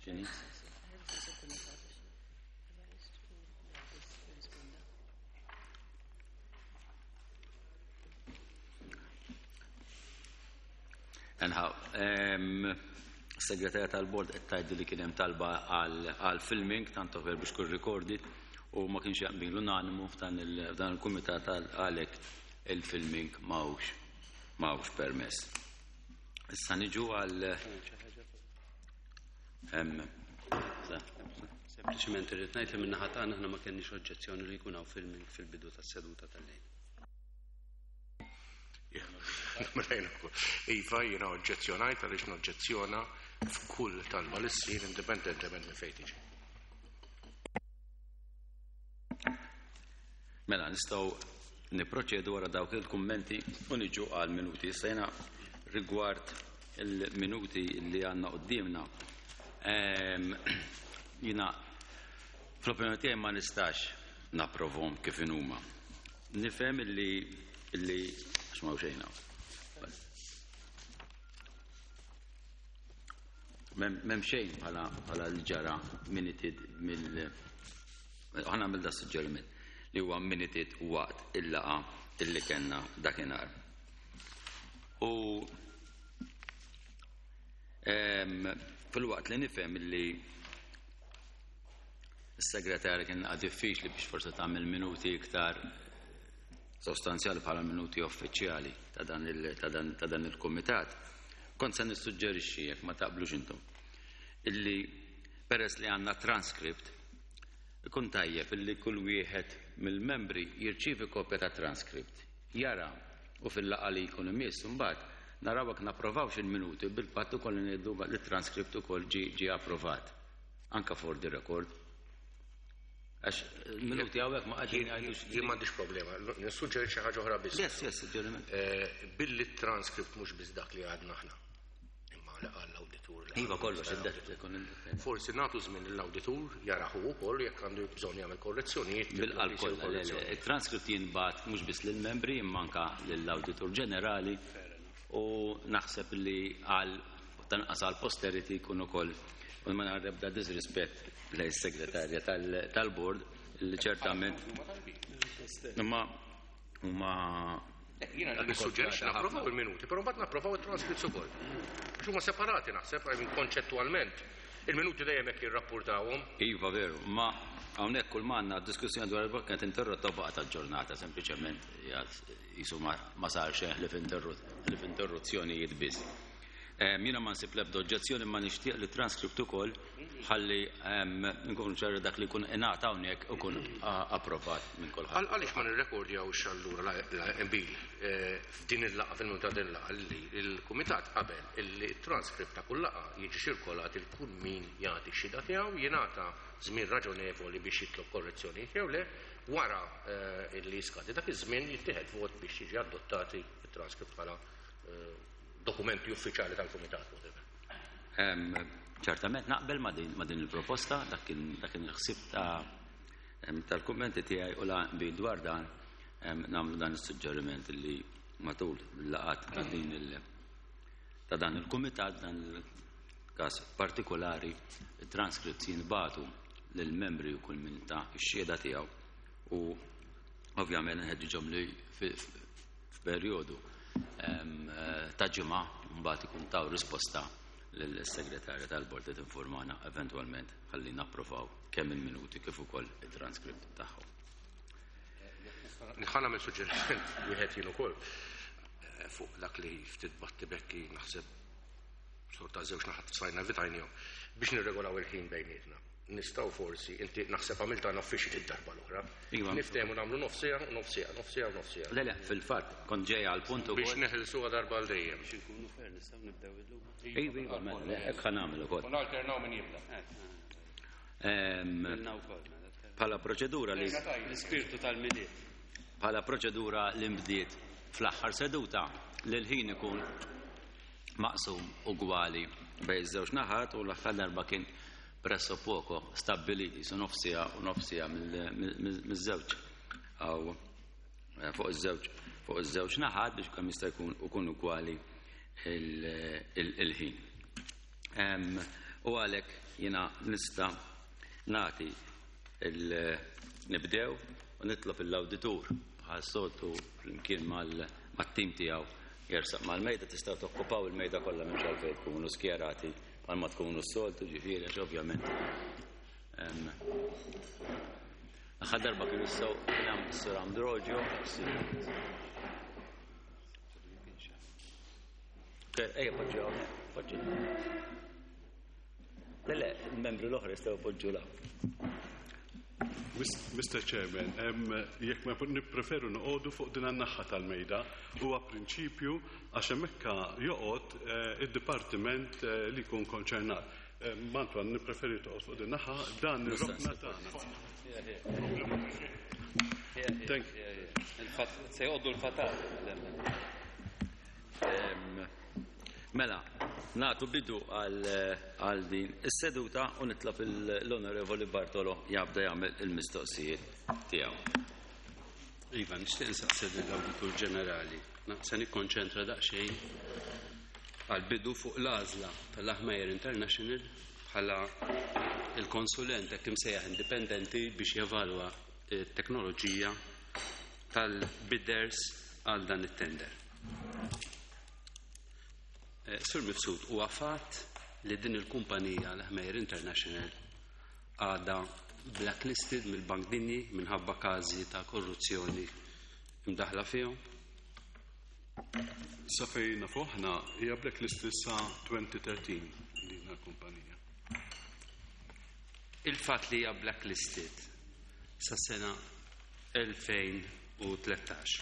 X'inhi? Anyhow, segretarja tal-bord qed tgħidli li kien hemm talba għal filming tant over biex kull recorded u ma kienx jaqbil unanimu f'dan il-kumitat għalhekk il-filming m'hawnx m'hawnx permess. Issa niġu għal Sempliċement irrid ngħid li min-naħa tagħna aħna ma kenniex oġġezzjoni li jkun hawn filming fil-bidu tas-seduta tal-lejl. Iva, jiena oġġezzjonajt għaliex noġġezzjona f'kull talba li ssir indipendentement minn fejn tiġi. Mela, nistgħu niproċedu wara dawk il-kummenti u niġu għal minuti. Issa jiena rigward il-minuti li għandna quddiemna. Jiena fl-opinjoni tiegħi ma nistax napprovhom kif inhuma. Nifhem illi illi għax ma xejn hawn. M'hemm xejn bħala bħala li ġara minuted mill ħa nagħmel da suġġeriment li huwa minuted waqt il-laqgħa illi kellna dakinhar. U fil-waqt li nifhem illi s-segretarja kien diffiċli biex forse tagħmel minuti iktar sostanzjali bħala minuti uffiċjali ta' dan il-kumitat. Kont se nissuġġerixxi jekk ma taqblux intom illi peress li għandna transcript ikun tajjeb illi kull wieħed mill-membri jirċievi kopja ta' transcript, jara u fil-laqgħa li jkun imiss imbagħad naraw jekk napprovawx il-minuti bil-patt ukoll li ngħidu li t-transcript ukoll ġie approvat anka for the record. Għax minuti hawnhekk ma qegħdin jgħidux. Jien m'għandix problema, nissuġġerixxi ħaġa oħra biss. Yes, suġġeriment. Billi t-transcript mhux biss dak li għadna aħna. Imma li qal l-awditur. Iva kollox, id-det Forsi nagħtu żmien lill-awditur jarahu wkoll jekk għandu bżonn jagħmel korrezzjonijiet. Bil-qalb kollha, le, le, il-transcript jinbagħat mhux biss lill-membri imma anka lill-awditur ġenerali u naħseb li għal tanqas għal posterity jkun ukoll u ma nara ebda disrispett lejn is-segretarja tal-bord li ċertament imma huma Jiena nissuġġerixxi napprovaw il-minuti, però mbagħad napprovaw it-transcripts ukoll. Għax huma separati naħseb, I mean konċettwalment. Il-minuti dejjem hekk jirrapportawhom. Iva veru, ma hawnhekk kull ma għandna diskussjoni dwar il-bord kienet interrotta u baqgħet aġġornata sempliċement jisu ma sar xejn ħlief interruzzjonijiet biss. Jiena ma nsib l-ebda oġġezzjoni ma nixtieq li transcript ukoll ħalli nkunu ċari dak li jkun ingħata hawnhekk ikun approvat minn kulħadd. Għaliex ma nirrekordjawx allura la qbil f'din il-laqgħa fil-minuta din il-laqgħa li l-kumitat qabel illi t-transcript ta' kull laqgħa jiġi ċirkolat il kull min jagħti x-xhieda tiegħu jingħata żmien raġonevoli biex jitlob korrezzjonijiet jew le wara illi jiskadi dak iż-żmien jittieħed vot biex jiġi adottati t-transcript bħala dokumenti uffiċjali tal-kumitat. Ċertament naqbel ma' din il-proposta, dak kien il-ħsieb tal-kummenti tiegħi u la bi dwar dan nagħmlu dan is-suġġeriment li matul il-laqgħat ta' din il ta' dan il-kumitat dan il-każ partikolari it-transcripts jinbagħtu lill-membri u kull min ta' x-xhieda tiegħu u ovvjament nħeġġiġhom li f'perjodu ta' ġimgħa mbagħad ikun taw risposta lill-segretarja tal-bord li tinformana eventwalment ħalli napprovaw kemm il-minuti kif ukoll it-transcript tagħhom. Ħa nagħmel suġġeriment wieħed jien ukoll fuq dak li ftit battibekki naħseb sorta żewġ naħat stajna evitajnihom biex nirregolaw il-ħin bejnietna. Nistgħu forsi, inti naħseb għamilta official id-darba l-oħra. Iva. Niftehmu nagħmlu nofsija, nofsija, nofsija, nofsija. Le, le, fil-fatt, kont ġej għal punt ukoll. Biex neħilsuha darba għal dejjem. Biex inkunu fair, nistgħu nibdew illum. Iva, iva, mela, le, hekk ħa nagħmel ukoll. U nalternaw min jibda. Ilna wkoll, mela, tkellem. Bħala proċedura li L-ispirtu tal-Milied. Bħala proċedura li nbdiet fl-aħħar seduta li l-ħin ikun maqsum ugwali bejn iż-żewġ naħat u l-aħħar darba kien presso poco stabbiliti su nofsija u nofsija miż-żewġ għaw fuq iż-żewġ fuq iż-żewġ naħat biex kemm jista' jkun ukun ugwali il-ħin. U għalhekk jiena nista' nagħti nibdew u nitlob l-awditur bħal soltu flimkien mat-tim tiegħu jersaq mal-mejda. Tistgħu tokkupaw il-mejda kollha, minn għalfejn tkunu skjerati bħalma tkunu s-soltu, ġifieri, għax ovvjament Aħħar darba kienu sew kien hemm is-Sur Ambrogio. Ejja, poġġu hawnhekk, poġġu. Le, le, il-membri l-oħra jistgħu poġġu la. Mr. Chairman, jekk ma nippreferu noqogħdu fuq din an-naħa tal-mejda, huwa prinċipju għax hemmhekk joqgħod id-dipartiment li jkun konċernat. Antoine, nippreferi toqgħod fuq din naħa, dan ir-rokna tagħna. Thank you. Se jgħoddu l-fatal. Mela, nagħtu bidu għal din is-seduta u nitlob l-Onorevoli Bartolo jabda jagħmel il-mistoqsijiet tiegħu. Iva, nixtieq insaqsi lill-Awditur Ġenerali. Se nikkonċentra daqsxejn għal-bidu fuq l-għażla tal-Lahmeyer International bħala il-konsulent hekk imsejjaħ indipendenti biex jevalwa t-teknoloġija tal-bidders għal dan it-tender. Sur Mifsud, huwa fatt li din il-kumpanija l-Lahmeyer International għadha blacklisted mill-Bank Dinji minħabba każi ta' korruzzjoni imdaħla fihom? Sa fejn nafu aħna, hija blacklisted sa 2013 din il-kumpanija. Il-fatt li hija blacklisted sa sena 2013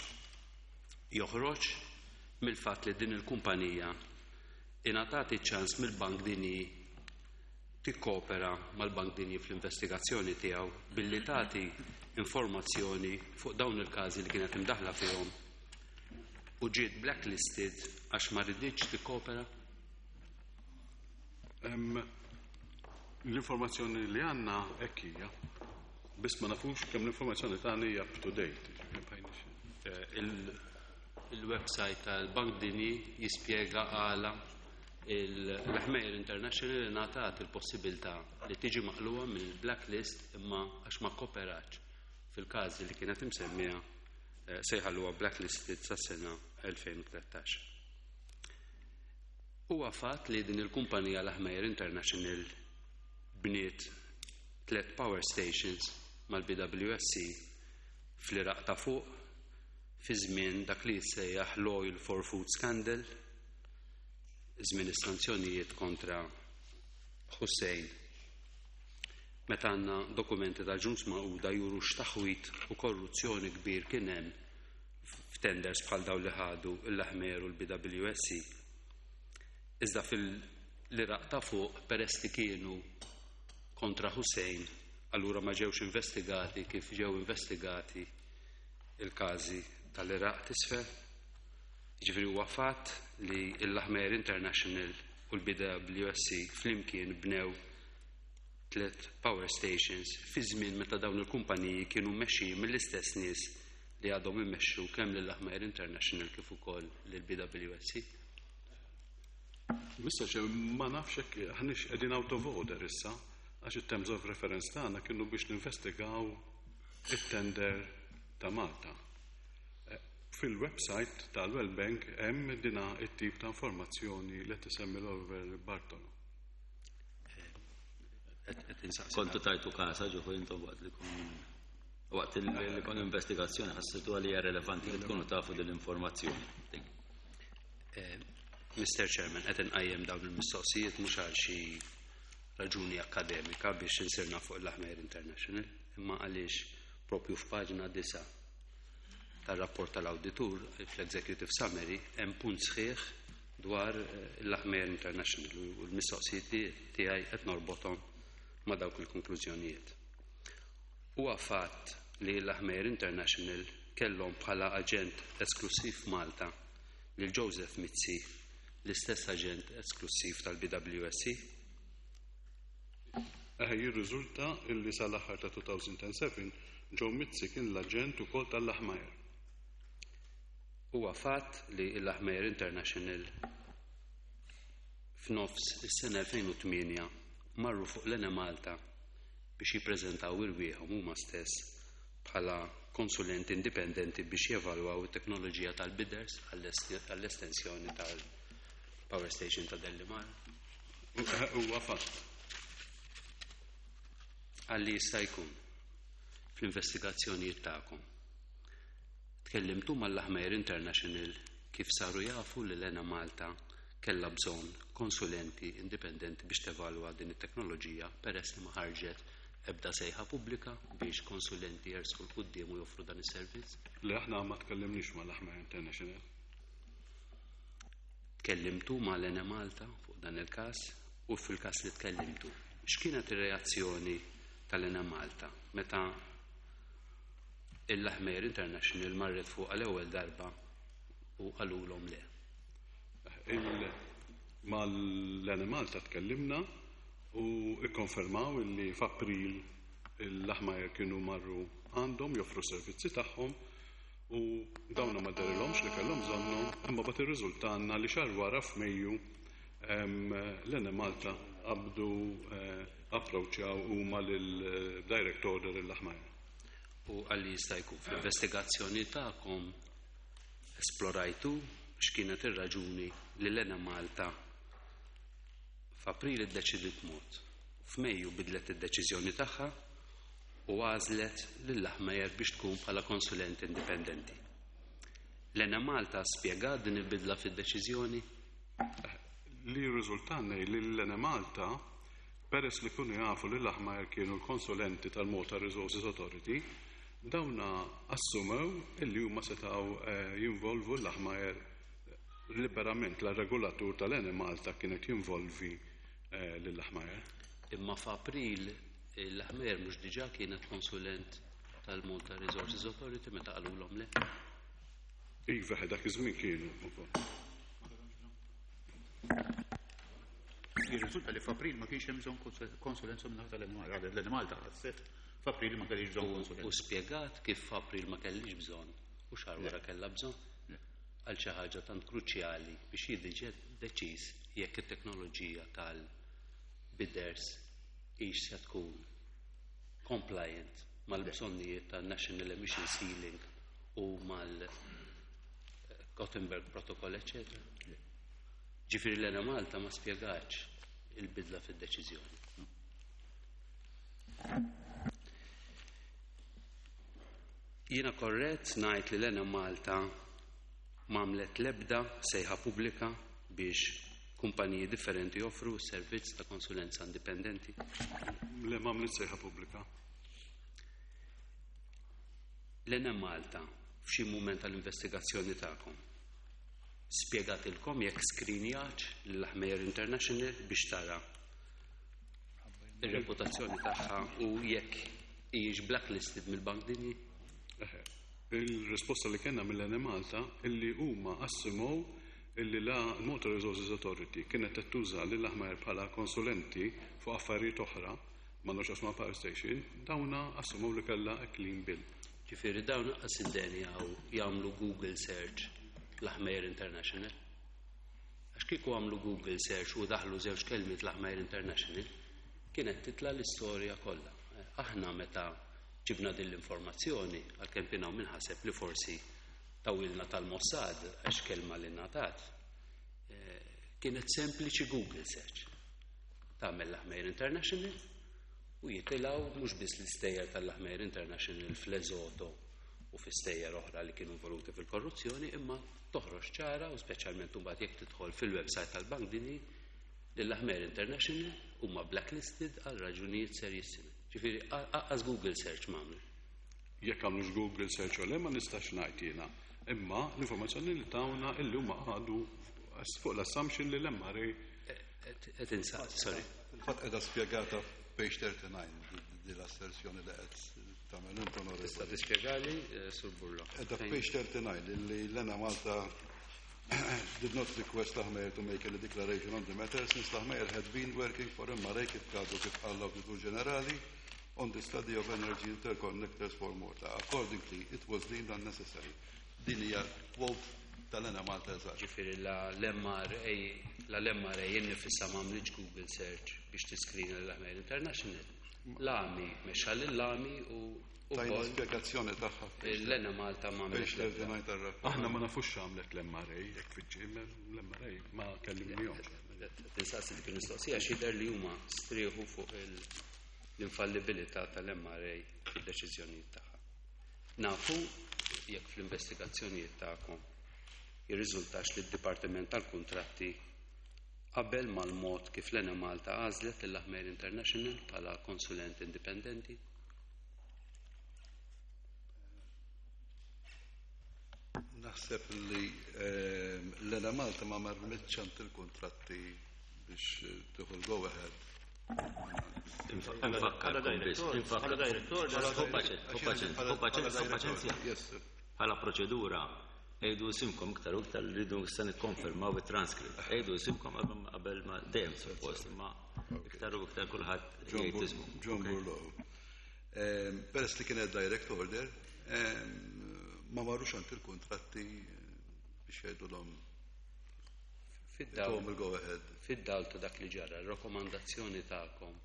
joħroġ mill-fatt li din il-kumpanija ingħatat iċ-ċans mill-Bank Dinji tikkopera mal-Bank Dinji fl-investigazzjoni tiegħu billi tagħti informazzjoni fuq dawn il-każi li kienet imdaħla fihom u ġiet blacklisted għax ma riditx tikkopera? L-informazzjoni li għandna hekk hija, biss ma nafux kemm l-informazzjoni tagħna hija up to date. Il-website tal-Bank Dinji jispjega għala l-Lahmeyer International ngħatat il-possibilità li tiġi maqluwa mill-blacklist, imma għax ma koperatx fil-każi li kienet imsemmija, se jħalluha blacklisted sa sena 2013. Huwa fatt li din il-kumpanija l-Lahmeyer International bniet tlet power stations mal-BWSC fl-Iraq ta' fuq fi żmien dak li jissejjaħ l-Oil for Food Scandal, żmien is-sanzjonijiet kontra Hussein, meta għandna dokumenti ta' Ġnus Magħquda juru x'taħwit u korruzzjoni kbir kien hemm f'tenders bħal dawn li ħadu l-Lahmeyer u l-BWSC. Iżda fil-Iraq ta' fuq, peress li kienu kontra Hussein, allura ma ġewx investigati kif ġew investigati il-każi tal-Iraq t'isfel. Ġifieri huwa fatt li l-Lahmeyer International u l-BWSC flimkien bnew tlet power stations fi żmien meta dawn il-kumpaniji kienu mmexxijin mill-istess nies li għadhom immexxu kemm lil Lahmeyer International kif ukoll lil BWSC. Mr. Chair, ma nafx hekk aħniex qegħdin out of order issa, għax it-terms of reference tagħna kienu biex ninvestigaw it-tender ta' Malta. Fil-website tal-World Bank hemm dina it-tip ta' informazzjoni li tisemmi l-Oliver Bartolo. Kontu tajtu kasa ġuħu intom waqt li kon investigazzjoni, ħassitu għalija hija relevanti li tkunu tafu dell-informazzjoni. Mr. Chairman, qed inqajjem dawn il-mistoqsijiet mhux għal xi raġuni akademika biex insirna fuq il-Lahmeyer International, imma għaliex propju f'paġna 9 tal-rapport tal-auditur fl-Executive Summary hemm punt sħiħ dwar il-Lahmeyer International u l-mistoqsijiet tiegħi qed norbothom ma' dawk il-konklużjonijiet. Huwa fatt li l-Lahmeyer International kellhom bħala aġent esklusiv Malta lil Joseph Mizzi, l-istess aġent esklusiv tal-BWSC? Jirriżulta illi sal-aħħar ta' 2007 Joe Mizzi kien l-aġent ukoll tal-Lahmeyer. Huwa fatt li l-Lahmeyer International f'nofs is-sena 2008 marru fuq l-Enemalta biex jippreżentaw irwieħhom huma stess bħala konsulenti indipendenti biex jevalwaw it-teknoloġija tal-bidders għall-estensjoni tal-power station ta' Dellimar? Huwa fatt. Għalli jista' jkun fl-investigazzjonijiet tagħkom. Tkellimtu mal-Lahmeyer International kif saru jafu li l-Enemalta kellha bżonn konsulenti indipendenti biex tevalwa din it-teknoloġija peress li ma ħarġet ebda sejħa pubblika biex konsulenti jersqu 'l quddiem u joffru dan is-servizz? Le, aħna ma tkellimniex mal-Lahmeyer International. Tkellimtu mal-Enemalta fuq dan il-każ u fil-każ li tkellimtu, x'kienet ir-reazzjoni tal-Enemalta meta il-Lahmeyer International marret fuq għal-ewwel darba u qalulhom le? Mal-Enemalta tkellimna u ikkonfermaw illi f'April il-Lahmeyer kienu marru għandhom joffru servizzi tagħhom u dawna ma derilhomx li kellhom bżonnhom, imma bat irriżultanna li xahar wara f'Mejju l-Enemalta qabdu approċċjaw huma lil-direct order il-Lahmeyer. U għalli jista' jkun fl-investigazzjoni tagħkom esplorajtu x'kienet ir-raġuni li l-Enemalta f'April iddeċidiet mod. F'Mejju bidlet id-deċiżjoni tagħha u għażlet lil Lahmeyer biex tkun bħala konsulent indipendenti. L-Enemalta spjegat din il-bidla fid-deċiżjoni? Li riżultanna li l-Enemalta, peress li kunu jafu li l-Lahmeyer kienu l-konsulenti tal-Malta Resources Authority, dawna assumew illi huma setgħu jinvolvu l-Lahmeyer liberament. La regolatur tal-Enemalta kienet jinvolvi lill-Lahmeyer. Imma f'April l-Lahmeyer mhux diġà kienet konsulent tal-Malta Resources Authority meta qalulhom le? Iva, dak iż-żmien kienu wkoll. Jirriżulta li f'April ma kienx hemm bżonn konsulenza minn tal-Enemalta. L-Enemalta ħasset f'April ma kellix bżonn konsulenza. U spjegat kif f'April ma kellix bżonn u xahar wara kellha bżonn għal xi ħaġa tant kruċjali biex jiġi deċiż jekk it-teknoloġija tal-bidders hix se tkun compliant mal-bżonnijiet tan-National Emission Ceiling u mal-Gothenburg Protocol, eccetera. Ġifieri l-Enemalta ma spjegax il-bidla fid-deċiżjoni. Jiena korrett ngħid li l-Enemalta m'għamlet l-ebda sejħa pubblika biex kumpaniji differenti joffru servizz ta' konsulenza indipendenti? Le, m'għamlet sejħa pubblika. L-Enemalta f'xi mument tal-investigazzjoni tagħkom spjegatilkom jekk skrinjax l-Lahmeyer International biex tara ir-reputazzjoni tagħha u jekk hijiex blacklisted mill-Bank Dinji? Il-risposta li kellna mill-Enemalta illi huma assumow illi la Malta Resources Authority kienet qed tuża lil Lahmeyer bħala konsulenti fuq affarijiet oħra m'għandux x'jaqsmu power station, dawna assumow li kellha a clean bill. Ġifieri dawn lanqas iddenjaw jagħmlu Google search Lahmeyer International. Għax kieku għamlu Google search u daħlu żewġ kelmiet Lahmeyer International, kienet titla l-istorja kollha. Aħna meta ġibna din l-informazzjoni, għalkemm kien hawn min ħaseb li forsi tawilna tal-Mossad għax kelma li ngħatat, kienet sempliċi Google search. Tagħmel Lahmeyer International u jitilgħu mhux biss l-istejjer tal-Lahmeyer International fl-Eżoto u fi stejjer oħra li kienu involuti fil-korruzzjoni, imma toħroġ ċara u speċjalment imbagħad jekk tidħol fil-website tal-Bank Dinji li l-Lahmeyer International huma blacklisted għal raġunijiet serjissimi. Ġifieri anqas Google search m'għamlu. Jekk għamlux Google search u le ma nistax ngħid jiena. Imma l-informazzjoni li tawna illi huma għadu fuq l-assumption li l-MRA Qed insaqsi, sorry. Fil-fatt qiegħda spjegata page 39 di l-asserzjoni li qed tagħmel int, onorevoli. Tista' tispjegali, Sur Burlo? Qiegħda page 39 illi l-Enemalta did not request Lahmeyer to make any declaration on the matter since Lahmeyer had been working for MRA kif għadu kif qal l-Awditur Ġenerali on the study of energy interconnectors for Malta. Accordingly, it was deemed unnecessary. Din hija quote tal-Enemalta eżatt. Ġifieri la l-MRA la l-MRA innifisha m'għamlitx Google search biex tiskrina lil Lahmeyer International. L-AMI mexxa lill-AMI u Tajna wkoll spjegazzjoni tagħha l-Enemalta m'għamlet page l-ebda. 39 tar-rapport. Aħna ma nafux x'għamlet l-MRA, jekk fiġġi, l-MRA ma kellimnihomx. Tinsaqsi dik il-mistoqsija x'jidher li huma strieħu fuq l-infallibilità tal-MRA fid-deċiżjonijiet tagħha. Nafu jekk fl-investigazzjonijiet tagħkom jirriżultax li d-Dipartiment tal-Kuntratti qabel mal-mod kif l-Enemalta għażlet lil Lahmeyer International bħala konsulent indipendenti. Naħseb li l-Enemalta ma marmitx għand il-kuntratti biex tieħu l-go ahead. Infakkarkom biss, Bħala direttur, paċenzja. Yes, sir. Bħala proċedura, ejdu isimkom iktar u iktar li rridu se nikkonfermaw it-transkript. Ejdu isimkom qabel ma dejjem suppost, imma iktar u iktar kulħadd John jgħid Bur- ismu. John Burlow. Peress li kienet direct order, ma marrux għand il-kontratti biex jgħidulhom Fid-dawl tuhom il-go ahead. Fid-dawl ta' dak li ġara, r-rakkomandazzjoni tagħkom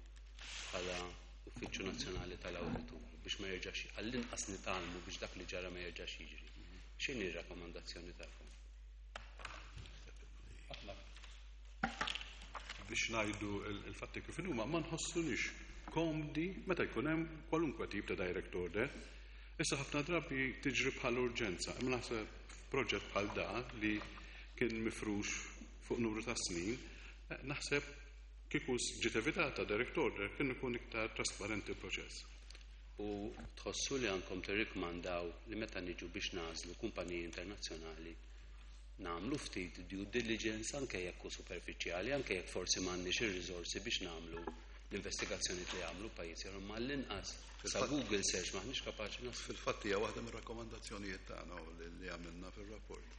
bħala Uffiċċju Nazzjonali tal-Awditur biex ma jerġax għall-inqas nitgħallmu biex dak li ġara ma jerġax jiġri. X'inhi r-rakkomandazzjoni tagħkom? Aħna biex ngħidu il-fatti kif huma ma nħossunix komdi meta jkun hemm kwalunkwe tip ta' direct order. Issa ħafna drabi tiġri bħal urġenza, imma naħseb f'proġett bħal da li kien mifrux fuq numru ta' snin, naħseb kieku ġiet evitata direct order kien ikun iktar trasparenti l-proċess. U tħossu li għandkom tirrikmandaw li meta niġu biex nagħżlu kumpaniji internazzjonali nagħmlu ftit due diligence anke jekk hu superfiċjali, anke jekk forsi m'għandniex ir-riżorsi biex nagħmlu l-investigazzjoni li jagħmlu pajjiżi oħra, imma l-inqas sa Google search m'aħniex kapaċi naslu. Fil-fatt hija waħda mir-rakkomandazzjonijiet tagħna u li għamilna fir-rapport.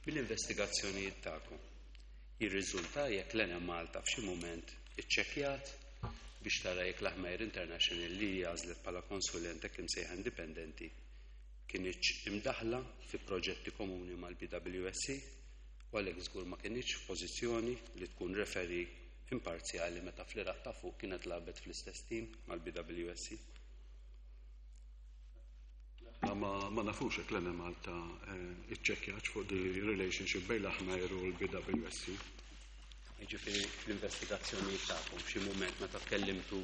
Mill-investigazzjonijiet tagħkom jirriżulta jekk l-Enemalta f'xi mument iċċekkjat biex tara jekk l-Lahmeyer International li għażlet bħala konsulent hekk imsejħa indipendenti kinitx imdaħla fi proġetti komuni mal-BWSC u għalhekk żgur ma kinitx f'pożizzjoni li tkun referee imparzjali meta fl-Iraq ta' fuq kienet lagħbet fl-istess tim mal-BWSC. Ma, ma nafux hekk l-Enemalta iċċekkjatx fuq di relationship bejn l-Lahmeyer u l-BWSC. Jiġifieri fl-investigazzjoni tagħkom f'xi mument meta tkellimtu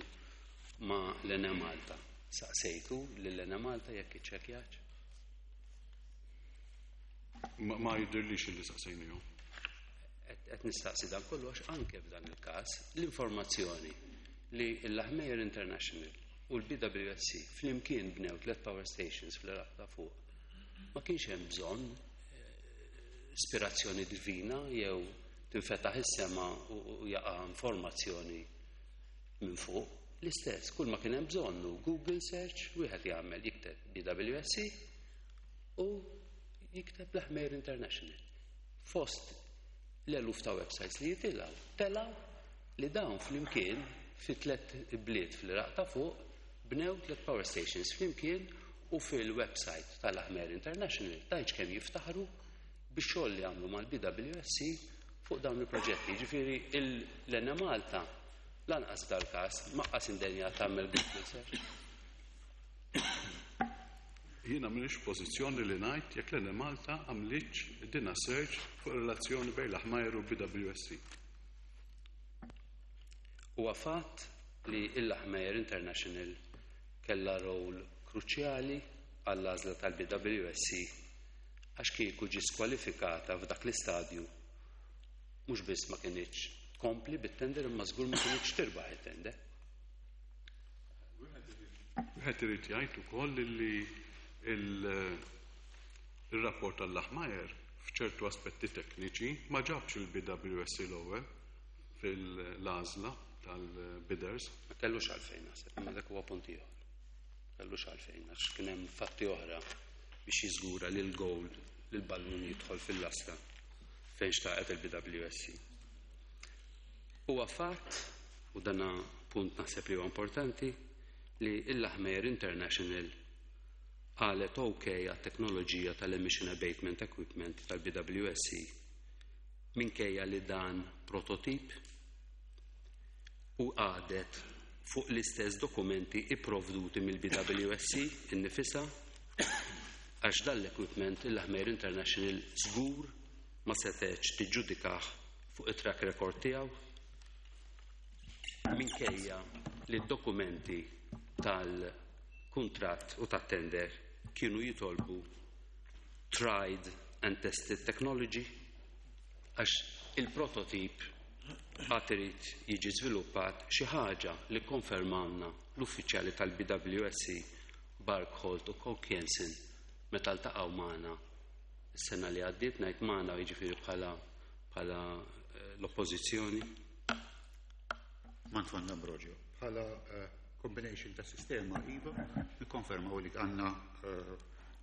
ma' l-Enemalta, saqsejtu lill-Enemalta jekk iċċekkjatx? Ma jidhirlix li saqsejnihom. Qed nistaqsi dan kollu għax anke f'dan il-każ l-informazzjoni li l-Lahmeyer International u l-BWSC flimkien bnew tliet power stations fl-Iraq ta' fuq. Ma kienx hemm bżonn ispirazzjoni divina jew tinfetaħ is-sema u jaqa' informazzjoni minn fuq. L-istess, kull ma kien hemm bżonn hu Google search, wieħed jagħmel jikteb BWSC u jikteb l-Lahmeyer International. Fost l-eluf ta' websites li jitilgħu, telgħu li dawn flimkien fi tliet bliet fl-Iraq ta' fuq bnew tliet power stations flimkien u fil-website tal-Lahmeyer International tajċ kemm jiftaħru bix-xogħol li għamlu mal-BWSC fuq dawn il-proġetti. Ġifieri l-Enemalta lanqas dal-każ maqqas indenja tagħmel Google search. Jiena m'iniex pożizzjoni li ngħid jekk l-Enemalta għamlitx dina search fuq relazzjoni bejn l-Lahmeyer u BWSC. Huwa fatt li l-Lahmeyer International kellha rol kruċjali għall-għażla tal-BWSC għax kieku ġie skwalifikata f'dak l-istadju mhux biss ma kinitx tkompli bit-tender imma żgur ma kinitx tirbaħ it-tender. Wieħed irid jgħid ukoll li il-rapport tal-Lahmeyer f'ċertu aspetti tekniċi ma ġabx il-BWSC l-ewwel fil-għażla tal-bidders. Ma kellux għalfejn naħseb, imma dak huwa punt ieħor. Kellux għalfejn għax kien hemm fatti oħra biex jiżgura li l-goal li l-ballun jidħol fil-lasta fejn xtaqet il-BWSC. Huwa fatt, u dana punt naħseb li huwa importanti, li l-Lahmeyer International Qalet ok għat-teknoloġija tal-Emission Abatement Equipment tal-BWSC minkejja li dan prototip u qagħdet fuq l-istess dokumenti ipprovduti mill-BWSC innifisha għax dan l-equipment il-Lahmeyer International żgur ma setgħetx tiġġudikah fuq it-track record tiegħu minkejja li d-dokumenti tal-kuntratt u tat-tender kienu jitolbu tried and tested technology għax il-prototip għad irid jiġi żviluppat, xi ħaġa li kkonfermawlna l-uffiċjali tal-BWSC Barkholt u Koch Jensen meta ltaqgħu magħna s-sena li għaddiet, ngħid magħna jiġifieri bħala bħala l-Oppożizzjoni. Manfond Ambrogio, bħala combination ta' sistema iva, nikkonfermaw li għandna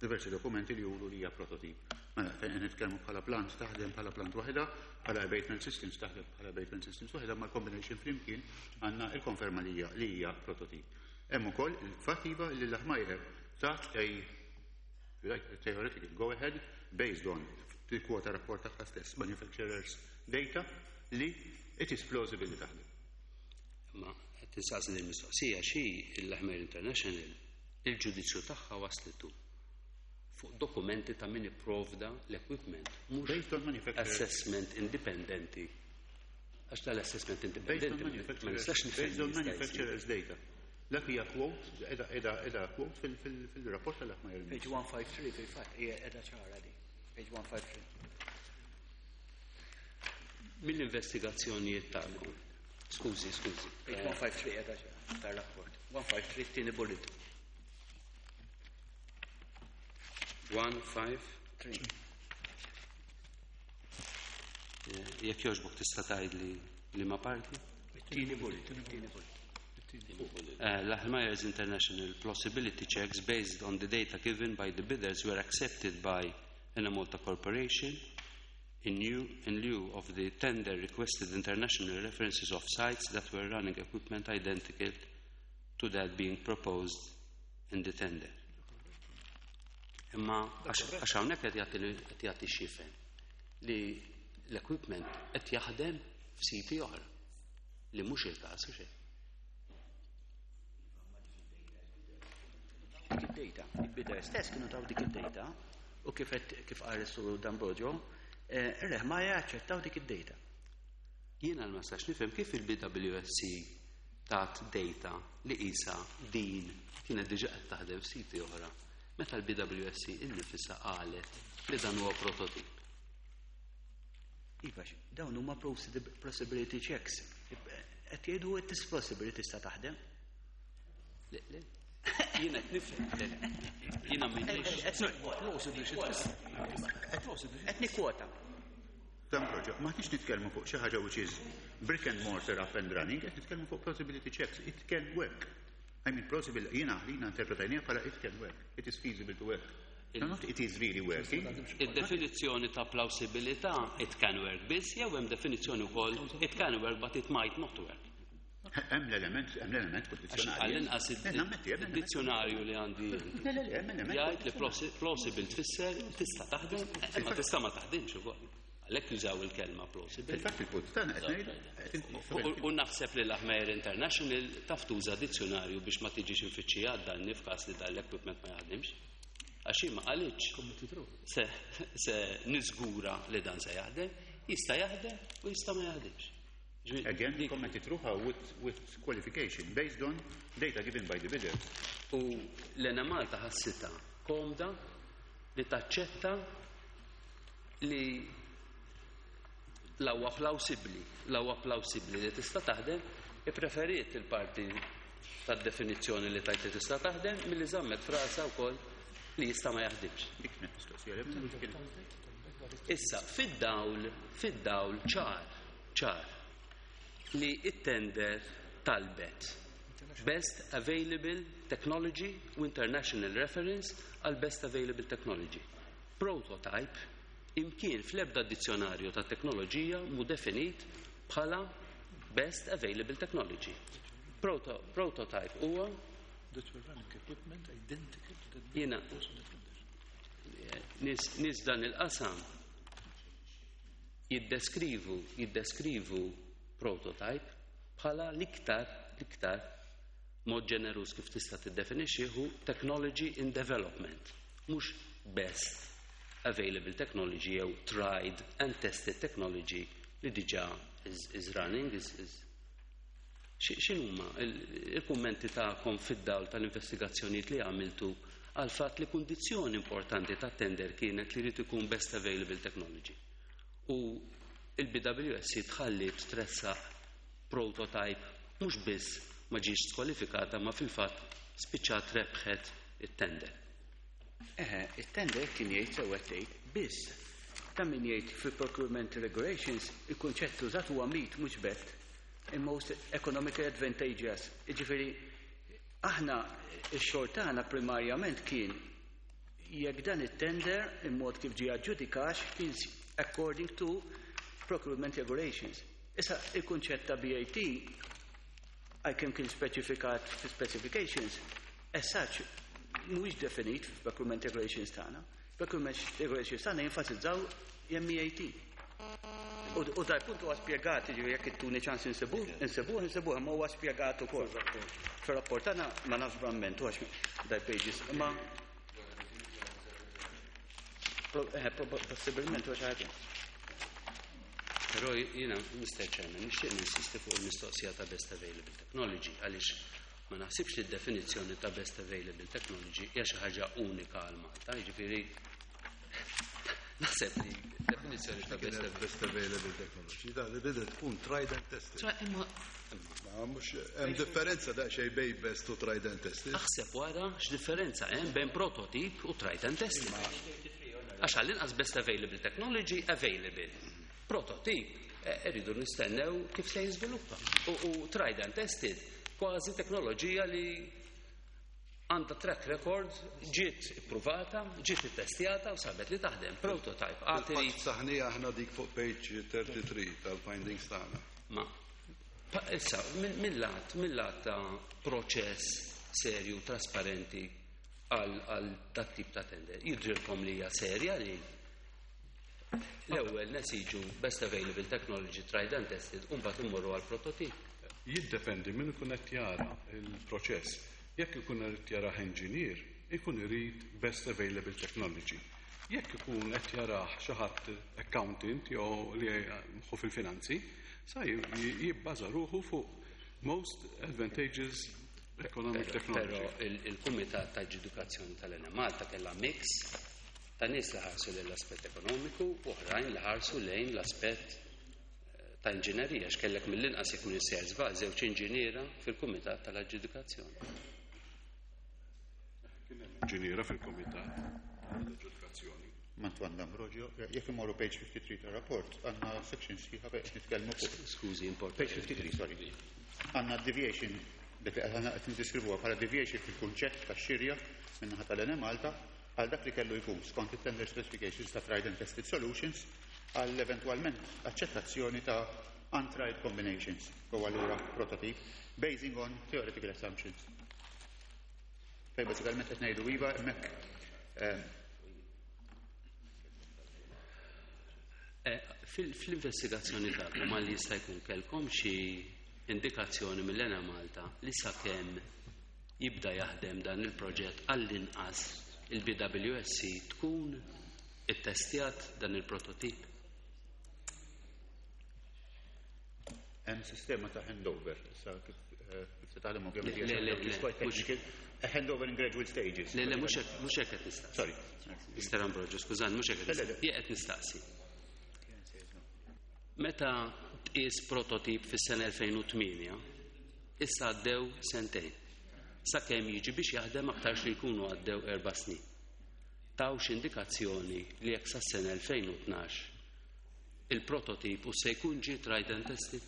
diversi dokumenti li juru li hija prototip. Mela, fejn qed nitkellmu bħala plant taħdem bħala plant waħedha, bħala abatement systems taħdem bħala abatement systems waħedha, ma' combination flimkien għandna il-konferma li hija li hija prototip. Hemm ukoll il-fatt iva li l-Lahmeyer tat a theoretical go ahead based on il-kwota rapport tagħha stess, manufacturers data, li it is plausible li taħdem. Ma qed tinsaqsi din mistoqsija xi l-Lahmeyer International il-ġudizzju tagħha waslitu fuq dokumenti ta' min ipprovda l-equipment, mhux Based on manufacturers. assessment indipendenti. Għax tal-assessment Based on indipendenti ma manufacturers, nistax nifhem based on li jista' jsir. manufacturers data. Dak hija quote, edha quote fil-rapport tal-Lahmeyer. Page 153 fil-fatt hija edha ċara di. Page 153. Mill-investigazzjonijiet tagħkom. Skużi, skużi. Page 153 edha ċara tar-rapport. 153 tieni bullet. 1, 5, 3. Jekk jogħġbok tista' tgħidli liema parti? Tieni bullet, tieni bullet. Lahmeyer's International plausibility checks based on the data given by the bidders were accepted by Enemalta Corporation in lieu of the tender requested international references of sites that were running equipment identical to that being proposed in the tender. Imma għax hawnhekk qed jagħti x'jifhem li l-equipment qed jaħdem f'siti oħra li mhux il-każ u xejn. Dik id-data, il-bidder stess kienu taw dik id-data u kif kif qal is-Sur D'Ambrogio, ir-Lahmeyer aċċettaw dik id-data. Jiena ma nistax nifhem kif il-BWSC tat data li isa din kienet diġà qed taħdem f'siti oħra meta l-BWSC innifisha qalet li dan huwa prototip. Iva, dawn huma plausibility checks. Qed jgħidu it is possible li tista' taħdem. Le, le. Jiena qed nifhem, le, le. Jiena m'inix. Qed nikkwota. D'Ambrogio, ma tix nitkellmu fuq xi ħaġa which is brick and mortar up and running, qed nitkellmu fuq plausibility checks. It can work. I mean, plausible, jiena jiena interpretajniha bħala it can work. It is feasible to work. No, not it is really working. Id-definizzjoni ta' plausibilità it can work biss, jew hemm definizzjoni wkoll it can work but it might not work. Hemm l-element kondizzjonali. Għall-inqas Nammetti, hemm l-element. id-dizzjonarju li għandi Le, le, le, hemm l-element. jgħid li plausible tfisser tista' taħdem, imma tista' ma taħdimx ukoll. Għalhekk jużaw il-kelma plausible. Fil-fatt il-punt tagħna qed ngħidu U naħseb li l-Lahmeyer International taf tuża dizzjonarju biex ma tiġix infittxija danni f'każ li dan l-equipment ma jaħdimx. Għax hi ma qalitx se niżgura li dan se jaħdem, jista' jaħdem u jista' ma jaħdimx. Again, committed ruħha with qualification based on data given by the bidders. U l-Enemalta ħassitha komda li taċċetta li l-aqwa plawsibbli li tista' taħdem, ippreferiet il-parti tad-definizzjoni li tajt li tista' taħdem milli żammet f'rasha wkoll li jista' ma jaħdimx. Dik kienet mistoqsija li kienet. Issa, fid-dawl ċar, li it-tender talbet best available technology u international reference għal best available technology. Prototype imkien fl-ebda dizzjonarju ta' teknoloġija mu definit bħala best available technology. Prototype huwa that were running equipment identical to that Jiena also that condition. Nies dan il-qasam jiddeskrivu prototype bħala l-iktar mod ġenerus kif tista' tiddefinixxi hu technology in development, mhux best available technology jew tried and tested technology li diġà is running is. X'inhuma il-kummenti tagħkom fid-dawl tal-investigazzjonijiet li għamiltu għal fatt li kundizzjoni importanti ta' tender kienet li jrid ikun best available technology? U il-BWSC tħallit tressaq prototype, mhux biss ma ġiex skwalifikata, ma fil-fatt spiċċat rebħet it-tender. Eħe, it-tender kien jgħid sewwa tgħid, biss ta' min jgħid fil-procurement regulations il-kunċett użat huwa MEAT, mhux BET, il-most economically advantageous. Jiġifieri aħna x-xogħol tagħna primarjament kien jekk dan it-tender il-mod kif ġie aġġudikax kien according to procurement regulations. Issa il-kunċett ta' BAT, għalkemm kien speċifikat fi specifications, as such mhuwiex definit f'procurement regulations tagħna. Procurement regulations tagħna jenfasizzaw MEAT. U dal punt huwa spjegat, jiġifieri jekk ittuni ċans insibuh, insibuh, insibuh, imma huwa spjegat ukoll. Fir-rapport tagħna ma nafx bramment għax dal pages, imma possibilment huwa xi ħaġa. Però jiena, Mr. Chairman, nixtieq ninsisti fuq il-mistoqsija ta' best available technology, għaliex ma naħsibx li d-definizzjoni ta' best available technology hija xi ħaġa unika għal Malta, jiġifieri naħseb li definizzjoni ta' best available Best available technology, da li bidet tkun tried and tested. Imma Ma mhux hemm differenza daqsxejn bejn best u tried and tested. Aħseb wara x'differenza hemm bejn prototype u tried and tested. Għax għall-inqas best available technology available. Prototype irridu nistennew kif se jiżviluppa. U tried and tested kważi teknoloġija li għandha track record, ġiet ippruvata, ġiet ittestjata u sabet li taħdem. Prototype, għad irid. Saħnija aħna dik fuq page 33 tal-findings tagħna. Ma issa, mill-lat ta' proċess serju, trasparenti għal dat tip ta' tender, jidrilkom li hija serja li l-ewwel nesiġu best available technology tried and tested u mbagħad immorru għal prototip? Jiddependi minn ikun qed jara il-proċess. Jekk ikun qed jara engineer, ikun irid best available technology. Jekk ikun qed jarah xi ħadd accountant jew li hu fil-finanzi, sa jibbaża ruħu fuq most advantageous economic technology. Però il-Kumitat ta' Aġġudikazzjoni tal-Enemalta kellha mix ta' nies li ħarsu lejn l-aspett ekonomiku u oħrajn li ħarsu lejn l-aspett ta' inġinerija, x'kellek mill-inqas, jekk minn sejjer żball, żewġ inġiniera fil-Kumitat tal-Aġġudikazzjoni. Kien hemm inġiniera fil-Kumitat tal-Aġġudikazzjoni. Antoine D'Ambrosio, jekk imorru page 53 ta' rapport, għandna section sħiħa fejn qed nitkellmu fuq. Skużi, important. Page 53, sorry. Għandna deviation, dik li għandna qed niddeskrivuha bħala deviation fil-kunċett tax-xirja min-naħa tal-Enemalta għal dak li kellu jkun skont it-tender specifications ta' tried and tested solutions għal eventualment accettazzjoni ta' untried combinations, u allura prototype, basing on theoretical assumptions. Fej bażikament qed ngħidu iva hemmhekk. Fil-investigazzjoni tagħkom għal jista' jkun kellkom xi indikazzjoni mill-Enemalta li sakemm jibda jaħdem dan il-proġett għall-inqas il-BWSC tkun ittestjat dan il-prototip? Hemm sistema ta' handover, issa kif se taħdem ovvjament Le, le, le, hija quite le, mhux technical. A handover in gradual stages. Le, le, mhux hekk qed nistaqsi. Sorry. Mr. Ambrogio, skużani, mhux hekk qed Le, le, le. nistaqsi. Jien qed nistaqsi. Meta tqies prototip fis-sena 2008, issa għaddew sentejn. Sakemm jiġi biex jaħdem aktarx li jkunu għaddew 4 snin. Tawx indikazzjoni li jekk sas-sena 2012 il-prototip u se jkun ġie tried and tested?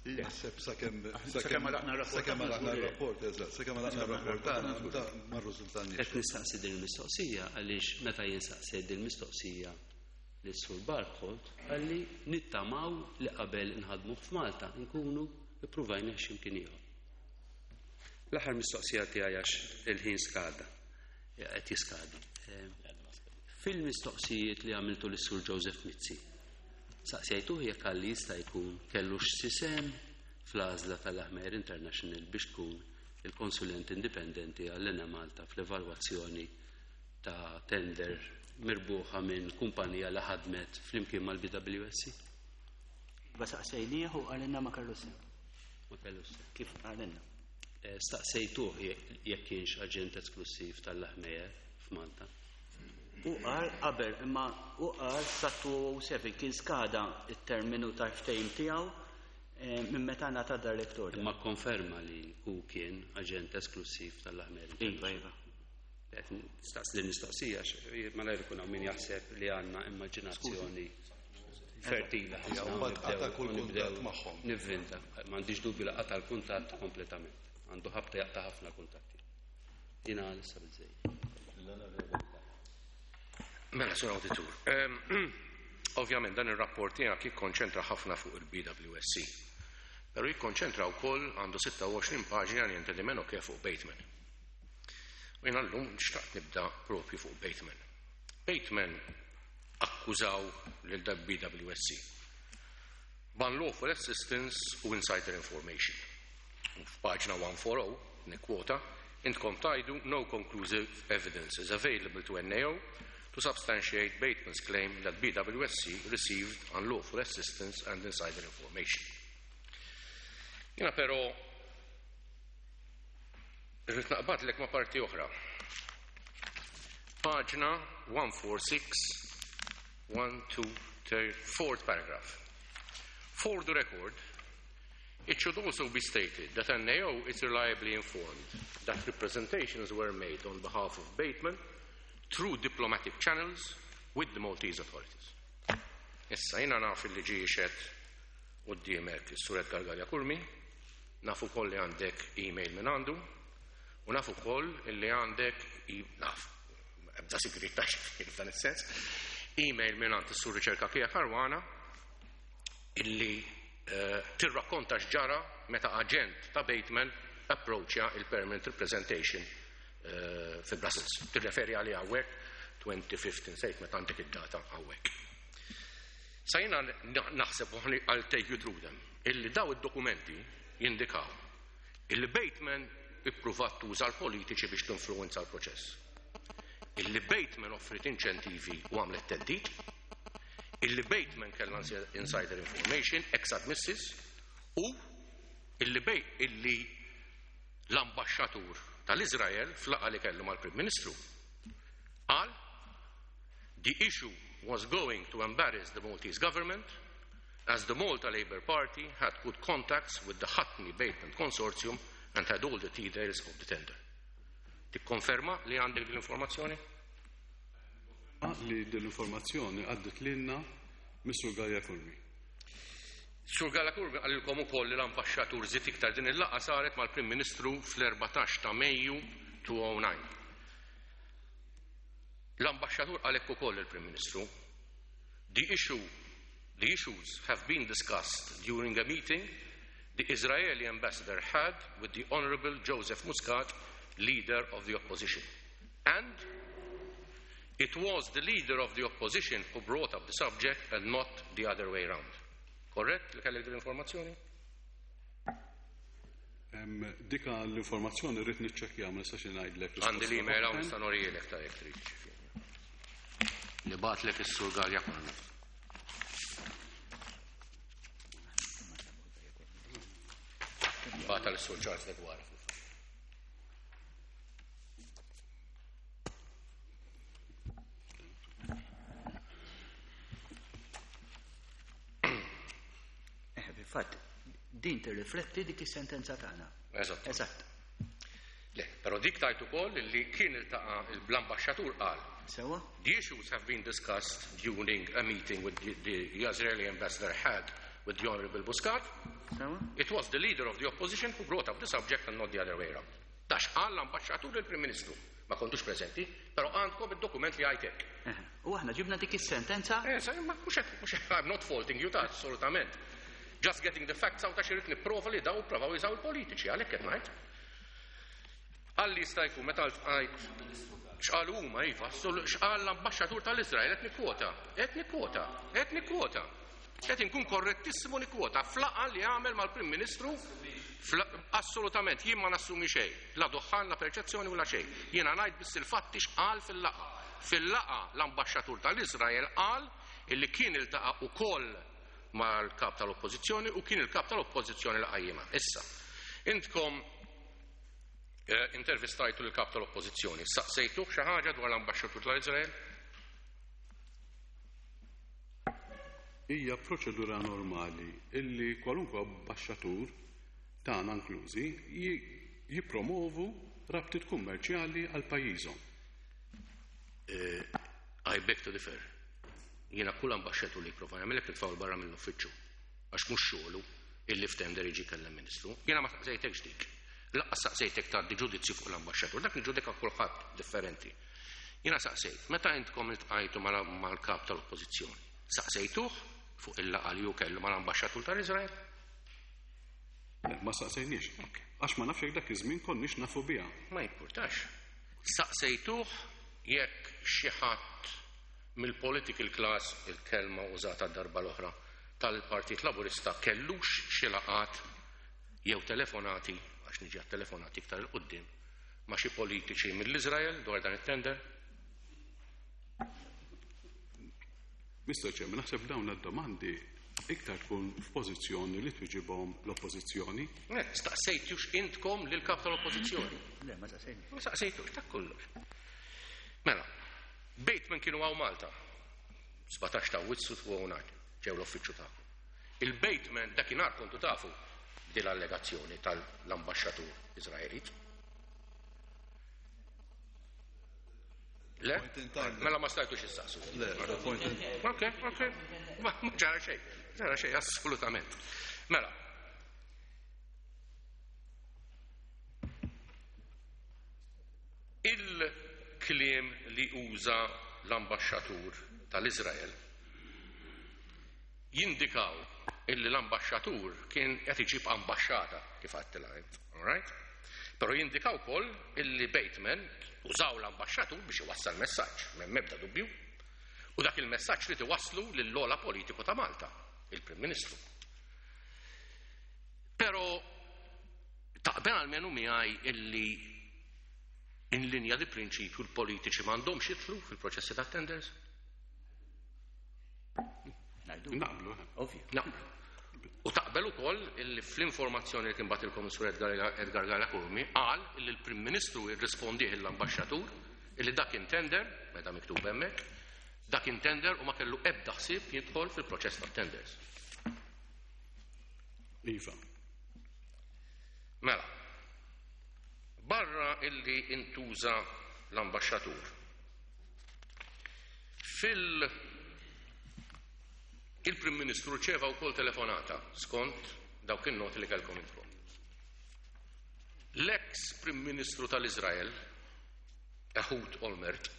Le. Naħseb sakemm Sakemm għalaqna r-rapport sakemm tagħna għalaqna żgur li. r-rapport, eżatt, sakemm għalaqna r-rapport tagħna, da ma rriżultanniex. Qed nistaqsi din il-mistoqsija għaliex meta jien saqsejt din il-mistoqsija lis-Sur Barkholt qalli nittamaw li qabel nħadmu f'Malta nkunu ippruvajna x'imkien ieħor. L-aħħar mistoqsija tiegħi għax il-ħin skada. Qed jiskadi. Fil-mistoqsijiet li għamiltu lis-Sur Joseph Mizzi, saqsejtuh jekk għalli jista' jkun kellu xi sehem fl-għażla tal-Lahmeyer International biex tkun il-konsulent indipendenti għall-Enemalta fl-evalwazzjoni ta' tender mirbuħa minn kumpanija li ħadmet flimkien mal-BWSC? Iva saqsejnieh u qalilna ma kellu sehem. Ma kellu sehem. Kif qalilna. Staqsejtuh jekk kienx aġent esklussiv tal-Lahmeyer f'Malta. U qal qabel imma u qal sa 2007 kien skada it-terminu ta' ftehim tiegħu minn meta ngħata direct order. Imma konferma li hu kien aġent esklussiv tal-Lahmeyer. Iva, iva. Staqs din mistoqsija malajr ikun hawn min jaħseb li għandna immaġinazzjoni fertila ħafna. Mbagħad qata' kull kuntatt magħhom. Nivvinta, m'għandix dubju li qata' l-kuntatt kompletament. Għandu ħabta jaqta' ħafna kuntatti. Jiena issa biżejjed. Mela, Sur Auditur, ovvjament dan ir-rapport tiegħek jikkonċentra ħafna fuq il-BWSC. Però jikkonċentra wkoll għandu 26 paġna niente di meno che fuq Bateman. U jiena llum xtaqt nibda propju fuq Bateman. Bateman akkużaw lil BWSC. B'unlawful assistance u insider information. U f'paġna 140, nikkwota, intkom tgħidu no conclusive evidence is available to NAO to substantiate Bateman's claim that BWSC received unlawful assistance and insider information. Jiena però irrid naqbadlek ma' parti oħra. Paġna 146, 1, 2, 3, fourth paragraph. For the record, it should also be stated that NAO is reliably informed that representations were made on behalf of Bateman through diplomatic channels with the Maltese authorities. Issa, jiena naf li ġie jixhed quddiemek is-Sur Edgar Galea Curmi, naf ukoll li għandek email minn għandu, u naf ukoll li għandek, naf, ebda sigrit ta' f'dan is-sens, email minn għand is-Sur Richard Cachia Caruana illi tirrakkonta x'ġara meta aġent ta' Bateman approachja il-permanent representation fi Brussels. Tirreferi għalih hawnhekk 2015 sejt meta għandek id-data hawnhekk. Sa jiena naħseb u I'll take you through them, illi daw id-dokumenti jindikaw illi Bateman ippruvat tuża l-politiċi biex tinfluwenza l-proċess. Illi Bateman offrit inċentivi u għamlet theddid, illi Bateman kellha insider information, ex admissis, u illi illi l-ambasċatur tal-Izrael f'laqgħa li kellu mal-Prim Ministru qal the issue was going to embarrass the Maltese government as the Malta Labour Party had good contacts with the Hutney Bateman Consortium and had all the details of the tender. Tikkonferma li għandek din l-informazzjoni? Li din l-informazzjoni għaddit lilna Mr. Galea Curmi. Sur Galea Curmi qalilkom ukoll li l-ambasċatur żied iktar din il-laqgħa saret mal-Prim Ministru fl-14 ta' Mejju 2009. L-ambasċatur qalek ukoll il-Prim Ministru the issues have been discussed during a meeting the Israeli ambassador had with the Honorable Joseph Muscat, leader of the opposition. And it was the leader of the opposition who brought up the subject and not the other way round. Correct? Li kellek l-informazzjoni? Dika l-informazzjoni rrid niċċekkja, ma nistax ngħidlek. Għandi l-email hawn, nista' norijielek ta' jekk trid. Li bagħatlek is-Sur Galea Curmi. Bagħatha lis-Sur Charles Deguara. Fil-fatt, din tirrifletti dik is-sentenza tagħna. Eżatt. Eżatt. Le, però dik tajt ukoll li kien iltaqa' l-ambaxxatur qal. Sewa? The issues have been discussed during a meeting with the Israeli ambassador had with the Honorable Muscat. Sewa? It was the leader of the opposition who brought up the subject and not the other way around. Dax qal l-ambaxxatur il-Prim Ministru. Ma kontux preżenti, però għandkom id-dokument li għajtek. U aħna ġibna dik is-sentenza? Sa, ma mhux hekk, mhux hekk, I'm not faulting you ta' assolutament. Just getting the facts out għax irrid nipprova li daw provaw jużaw il-politiċi, għalhekk qed ngħid. Qal li jista' jkun meta ltqajt x'qalu huma iva, x'qal l-ambaxxatur tal-Iżrael qed nikkwota, qed nikkwota, qed nikkwota. Qed inkun korrettissimu nikkwota f'laqgħa li għamel mal-Prim Ministru assolutament jien ma nassumi xejn, la duħħan, la perċezzjoni u la xejn. Jiena ngħid biss il-fatti x'qal fil-laqgħa. Fil-laqgħa l-ambaxxatur tal-Iżrael qal illi kien iltaqa' ukoll mal-kap tal-Oppożizzjoni u kien il-kap tal-Oppożizzjoni li qajjimha. Issa, intkom intervistajtu lill-kap tal-Oppożizzjoni, saqsejtuh xi ħaġa dwar l-ambaxxatur tal-Iżrael? Hija proċedura normali illi kwalunkwe ambaxxatur, tagħna inklużi, jippromovu rabtiet kummerċjali għal pajjiżhom. I beg to differ. Jiena kull ambaxxatur li jipprova jagħmel hekk nitfgħu 'l barra mill-uffiċċju għax mhux xogħlu illi f'tender jiġi jkellem ministru. Jiena ma saqsejtekx dik. Lanqas saqsejtek tgħaddi ġudizzju fuq l-ambaxxatur. Dak niġġudika kulħadd differenti. Jiena saqsejt, meta intkom iltqajtu mal-kap tal-Oppożizzjoni, saqsejtuh fuq il-laqgħa li hu kellu mal-ambaxxatur tal-Iżrael? Le, ma saqsejniex. Għax ma nafx jekk dak iż-żmien konniex nafu biha. Ma jimpurtax. Saqsejtuh jekk xi ħadd mill-political class, il-kelma użata d-darba l-oħra, tal-Partit Laburista kellux xi laqgħat jew telefonati, għax niġi għat-telefonati iktar 'il quddiem, ma' xi politiċi mill-Iżrael dwar dan it-tender? Mister Chairman, naħseb dawn id-domandi iktar tkun f'pożizzjoni li twiġibhom l-Oppożizzjoni. Le, staqsejtux intkom lill-Kap tal-Oppożizzjoni? Le, ma staqsejniex. Ma staqsejtux, dak kollox. Mela, Bateman kienu hawn Malta, 17 ta' Awwissu 2009, ġew l-uffiċċju tagħkom. Il-Bateman dakinhar kontu tafu b'din l-allegazzjoni tal-ambaxxatur Iżraelit. Le? Mela ma stajtux issaqsu. Le, point in Ok, ok. Ma ġara xejn, ġara xejn, assolutament. Mela. Il-kliem li uża l-ambaxxatur tal-Iżrael jindikaw illi l-ambaxxatur kien qed iġib ambaxxata, kif għedtilha int, all right? Però jindika wkoll illi Bateman użaw l-ambaxxatur biex iwassal messaġġ, m'hemm ebda dubju. U dak il-messaġġ ried iwasslu lill-ogħla politiku ta' Malta, il-Prim Ministru. Però taqbel almenu miegħi illi in linja di prinċipju l-politiċi m'għandhomx jidħlu fil-proċessi tat-tenders? Naqblu. Ovvju. Naqblu. U taqbel ukoll illi fl-informazzjoni li kien bagħtilkom is-Sur Edgar Galea Curmi qal illi l-Prim Ministru irrispondih l-Ambaxxatur illi dak kien tender, meta miktub hemmhekk, dak kien tender u ma kellu ebda ħsieb jidħol fil-proċess tat-tenders. Iva. Mela, barra illi intuża l-ambaxxatur, fil- Il-Prim Ministru rċeva wkoll telefonata skont dawk in-noti li kellkom intkom. L-eks Prim Ministru tal-Iżrael, Ehud Olmert,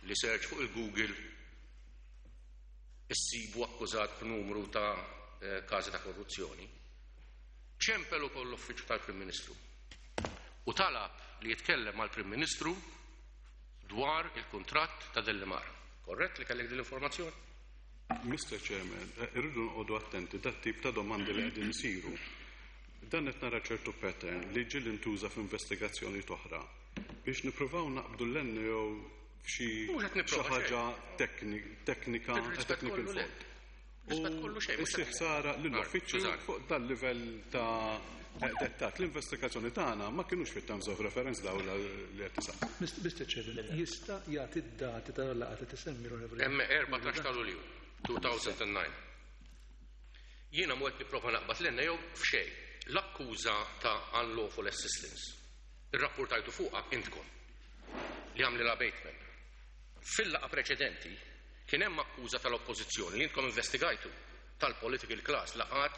li search fuq il-Google issibu akkużat b'numru ta' każi ta' korruzzjoni, ċempel ukoll l-uffiċċju tal-Prim Ministru u talab li jitkellem mal-Prim Ministru dwar il-kuntratt ta' Dellimar. Korrett li kellek din l-informazzjoni? Mister Chairman, irridu noqogħdu attenti dat-tip ta' domandi li qegħdin isiru. Dan qed nara ċertu pattern li ġieli ntuża f'investigazzjoni oħra biex nippruvaw naqbdu l-NAO f'xi xi ħaġa teknika, technical fault. U issir ħsara lill-uffiċċju fuq dal-livell ta' dettat. L-investigazzjoni tagħna ma kinux fit-terms of reference dawn li qed tisaqsi. Mr. Chairman, jista' jagħti d-dati tal-laqgħa li tisemmi l-Onorevoli? Hemm 14 ta' Lulju 2009. Jiena mhu qed nipprova naqbad l-NAO f'xejn. L-akkuża ta' unlawful assistance irrappurtajtu fuqha intkom li għamlilha Bateman. Fil-laqgħa preċedenti kien hemm akkuża tal-Oppożizzjoni li intkom investigajtu tal-political class, laqgħat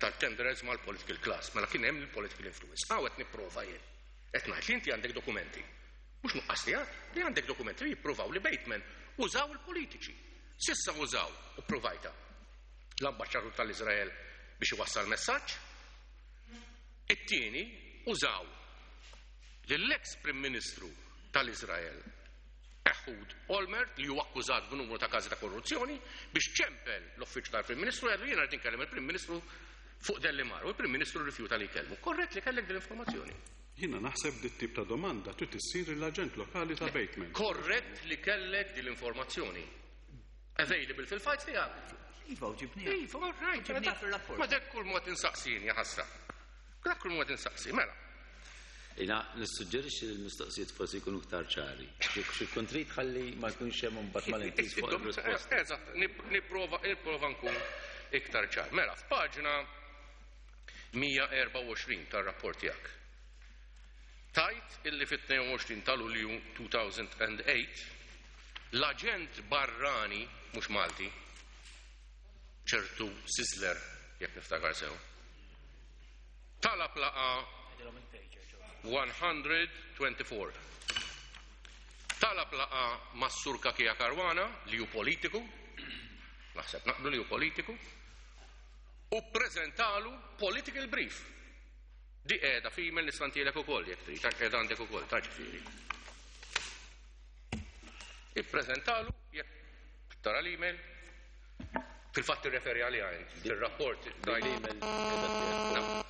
tal-tenderers mal-political class, mela kien hemm il-political influence. Hawn qed nipprova jien. Qed ngħid li inti għandek dokumenti. Mhux nuqqas tiegħek, li għandek dokumenti li jippruvaw li Bateman użaw il-politiċi. Sissa użaw u ppruvajta l-ambaxxatur tal-Iżrael biex iwassal messaġġ. It-tieni użaw lill-eks Prim Ministru tal-Iżrael Ehud Olmert li hu akkużat b'numru ta' każi ta' korruzzjoni biex ċempel l-uffiċċju tal-Prim Ministru għedlu jiena rrid inkellem il-Prim Ministru fuq Dellimar u l-Prim Ministru rrifjuta li jkellmu. Korrett li kellek din l-informazzjoni? Jiena naħseb dit-tip ta' domanda trid issir lill-aġent lokali ta' Bateman. Korrett li kellek din l-informazzjoni? Available fil-files tiegħek? Iva, u ġibniha. Iva, all right. Ġibniha fir-rapport. Ma dak kull mod insaqsi jien, jaħasra. Dak kull mod insaqsi, mela. Jina nissuġġerixxi li l-mistoqsijiet forsi jkunu iktar ċari. Xi tkun trid ħalli ma jkunx hemm imbagħad malintiż fuq ir-risposta. Eżatt, nipprova nipprova nkun iktar ċar. Mela, f'paġna 124 tar-rapport tiegħek. Tajt illi fit-22 ta' Lulju 2008 l-aġent barrani, mhux Malti, ċertu Sizzler, jekk niftakar sew, talab laqgħa 124. Talab laqgħa mas-Sur Cachia Caruana, li hu politiku, naħseb naqblu li hu politiku, u ppreżentalu political brief. Di qiegħda f'email nista' ntielek ukoll jekk trid, qiegħda għandek ukoll, ta' ġifieri. Ippreżentalu jekk tara l-email, fil-fatt tirreferi għaliha int fir-rapport L-email qiegħda tiegħek.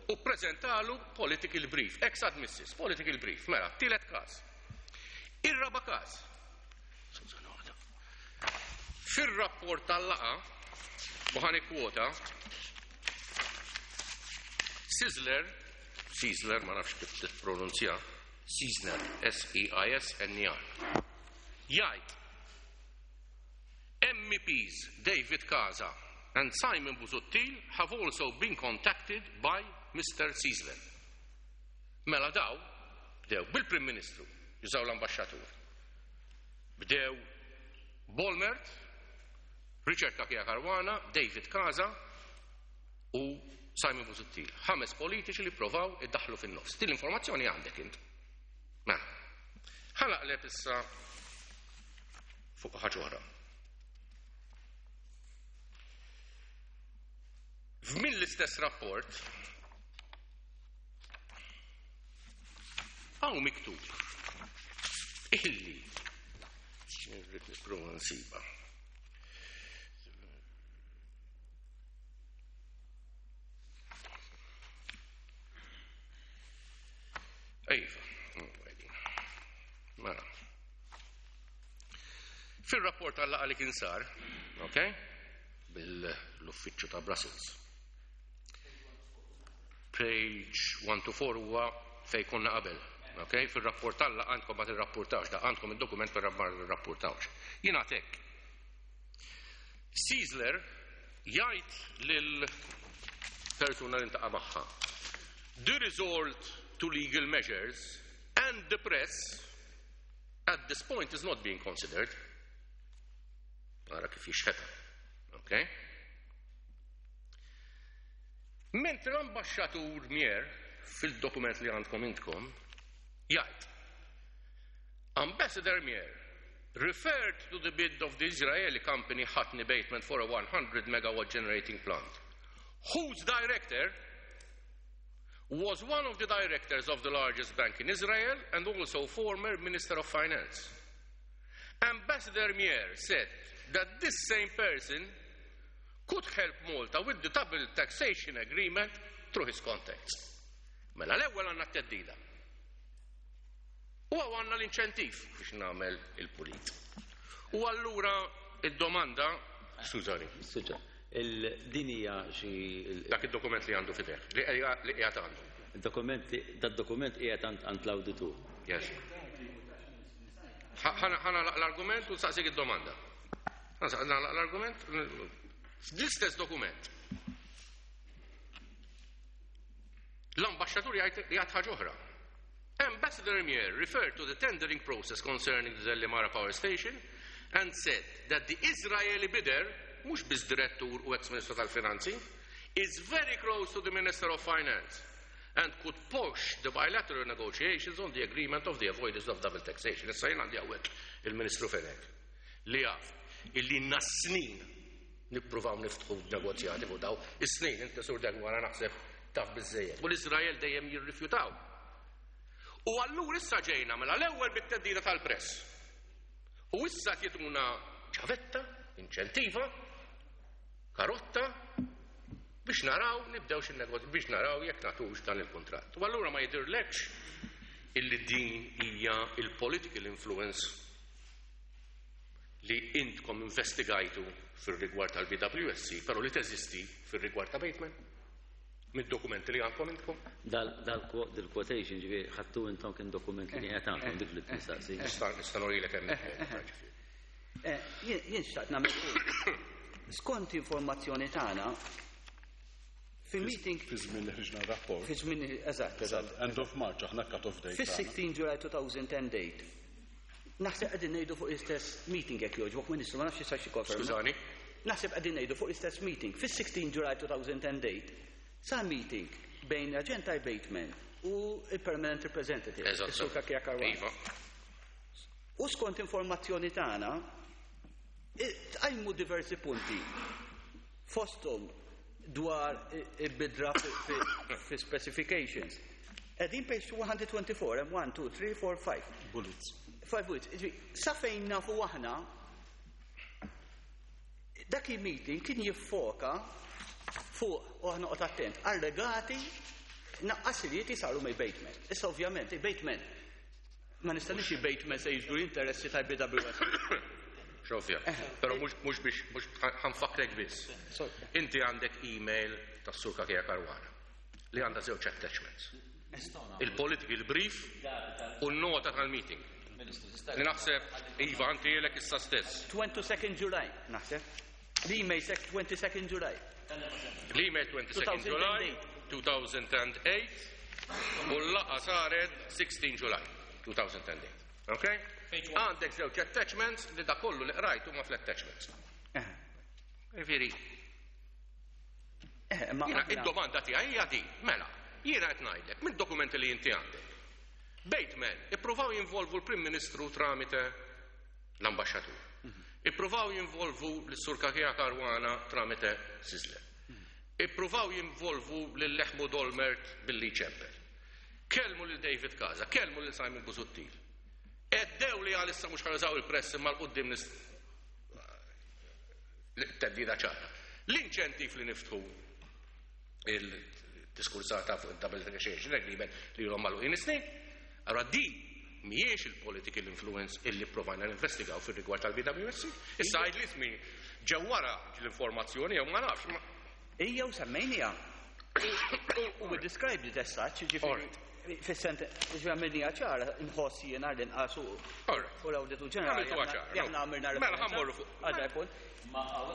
U ppreżentalu political brief, ex admissis, political brief, mela, tielet każ. Ir-raba' każ. Fir-rapport tal-laqgħa, u ħa nikkwota, Sizzler, Sizzler, ma nafx kif tippronunzja, Sizzner, S-E-I-S-N-E-R, jgħid MEPs David Casa and Simon Busuttil have also been contacted by Mr. Sizzler. Mela daw bdew bil-Prim Ministru, jużaw l-ambaxxatur. Bdew Bolmert, Richard Cachia Caruana, David Casa u Simon Busuttil. 5 politiċi li provaw iddaħlu fin-nofs. Din l-informazzjoni għandek int. Mela, ħa naqleb issa fuq ħaġa oħra. F'min l-istess rapport hawn miktub illi irrid nipprova nsiba. Iva, mela. Fil-rapport tal-laqgħa li kien sar, ok, bil-uffiċċju ta' Brussels. Page 1 to 4 huwa fej konna qabel. Ok, fil-rapport tal-laqgħa għandkom ma tirrapportawx, da għandkom id-dokument per ma rrapportawx. Jien għatek. Sizzler jgħid lil persuna li ntaqa' magħha. The resort to legal measures and the press at this point is not being considered. Ara kif jixħeta. Ok? Mentri l-ambasċatur Mier fil-dokument li għandkom intkom jgħid Ambassador Mier referred to the bid of the Israeli company Hatni Bateman for a 100 megawatt generating plant, whose director was one of the directors of the largest bank in Israel and also former Minister of Finance. Ambassador Mier said that this same person could help Malta with the double taxation agreement through his contacts. Mela l-ewwel għandna t-teddida. U għandna l-inċentiv biex nagħmel il-pulit. U allura id-domanda, skużani. Skuża, din hija xi Dak id-dokument li għandu fideh, li qiegħed għandu. Dokument, dad-dokument qiegħed għand l-awditur. Yes. Ħana l-argument u saqsik id-domanda. Ħana l-argument fl-istess dokument. L-ambaxxatur jgħid ħaġa oħra. Ambassador Mier referred to the tendering process concerning the Delimara power station and said that the Israeli bidder, mhux biss direttur u ex-ministru tal-Finanzi, is very close to the Minister of Finance and could push the bilateral negotiations on the agreement of the avoidance of double taxation. Issa jien għandi hawnhekk il-Ministru Fenech li jaf illi nas snin nippruvaw niftħu negozjati fuq daw, is-snin inti sur Degwara naħseb taf biżejjed. U l-Iżrael dejjem jirrifjutaw. U allura issa ġejna mela l-ewwel bit-theddida tal-press. U issa jtuna ċavetta, inċentiva, karotta biex naraw nibdew xi biex naraw jekk nagħtux dan il-kuntratt. U allura ma jidhirlekx illi din hija il-political influence li intkom investigajtu fil-rigward tal-BWSC, pero li teżisti fil-rigward ta' Bateman? Mid-dokumenti li għandkom intkom? Dal-quotation ġifieri ħadtu intom kien dokument li qed għandkom dik li tistaqsi. Nista' nurilek hemmhekk. Ġifieri. Jien xtaqt nagħmel punt. Skont informazzjoni tagħna fil-meeting Fi żmien li ħriġna rapport. Fi żmien, eżatt. End of March, aħna cut off date. Fis-16 July 2010 date. Naħseb qegħdin ngħidu fuq l-istess meeting, jekk jogħġbok, Ministru, ma nafx jistax jikkonferma. Skużani? Naħseb qegħdin ngħidu fuq l-istess meeting. Fis-16 July 2010 date sar meeting bejn l-aġent ta' Bateman u il-permanent representative, is-Sur Cachia Caruana. U skont informazzjoni tagħna, tqajmu diversi punti fosthom dwar il-bidla fi specifications. Qegħdin page 124, hemm 1, 2, 3, 4, 5. Bullets. 5 bullets. Ġifieri, sa fejn nafu aħna, dak il-meeting kien jiffoka fuq, u aħna qod attent, allegati naqqasilieti saru minn Bateman. Issa ovvjament, il-Bateman, ma nistanix, il-Bateman se jiġbdu l-interessi tal-BWS. Xofja. Pero mhux biex, mhux ħa nfakkrek biss. Inti għandek email tas-Sur Cachia Caruana li għandha żewġ attachments. Il-political brief u n-nota tal-meeting. Li naħseb, Iva, għanti issa stess. 22nd July, naħseb. L-email sek 22nd July. L-email 22 July 2008 u l-laqgħa saret 16 July 2008. Ok? Għandek żewġ attachments li da kollu li qrajt huma fl-attachments. Ġifieri, Ma jiena aħna- id-domanda tiegħi hija di, mela, jiena qed ngħidlek mid-dokumenti li inti għandek. Bateman ippruvaw jinvolvu l-Prim Ministru tramite l-ambaxxatur. Ippruvaw jinvolvu l-Sur Cachia Caruana tramite Sisler. Ippruvaw jinvolvu lil Ehud Olmert billi ċempel. Kelmu lil David Casa, kelmu lil Simon Busuttil. Għeddew li għalissa mhux ħa jużaw il-press imma 'l quddiem nis theddida ċara. L-inċentiv li niftħu il-diskursata fuq il-double negotiation agreement li ilhom magħluqin snin, allora di mhijiex il-political influence illi provajna ninvestigaw fil-rigward tal-BWSC. Issa għid li ismi ġew wara l-informazzjoni jew ma nafx. Ija u semmejnija. U we described it as such, ġifieri, fis-sent, ġifieri għamilniha ċara, nħoss jiena l-inqas u l-Awditur Ġenerali. Għamiltuha ċara, no. Aħna għamilna Mela, referenza ħa mmorru fuq. għal dak punt.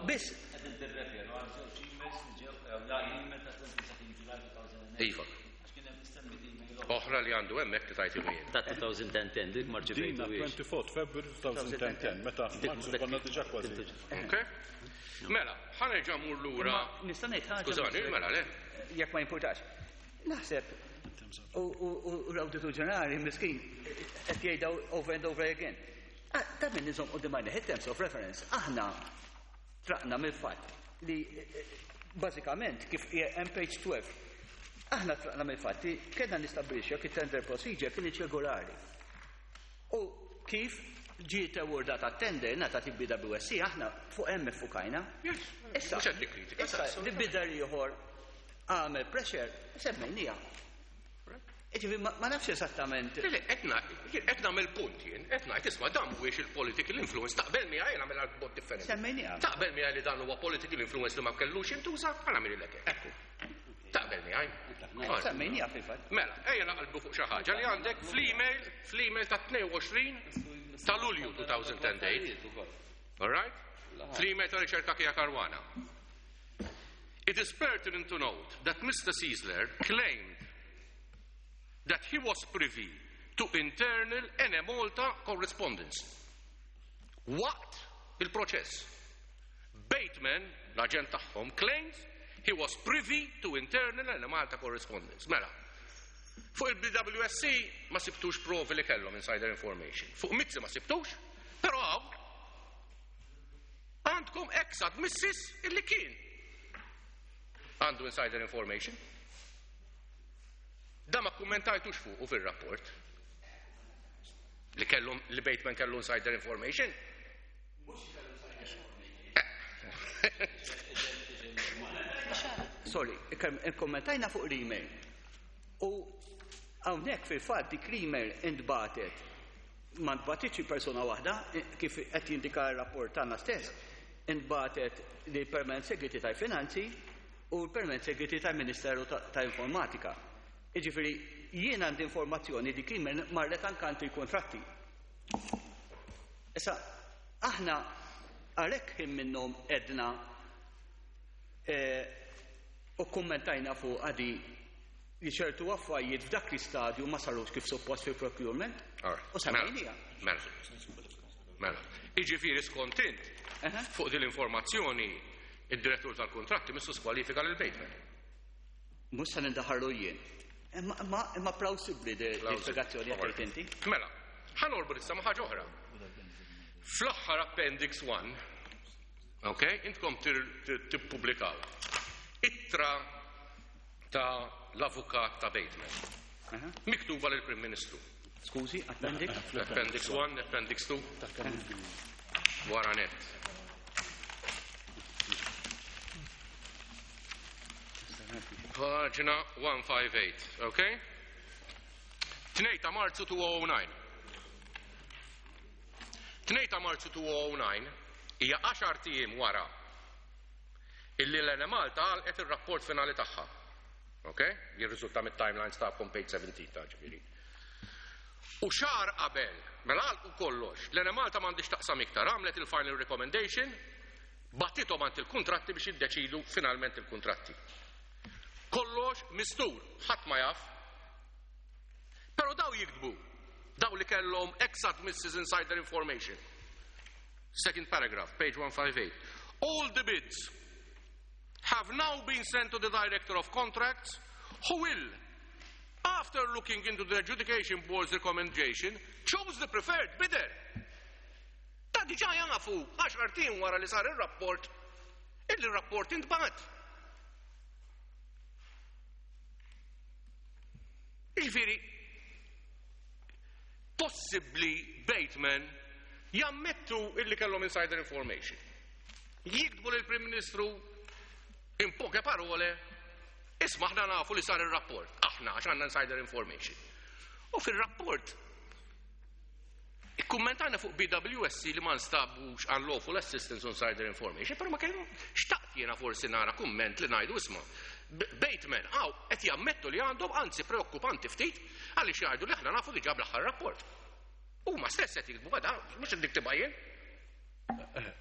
Biss, Qegħdin tirreferu għal żewġ emails li ġew la email ta' 22 July 2008. Iva. Għax kien hemm issemmi email Oħra li għandu hemmhekk li tajti jien. ta' 2010 dik Dina ma rċevejtuhiex. 24 February 2010, meta f'Marzu konna diġà kważi. Ok? Mela, ħa nerġa' mmur lura. Imma nista' ngħid ħaġa. Skużani, Ministru? mela le. Jekk ma jimpurtax. Naħseb u l-Awditur Ġenerali miskin qed jgħidha over and over again. Ah, ta' min nżomm quddiem għajna terms of reference. Aħna tlaqna mill-fatt li bażikament kif hemm page 12. Aħna tlaqna mill-fatt li kellna nistabbilixxu jekk it-tender procedure kien regolari. U kif ġiet awardata tender ngħatat il-BWSC, aħna fuq hemm iffukajna. Issa, Mhux qed nikkritika, issa, li bidder ieħor għamel pressure, semmejnija. Ġifieri, ma nafx esattament. Le, jien qed nagħmel punt jien, qed ngħid isma' dan mhuwiex il-political influence, taqbel miegħi jien nagħmel b'mod differenti. Semmejnija. Taqbel miegħi li dan huwa political influence li ma kellux jintuża, ħa nagħmel ekku. Taqbel miegħi. Alright. Semmejnija fil-fatt. Mela, ejja naqalbu fuq xi ħaġa li għandek fl-email ta' 22 ta' Lulju 2008. All right? Fl-email ta' Richard Cachia Caruana. It is pertinent to note that Mr. Ciesler claimed that he was privy to internal Enemalta correspondence. Waqt il-proċess. Bateman, l-aġent tagħhom, claims he was privy to internal Enemalta correspondence. Mela, fuq il-BWSC ma sibtux provi li kellhom insider information. Fuq Mizzi ma sibtux, però hawn għandkom ex missis illi kien għandu insider information. Da ma kummentajtux fuq u fil-rapport. Li kellhom li Bateman kellu insider information? Sorry, ikkommentajna fuq l-email. U hawnhekk fil-fatt dik l-email intbagħtet ma ntbagħtitx persuna waħda, kif qed jindika r-rapport tagħna stess, intbagħtet lil Permanent Secretary tal-Finanzi u l-Permanent Secretary tal-Ministeru ta' Informatika. Jiġifieri jien għandi informazzjoni dik l-email marret anke għand il-kuntratti. Issa aħna għalhekk ħin minnhom għedna u kkummentajna fuqha di li ċertu affarijiet f'dak l-istadju ma sarux kif suppost fil-procurement u semmejniha. Mela, mela. Jiġifieri skont int, fuq din l-informazzjoni, id-direttur tal-kuntratti missu skwalifika lil Bateman. Mhux se nindaħarlu jien. Imma imma plawsibbli di spjegazzjoni qed tgħid inti. Mela, ħa norbot issa ma' ħaġa oħra. Fl-aħħar Appendix 1, ok, intkom tippubblikaw ittra ta' l-avukat ta' Bateman, miktuba lill-Prim Ministru. Skużi, Appendix? Appendix 1, Appendix 2. Wara nett. Paġna 158, ok? 2 ta' Marzu 2009. 2 ta' Marzu 2009 hija 10 ijiem wara illi l-Enemalta għalqet ir-rapport finali tagħha. Ok? Jirriżulta mit-timelines tagħkom page 17 ta' ġifieri. U xahar qabel, mela għalqu kollox, l-Enemalta m'għandhiex taqsam iktar, għamlet il-final recommendation, bagħtithom għand il-kuntratti biex jiddeċidu finalment il-kuntratti. Kollox mistur, ħadd ma jaf. Però daw jiktbu, daw li kellhom ex admisses insider information. Second paragraph, page 158. All the bids have now been sent to the Director of Contracts, who will, after looking into the adjudication board's recommendation, choose the preferred bidder. Ta' diġà jafu, 10 ijiem wara li sar ir-rapport, illi r-rapport intbagħat. Jiġifieri, possibbli Bateman jammettu illi kellhom insider information. Jiktbu lill-Prim Ministru in poche parole, isma' aħna nafu li sar ir-rapport, aħna għax għandna insider information. U fir-rapport ikkummentajna fuq BWSC li ma nstabux unlawful assistance on insider information, però ma kellu xtaqt jiena forsi nara kumment li ngħidu isma' Bateman hawn qed jammettu li għandhom, anzi preokkupanti ftit, għaliex jgħidu li aħna nafu diġà bl-aħħar rapport. Huma stess qed jiktbu għada, mhux qed niktibha jien.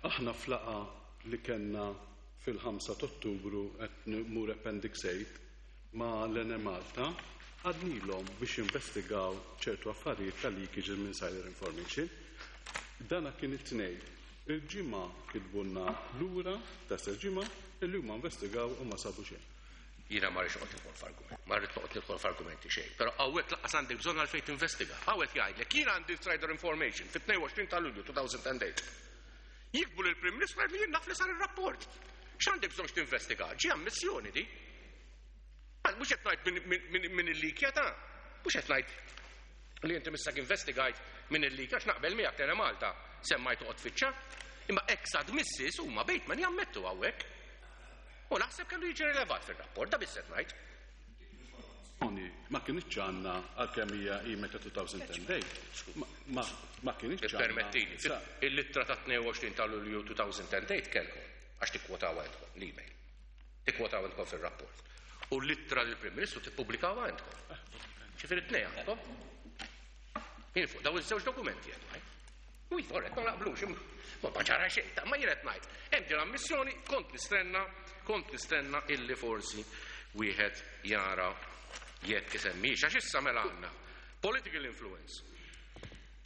Aħna f'laqgħa li kellna fil-5 ta' Ottubru qed nmur Appendix 8 ma' l-Enemalta għadnilhom biex jinvestigaw ċertu affarijiet ta' leakage minn insider information. Dana kien it-Tnejn. Il-Ġimgħa kitbulna lura ta' stess ġimgħa illi huma investigaw u ma sabu xejn. Jiena ma rridx noqgħod nidħol f'argument, ma rrid noqgħod nidħol f'argumenti xejn, però hawnhekk lanqas għandek bżonn għalfejn tinvestiga. Hawn qed jgħidlek jien għandi insider information fit-22 ta' Lulju 2008. Jiktbu lill-Prim Ministru jgħidlu jien naf li sar ir-rapport. X'għandek bżonn x'tinvestiga? Ġie ammissjoni di. Mhux qed ngħid min illikja ta', mhux qed ngħid li inti missek investigajt min illikja għax naqbel miegħek Tele Malta semmajt toqgħod tfittxa. Imma ex admissis huma Bateman jammettu hawnhekk. U naħseb kellu jiġi rilevat fir-rapport, da biss qed ngħid. Ma kinitx għandna għalkemm hija email ta' 2010 date. Ma ma kinitx għandna. Ippermettili, il-ittra ta' 22 ta' Lulju 2010 date kellkom għax tikkwotawha intkom l-email. Tikkwotawha intkom fir-rapport. U l-ittra lill-Prim Ministru tippubblikawha intkom. Ġifieri t-tnejn għandkom. Jien fuq daw iż-żewġ dokumenti qed ngħid. U iva, orrett, ma naqblux, ma ġara xejn, ta' ma jien qed ngħid. Hemm din l-ammissjoni, kont nistenna, kont nistenna illi forsi wieħed jara jekk isemmix. Għax issa mela għandna political influence,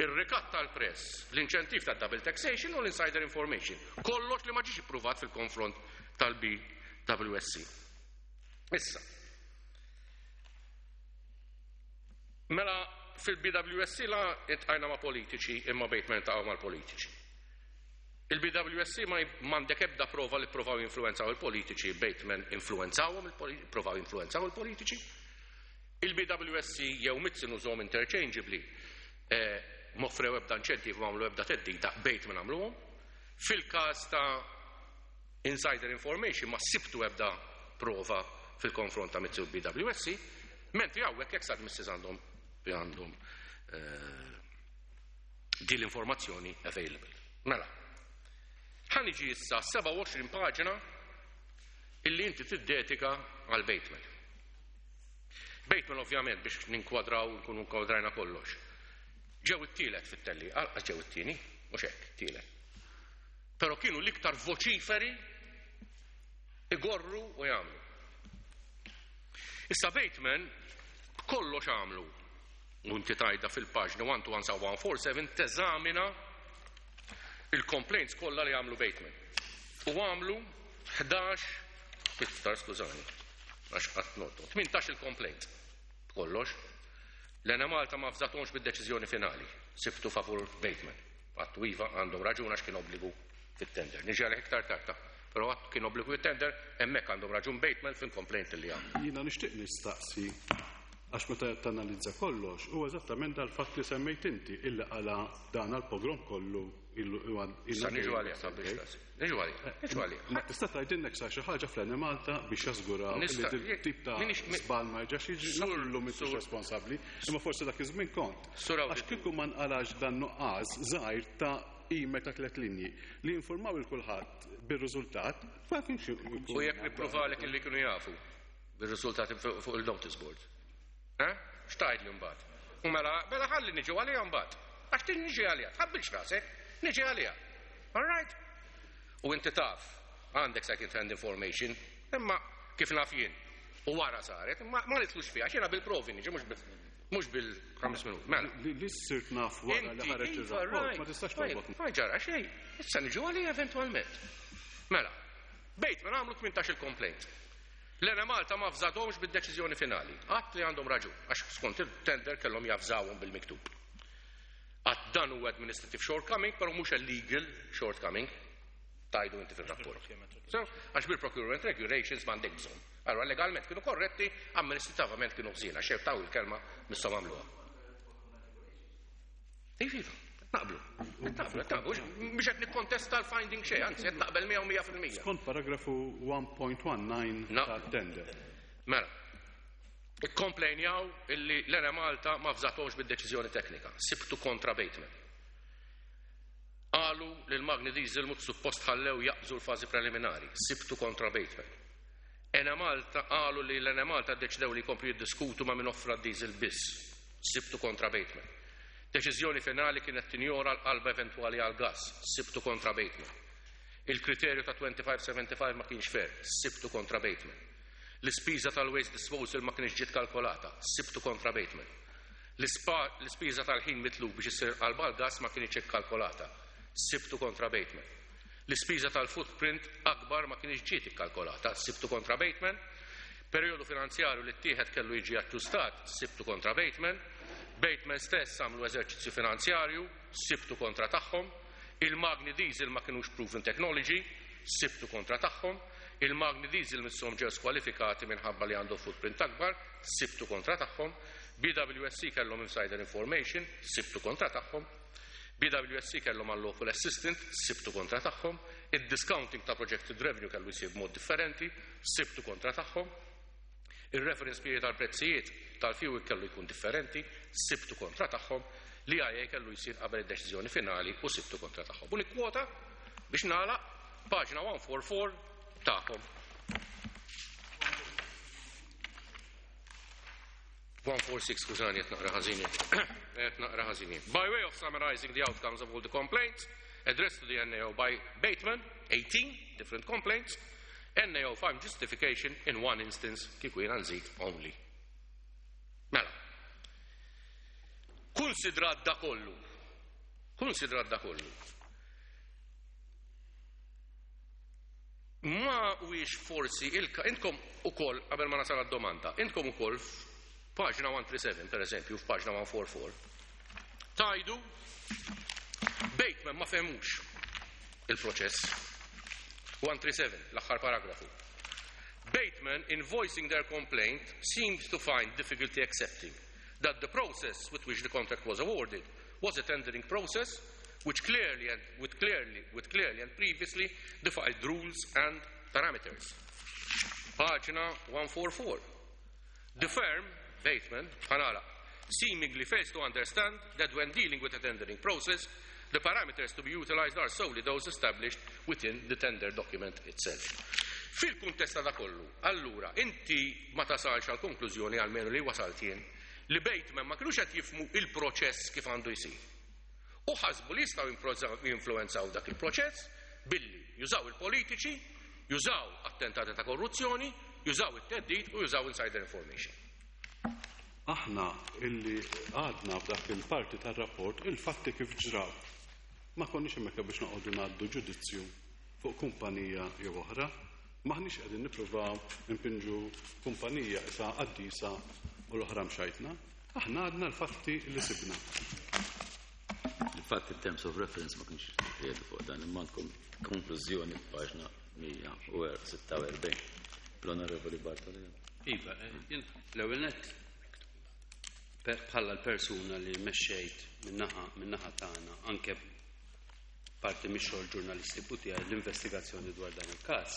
ir-rikatt tal-press, l-inċentiv tad-double taxation u l-insider information. Kollox li ma ġiex ippruvat fil-konfront tal-BWSC. Issa, mela fil-BWSC la intqajna ma' politiċi imma Bateman iltaqgħu mal-politiċi. Il-BWSC ma m'għandek ebda prova li ppruvaw jinfluwenzaw il-politiċi, Bateman influwenzawhom il-politiċi, jinfluwenzaw il-politiċi. Il-BWSC jew Mizzi nużhom interchangeably. M'offrew ebda inċentiv, m'għamlu ebda theddida, Bateman għamluhom. Fil-każ ta' insider information ma sibtu ebda prova fil-konfront ta' Mizzi u BWSC, mentri hawnhekk ex admissis għandhom din l-informazzjoni available. Mela, ħa niġi issa 27 paġna illi inti tiddedika għal Bateman. Bateman ovvjament biex ninkwadraw, nkunu nkwadrajna kollox. Ġew it-tielet fit-telli, għal ġew it-tieni, mhux hekk, tielet. Però kienu l-iktar voċiferi igorru u jagħmlu. Issa Bateman kollox għamlu, u inti tajda fil-paġna 12147 teżamina il-complaints kollha li għamlu Bateman. U għamlu 11, iktar skużani, għax qatt notu, 18 il-complaint kollox. L-Enemalta ma fżatonx bid-deċiżjoni finali, sibtu favur Bateman. Għattu iva għandhom raġun għax kien obbligu fit-tender. Niġi għalih iktar tarta, però għattu kien obbligu fit-tender, hemmhekk għandhom raġun Bateman fil-complaint li għamlu. Jiena nixtieq nistaqsi, għax meta tanalizza kollox, u eżattament dal-fatt li semmejt inti illi qala dan għal-pogrom kollu illu Sa niġu għalih, sa biex taqsi. Niġu għalih, niġu għalih. Ma tista' tgħidilnek sa xi ħaġa fl-Enemalta biex jasguraw li Nista' tip ta' żball ma jerġax jiġri, naf li llum m'intix responsabbli, imma forsi dak iż-żmien kont. Sur Għax kieku ma nqalax dan nuqqas żgħir ta' email ta' tliet linji li informaw il kulħadd bir-riżultat, ma kienx ikun. U jekk nippruvalek illi kienu jafu bir-riżultati fuq il-notice board. Eh? X'tgħidli mbagħad? U mela ħalli niġu għaliha mbagħad. Għax tin niġi għaliha, tħabbilx rasek, niġi għaliha. All right? U inti taf, għandek second hand information, imma kif naf jien. U wara saret, imma ma nitlux fiha, x'jiena bil-provi niġi, mhux bil-5 minuti. Mela. Li sirt naf wara li Inti, ħareġ iva, ir-rapport, right. ma tistax Tajjeb, torbot. Ma ġara xejn, issa niġu għaliha eventwalment. Mela, Bateman għamlu 18 il-complaint. L-Enemalta ma fżadhomx bid-deċiżjoni finali. Għat li għandhom raġun, għax skont il-tender kellhom jafżawhom bil-miktub. Għat dan huwa administrative shortcoming, però mhux a legal shortcoming, tajdu inti fil-rapport. So, għax bil-procurement regulations m'għandek bżonn. Allora legalment kienu korretti, amministrativament kienu ħżiena, xejn taw il-kelma misshom għamluha. Iva, iva, naqblu. Naqblu, naqblu, biex qed nikkontesta l-finding xejn, anzi qed naqbel miegħu 100%. Skont paragrafu 1.19 No. tat-tender. Mela, ikkomplejnjaw illi l-Enemalta ma fżatomx bid-deċiżjoni teknika, sibtu kontra Bateman. Qalu li l-Magni Diesel mhux suppost ħallew jaqbżu l-fażi preliminari, sibtu kontra Bateman. Enemalta qalu li l-Enemalta ddeċidew li jkomplu jiddiskutu ma' min offra diesel biss, sibtu kontra Bateman. Deċiżjoni finali kienet tinjora l-qalba eventwali għal gas, sibtu kontra Bateman. Il-kriterju ta' 25-75 ma kienx fair, sibtu kontra Bateman. L-ispiża tal-waste disposal ma kienx ġiet kalkolata, sibtu kontra Bateman. L-ispiża tal-ħin mitlub biex issir qalba għal gas ma kienx ikkalkolata, sibtu kontra Bateman. L-ispiża tal-footprint akbar ma kienx ġiet ikkalkolata, sibtu kontra Bateman. Periodu finanzjarju li ttieħed kellu jiġi aġġustat, sibtu kontra Bateman. Bateman stess għamlu eżerċizzju finanzjarju, sibtu kontra tagħhom. Il-Magni Diesel ma kienux proven technology, sibtu kontra tagħhom. Il-Magni Diesel misshom ġew skwalifikati minħabba li għandu footprint akbar, sibtu kontra tagħhom. BWSC kellhom insider information, sibtu kontra tagħhom. BWSC kellhom unlawful assistant, sibtu kontra tagħhom. Il-discounting ta' projected revenue kellu jsir b'mod differenti, sibtu kontra tagħhom. Il-reference period tal-prezzijiet tal-fuel kellu jkun differenti, sibtu kontra tagħhom. L-EIA kellu jsir qabel id-deċiżjoni finali u sibtu kontra tagħhom. U nikkwota biex nagħlaq paġna 144 tagħkom. 146, skużani, qed naqra ħażin. Qed naqra ħażin. By way of summarizing the outcomes of all the complaints addressed to the NAO by Bateman, 18 different complaints, NAO found justification in one instance, kieku jiena nżid only. Mela, konsidrat da kollu, konsidrat da kollu, ma huwiex forsi ilka, intkom ukoll, qabel ma nasal għad-domanda, intkom ukoll f'paġna 137, per eżempju, f'paġna 144, tajdu Bateman ma fehmux il-proċess. 137, l-aħħar paragrafu. Bateman, in voicing their complaint, seemed to find difficulty accepting that the process with which the contract was awarded was a tendering process which clearly and with clearly with clearly and previously defined rules and parameters. Paġna 144. The firm, Bateman, Hanala, seemingly fails to understand that when dealing with a tendering process, the parameters to be utilized are solely those established within the tender document itself. Fil-kuntest ta' kollu, allura, inti ma tasalx għal konklużjoni, almenu li wasalt jien, li Bateman ma kinux qed jifhmu il-proċess kif għandu jsir. U ħasbu li jistgħu jinfluenzaw dak il-proċess billi jużaw il-politiċi, jużaw attentati ta' korruzzjoni, jużaw it-theddid u jużaw insider information. Aħna illi għadna f'dak il-parti tar-rapport il-fatti kif ġraw. Ma konniex hemmhekk biex noqogħdu ngħaddu ġudizzju fuq kumpanija jew oħra. Maħniex qegħdin nippruvaw impinġu kumpanija isa qaddisa u l-oħra mxajtna. Aħna għadna l-fatti li sibna. Il-fatt il-terms of reference ma kienx jgħidu fuq dan, imma għandkom konklużjoni f'paġna 146. L-Onorevoli Bartolino. Iva, l-ewwel nett bħala l-persuna li mexxejt min-naħa tagħna, anke parti mix-xogħol ġurnalistiku tiegħi, l-investigazzjoni dwar dan il-każ,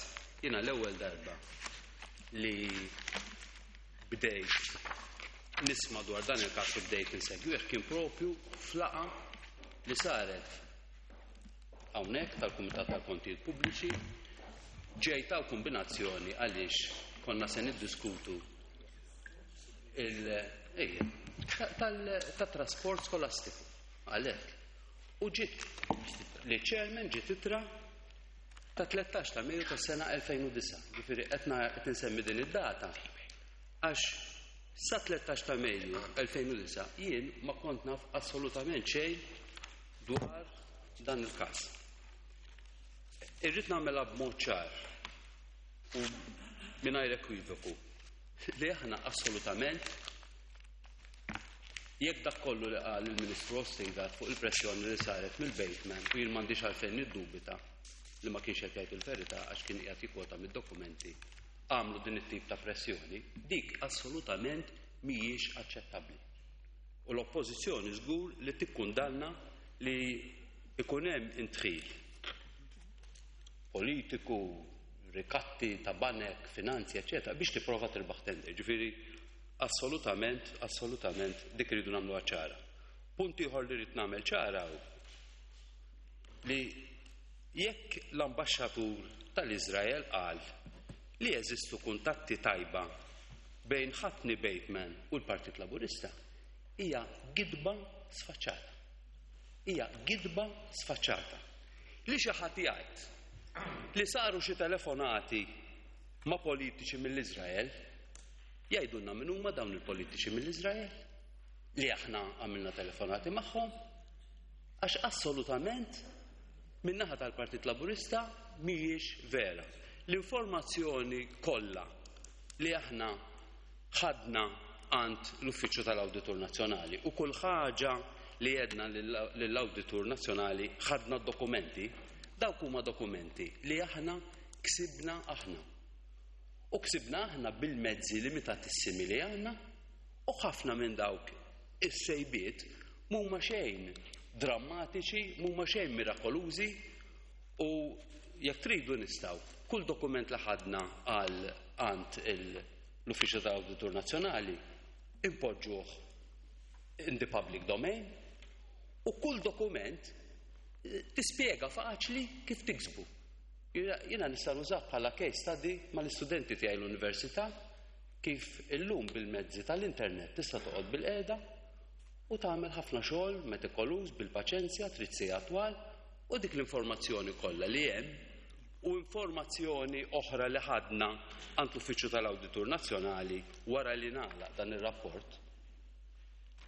jiena l-ewwel darba li bdejt nisma' dwar dan il-każ u bdejt insegwih kien propju f'laqgħa li saret hawnhekk tal-Kumitat tal-Kontijiet Pubbliċi. Ġejt hawn kombinazzjoni għaliex konna se niddiskutu il tat-trasport skolastiku għalhekk. U ġiet li chairman ġiet ittra ta' 13 ta' Mejju tas-sena 2009. Ġifieri qed insemmi din id-data għax sa 13 ta' Mejju 2009 jien ma kont naf assolutament xejn dwar dan il-każ. Irrid nagħmilha b'mod ċar u mingħajr ekwivoku li aħna assolutament, jekk dak kollu li qal il-Ministru Austin Gatt fuq il-pressjoni li saret mill-Bateman, u jien m'għandix għalfejn niddubita li ma kienx qed jgħid il-verità għax kien qiegħed jikkwota mid-dokumenti, għamlu din it-tip ta' pressjoni, dik assolutament mhijiex aċċettabbli. U l-oppożizzjoni żgur li tikkundanna li ikun hemm indħil politiku, rikatti ta' banek, finanzi, eccetera, biex tipprova tirbaħ tender. Ġifieri, assolutament, assolutament dik iridu nagħmluha ċara. Punt ieħor li rrid nagħmel ċara hu li jekk l-ambaxxatur tal-Iżrael qal li jeżistu kuntatti tajba bejn Ħatni Bateman u l-Partit Laburista, hija gidba sfaċċata. Hija gidba sfaċċata. Li xi ħadd jgħid li saru xi telefonati ma' politiċi mill-Iżrael, jgħidulna min huma dawn il-politiċi mill-Iżrael li aħna għamilna telefonati magħhom, għax assolutament min-naħa tal-Partit Laburista mhijiex vera. L-informazzjoni kollha li aħna ħadna għand l-Uffiċċju tal-Awditur Nazzjonali u kull ħaġa li jedna lill-Awditur Nazzjonali ħadna dokumenti, dawk huma dokumenti li aħna ksibna aħna. U ksibna aħna bil-mezzi limitatissimi li għandna, u ħafna minn dawk is-sejbiet mhuma xejn drammatiċi, mhuma xejn mirakolużi, u jekk tridu nistgħu kull dokument li ħadna għal għand l-Uffiċċju tal-Awditur Nazzjonali impoġġuh in the public domain, u kull dokument tispjega faċli kif tiksbu. Jiena nista' nużah bħala case study mal-istudenti tiegħi l-università, kif illum bil-mezzi tal-internet tista' toqgħod bil-qiegħda u tagħmel ħafna xogħol metikoluż bil-paċenzja, trid sigħat twal, u dik l-informazzjoni kollha li hemm u informazzjoni oħra li ħadna għand l-Uffiċċju tal-Awditur Nazzjonali wara li nagħlaq dan ir-rapport,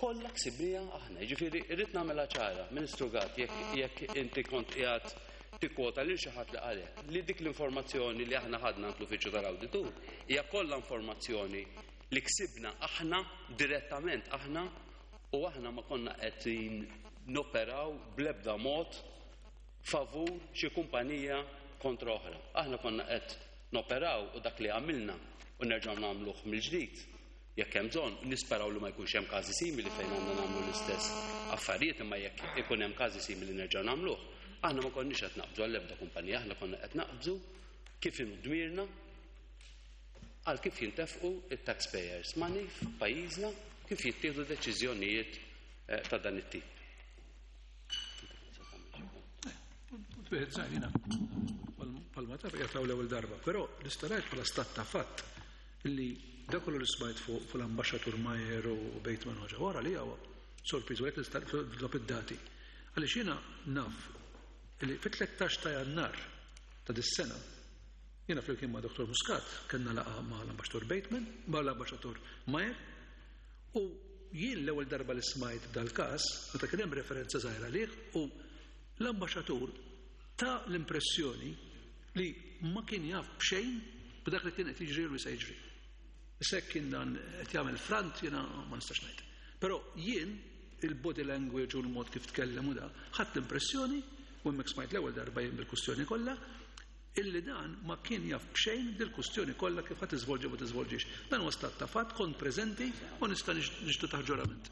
kollha ksibnija aħna. Jiġifieri irrid nagħmilha ċara, Ministru Gatt, jekk inti kont qiegħed tikkwota lil xi ħadd li qalek li dik l-informazzjoni li aħna ħadna għand l-Uffiċċju tal-Awditur hija kollha informazzjoni li ksibna aħna direttament aħna, u aħna ma konna qed noperaw bl-ebda mod favur xi kumpanija kontra oħra. Aħna konna qed noperaw, u dak li għamilna u nerġgħu nagħmluh mill-ġdid. Jekk hemm bżonn, nisperaw li ma jkunx hemm każi simili fejn għandna nagħmlu l-istess affarijiet, imma jekk ikun hemm każi simili nerġgħu nagħmluh. Aħna ma konniex qed naqbżu għall-ebda kumpanija, aħna konna qed naqbżu kif inhu dmirna għal kif jintefqu it-taxpayers money f'pajjiżna, kif jittieħdu deċiżjonijiet ta' dan it-tip. Wieħed żgħir jiena palma taf qiegħed l-ewwel darba, però nista' ngħid bħala stat ta' fatt li dak kollu li smajt fuq l-ambaxxatur Majer u Bateman ħaġa wara li huwa sorpriż u hekk nista' id-dati. Għaliex jiena naf li fit-13 ta' Jannar ta' dis-sena jiena flimkien ma' Dr. Muscat kellna laqgħa ma' l-ambaxxatur Bateman, ma' l-ambaxxatur Majer, u jien l-ewwel darba li smajt dal-każ meta kien hemm referenza żgħira lih u l-ambaxxatur ta l-impressjoni li ma kien jaf b'xejn b'dak li kien qed jiġri u se jiġri. Issa jekk kien dan qed jagħmel front jiena ma nistax ngħid. Però jien il-body language u l-mod kif tkellem u da, ħadt l-impressjoni u hemmhekk smajt l-ewwel darba jien bil-kustjoni kollha illi dan ma kien jaf b'xejn dil-kustjoni kollha kif ħadd tiżvolġi u ma tiżvolġix. Dan huwa stat ta' fatt, kont preżenti u nista' nixhdu taħt ġurament.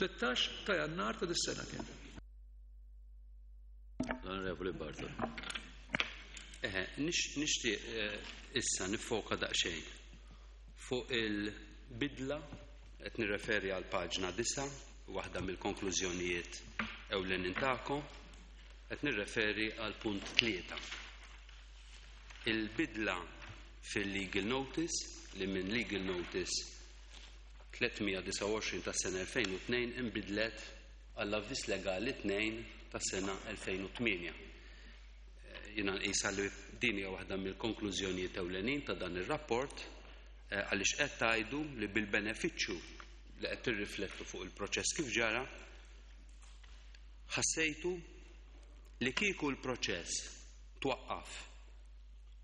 13 ta' Jannar ta' dis-sena kien. L-Onorevoli Bartolo. Eħe, nixtieq issa nifoka daqsxejn fuq il-bidla, qed nirreferi għal paġna 9, waħda mill-konklużjonijiet ewlenin tagħkom, qed nirreferi għal punt 3. Il-bidla fil-legal notice li minn legal notice 329 tas-sena 2002 inbidlet għall-avviż legali 2 tas-sena 2008. Jiena nqisha li din hija waħda mill-konklużjonijiet ewlenin ta' dan ir-rapport, għaliex qed tgħidu li bil-benefiċċju li qed tirriflettu fuq il-proċess kif ġara, ħassejtu li kieku l-proċess twaqqaf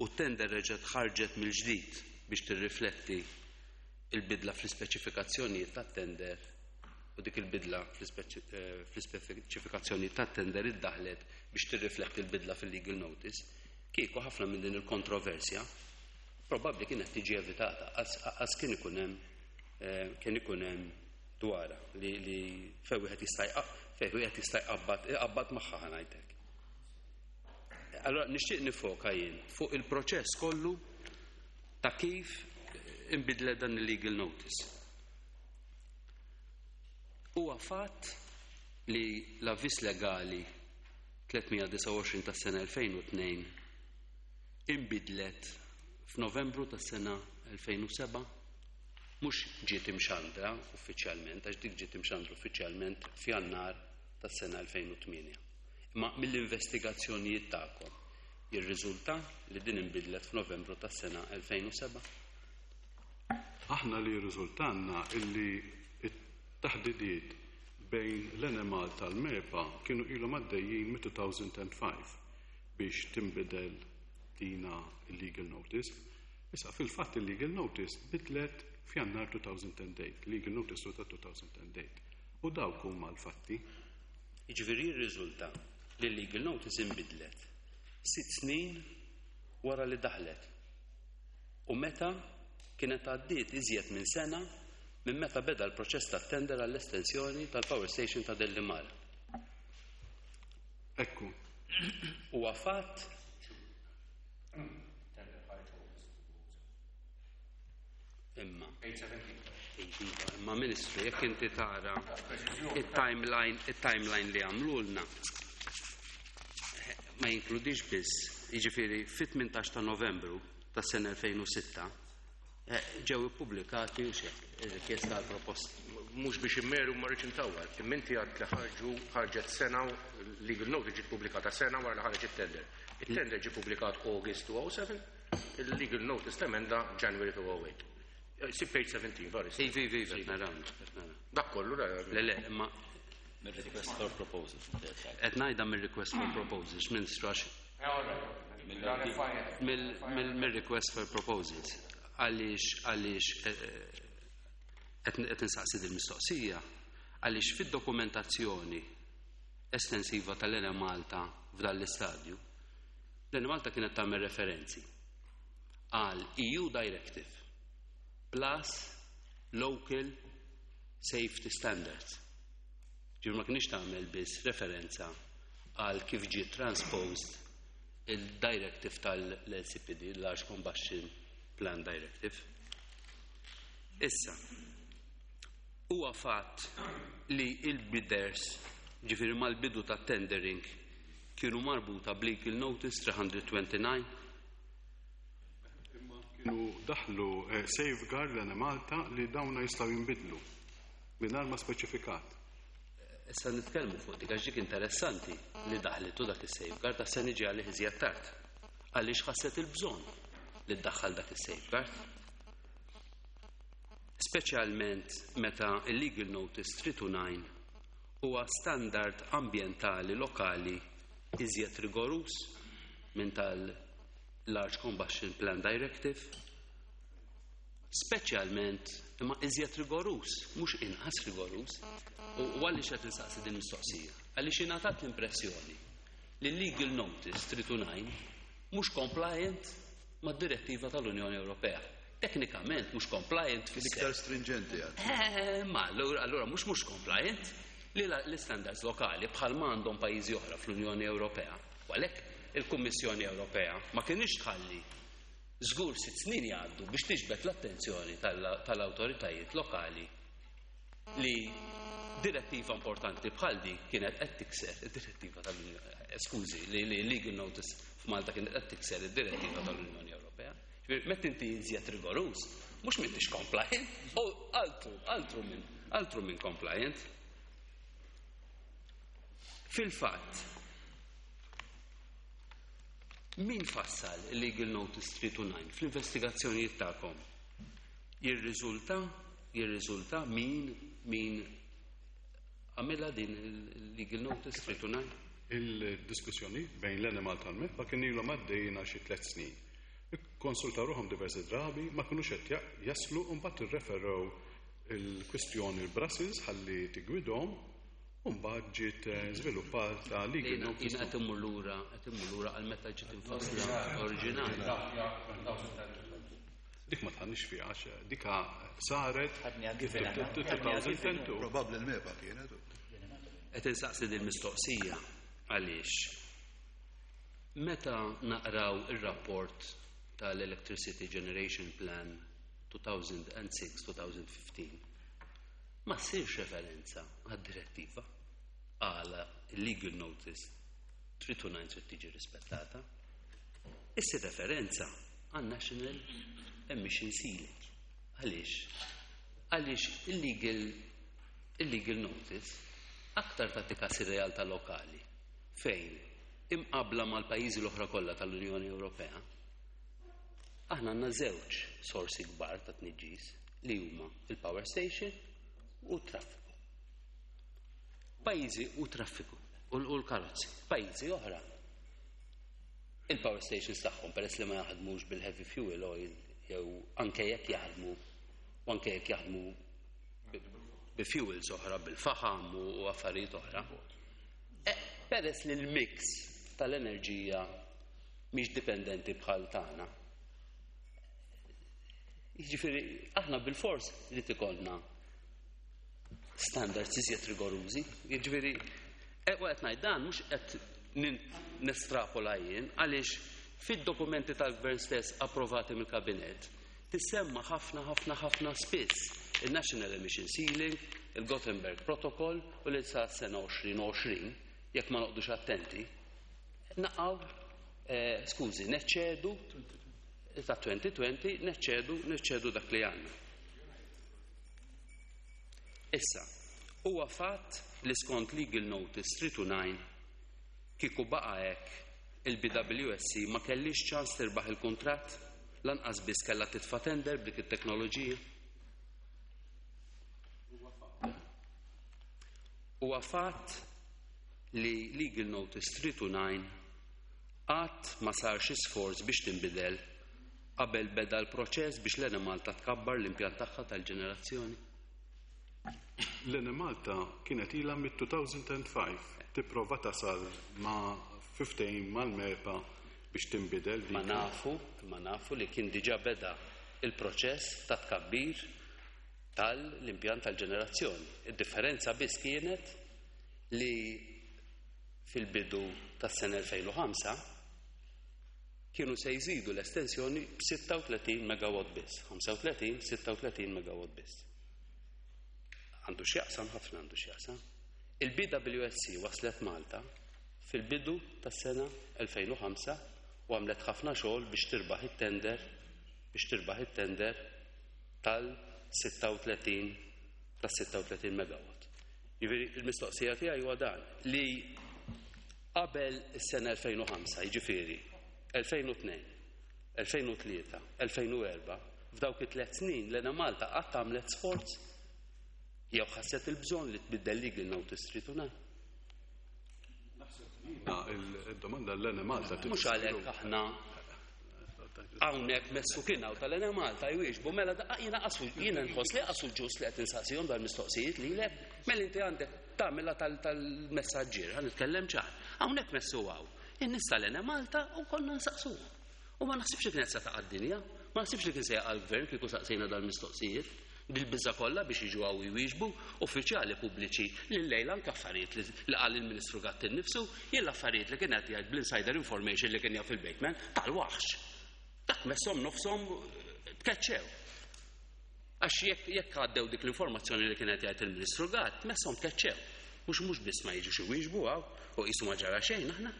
u t-tender reġgħet ħarġet mill-ġdid biex tirrifletti il-bidla fl-ispeċifikazzjonijiet tat-tender, u dik il-bidla fl-ispeċifikazzjonijiet tat-tender iddaħlet biex tirrifletti l-bidla fil-legal notice, kieku ħafna minn din il-kontroversja probabbli kienet tiġi evitata, għas kien ikun hemm dwarha li fejn wieħed jista' fejn wieħed jista' jqabbad magħha ħa ngħidlek. Allora nixtieq nifoka jien fuq il-proċess kollu ta' kif inbidlet dan il-legal notice. Huwa fatt li l-avviż legali 329 tas-sena 2002 inbidlet f'Novembru tas-sena 2007, mhux ġiet imxandra uffiċjalment, għax dik ġiet imxandra uffiċjalment f'Jannar tas-sena 2008. Imma mill-investigazzjonijiet tagħkom jirriżulta li din inbidlet f'Novembru tas-sena 2007? Aħna li jirriżultanna illi t-taħdidiet bejn l-Enemalta tal-MEPA kienu ilhom għaddejjin mit-2005 biex tinbidel dina il-legal notice. Issa fil-fatt il-legal notice bidlet f'Jannar 2008, legal notice ta' 2008. U dawk huma l-fatti. Jiġifieri jirriżulta li l-legal notice inbidlet 6 snin wara li daħlet. U meta kienet għaddiet iżjed minn sena minn meta beda l-proċess ta' tender għall-estensjoni tal-power station ta' Delimara. Ekku. Huwa fatt imma. Imma Ministru, jekk inti tara il-timeline li għamlulna ma jinkludix biss, jiġifieri fit-18 ta' Novembru tas-sena 2006 ġew ippubblikati u xek, ir-rikjesta għal proposta. Mhux biex immeru ma rridx intawwal, imma inti għad li ħarġet sena, legal notice ġiet pubblikata sena wara li ħareġ it-tender. Il-tender ġie ppubblikat August 2007, il-legal notice temenda January 2008. Si page 17, vari. Ivi, ivi, ivi, naraw, naraw. Dak kollu, la, Le, le, imma Mir-request for proposals. Qed ngħidha mir-request for proposals, Ministru, għax mill-request for proposals. Għaliex qed insaqsi din mistoqsija, għaliex fid-dokumentazzjoni estensiva tal-Enemalta f'dan l-istadju, l-Enemalta kienet tagħmel referenzi għal EU Directive. plus local safety standards. Ġifieri ma kienx tagħmel biss referenza għal kif ġie transposed il-directive tal-LCPD, Large Combustion Plan Directive. Issa, huwa fatt li il-bidders, ġifieri mal-bidu ta' tendering, kienu marbuta b'Legal Notice 329. Imma kienu daħlu safeguard l-Enemalta li dawna jistgħu jinbidlu mingħajr ma speċifikat. Issa nitkellmu fuq dik, għax dik interessanti li daħlitu dak is-safeguard, għax se niġi għalih iżjed tard. Għaliex ħasset il-bżonn li ddaħħal dak is-safeguard? Speċjalment meta il-Legal Notice 329 huwa standard ambientali lokali iżjed rigorus minn tal-Large Combustion Plan Directive, speċjalment imma iżjed rigorus, mhux inqas rigorus. U għaliex qed insaqsi din mistoqsija? Għaliex ingħatat l-impressjoni li Legal Notice 329 mhux compliant mad-direttiva tal-Unjoni Ewropea. Teknikament mhux compliant fis Iktar stringenti għad. Ma allura mhux compliant li l-standards lokali bħal ma għandhom pajjiżi oħra fl-Unjoni Ewropea. U għalhekk il-Kummissjoni Ewropea ma kienx tħalli żgur 6 snin jgħaddu biex tiġbed l-attenzjoni tal-awtoritajiet lokali li direttiva importanti bħal di kienet qed tikser id-direttiva tal-Unjoni, skużi, li legal notice f'Malta kienet qed tikser id-direttiva tal-Unjoni Ewropea. Ġifieri, meta inti iżjed rigorus, mhux m'intix compliant, u altru minn compliant. Fil-fatt, min fassal il-Legal Notice 329 fl-investigazzjonijiet tagħkom? Jirriżulta min għamilha din il-Legal Notice 329? Il-diskussjoni bejn l-Enemalta tal-MEPA kien ilhom għaddejna xi 3 snin. Konsultaw ruħhom diversi drabi, ma kinux qed jaslu, u mbagħad irreferew il-kwistjoni l-Brussels ħalli tigwidhom, u mbagħad ġiet żviluppata legal Jiena notice. Jiena qed immur lura għal meta ġiet infassla oriġinali. Dik ma tħannix fiha għax dika saret Għadni given. 2002. Probabbli l-MEPA kienet. Qed insaqsi din mistoqsija għaliex meta naqraw ir-rapport tal-Electricity Generation Plan 2006-2015 ma ssirx referenza għad-direttiva għala legal notice 329 trid tiġi rispettata. Issir referenza għan National Emission Ceiling. Għaliex? Għaliex il-legal notice aktar tagħti kas ir-realtà lokali fejn imqabla mal-pajjiżi l-oħra kollha tal-Unjoni Ewropea aħna għandna żewġ sorsi kbar ta' tniġġis li huma il-power station u t-traffiku. Pajjiżi u traffiku u l-karozzi. Pajjiżi oħra il-power stations tagħhom, peress li ma jaħdmux bil-heavy fuel oil jew anke jekk jaħdmu u anke jekk jaħdmu bi fuels oħra, bil-faħam u affarijiet oħra. Peress li l-mix tal-enerġija mhix dipendenti bħal tagħna. Jiġifieri aħna bil-fors li tikollna standards iżjed rigorużi. Jiġifieri u qed ngħid dan mhux qed nestrapola jien, għaliex fid-dokumenti tal-gvern stess approvati mill-kabinett tissemma ħafna ħafna ħafna spiss il-National Emission Ceiling, il-Gothenburg Protocol u li sa sena 2020, jekk ma noqdux attenti, naqaw, skużi, neċċedu ta' 2020, neċċedu dak li għandna. Issa, huwa fatt li skont Legal Notice 329 kieku baqa hekk il-BWSC ma kellix ċans tirbaħ il-kuntratt, lanqas biss kellha titfa' tender b'dik it-teknoloġija. Huwa fatt li Legal Notice 329 qatt ma sar xi sforz biex tinbidel qabel beda l-proċess biex l-Enemalta tkabbar l-impjant tagħha tal-ġenerazzjoni. L-Enemalta kienet ilha mit-2005 tipprova tasal ma' 15 mal-MEPA biex tinbidel Ma dik. nafu, ma nafu li kien diġà beda. il-proċess ta' tkabbir tal-impjant tal-ġenerazzjoni. Id-differenza biss kienet li fil-bidu tas-sena 2005 kienu se jżidu l-estensjoni b'36 megawatt biss, 35, 36 megawatt biss. Għandu x'jaqsam ħafna għandu x'jaqsam. Il-BWSC waslet Malta fil-bidu tas-sena 2005 u għamlet ħafna xogħol biex tirbaħ it-tender biex tirbaħ it-tender tal-36 tas-36 megawatt. Jiġifieri il-mistoqsija tiegħi huwa dan li qabel is-sena 2005, jiġifieri 2002, 2003, 2004, f'dawk it-tliet snin l-Enemalta qatt għamlet sforz jew ħasset il-bżonn li tbiddel legal notice 329. Il-domanda l-Enemalta. Mhux għalhekk aħna hawnhekk messu kien hawn tal-Enemalta jwieġbu mela jiena qasu jiena nħoss li qasu ġust li qed insaqsihom dal-mistoqsijiet lilek, mela inti għandek tagħmilha tal-messaġġier, ħa nitkellem ċar. Hawnhekk messu hawn. In-nies tal-Enemalta u konna nsaqsuhom. U ma naħsibx li kienet se taqa' d-dinja, ma naħsibx li kien se jaqa' l-gvern kieku saqsejna dal-mistoqsijiet. Dil-biża' kollha biex jiġu hawn jwieġbu uffiċjali pubbliċi li llejla anke affarijiet li qal il-Ministru Gatt innifsu, jien l-affarijiet li kien qed jgħid bl-insider information li kien jaf il-Bateman tal-waħx. Dak messhom nofshom tkeċċew. Għax jekk għaddew dik l-informazzjoni li kien qed jgħid il-Ministru Gatt, messhom tkeċċew. Mhux mhux biss ma jiġux iwieġbu hawn u qisu ma ġara xejn aħna.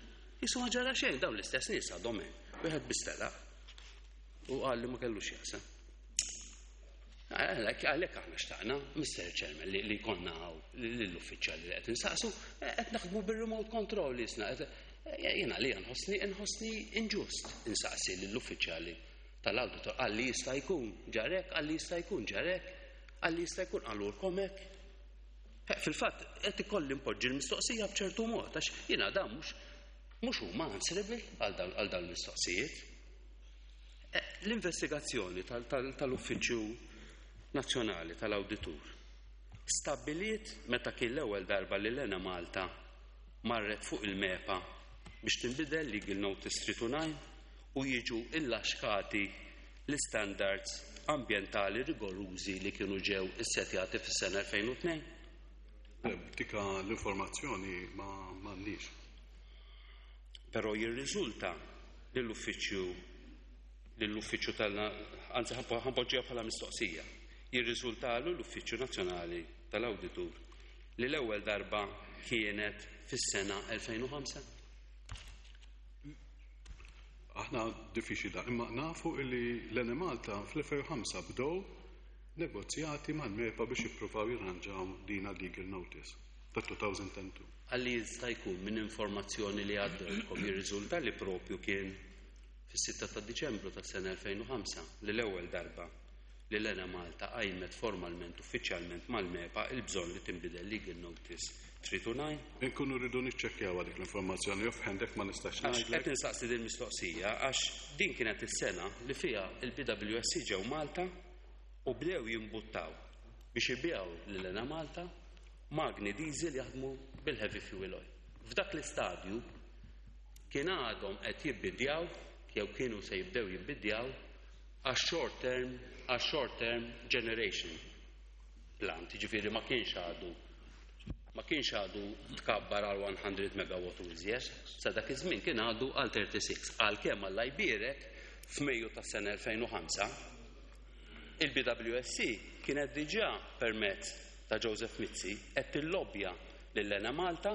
Qisu ma ġara xejn dawn l-istess nies għadhom hemm. Wieħed biss telaq u qal li ma kellux jaqsam. Għalhekk aħna xtaqna, Mr. Chairman, li konna hawn l-uffiċjali li qed insaqsu, qed naħdmu bir-remote control li jisna. Jiena li nħossni nħossni inġust insaqsi lill-uffiċjali tal-awditor għalli jista' jkun ġarek, għalli jista' jkun ġarek, għalli jista' jkun qalulkom hekk. Fil-fatt qed ikolli npoġġi l-mistoqsija b'ċertu mod għax jiena dan mhux huma answerable għal dawn il-mistoqsijiet. L-investigazzjoni tal-Uffiċċju Nazzjonali tal-Awditur stabbiliet meta kien l-ewwel darba li l-Enemalta marret fuq il-MEPA biex tinbidel Legal Notice 329 u jiġu illaxkati l-standards ambjentali rigorużi li kienu ġew issetjati fis-sena 2002? Dik l-informazzjoni ma m'għandix. Però jirriżulta lill-uffiċċju tal anzi ħa npoġġiha bħala mistoqsija. Jirriżultalu l-Uffiċċju Nazzjonali tal-Awditur li l-ewwel darba kienet fis-sena 2005? Aħna diffiċli da, imma nafu illi l-Enemalta fl-2005 bdew negozjati mal-MEPA biex jippruvaw jirranġaw dina legal notice ta' 2002. Għalli jista' jkun minn informazzjoni li għaddewkom jirriżulta li propju kien fis-6 ta' Diċembru tas-sena 2005 li l-ewwel darba li l-Enemalta qajmet formalment uffiċjalment mal-MEPA il-bżonn li tinbidel Legal Notice 329. Inkunu rridu niċċekkjaw dik l-informazzjoni offhand ma nistax Għax qed insaqsi din mistoqsija għax din kienet is-sena li fiha il-BWSC ġew Malta u bdew jimbuttaw biex ibiegħu lil Enemalta magni diesel jaħdmu bil-heavy fuel oil. F'dak l-istadju kien għadhom qed jibbidjaw jew kienu se jibdew jibbidjaw għax short term għax short term generation plant, ġifieri ma kienx għadu tkabbar għal 100 megawatt u iżjed, sa dak iż-żmien kien għadu għal 36. Għalkemm Alla jbierek f'Mejju tas-sena 2005 il-BWSC kienet diġà permezz ta' Joseph Mizzi qed tillobbja lil Enemalta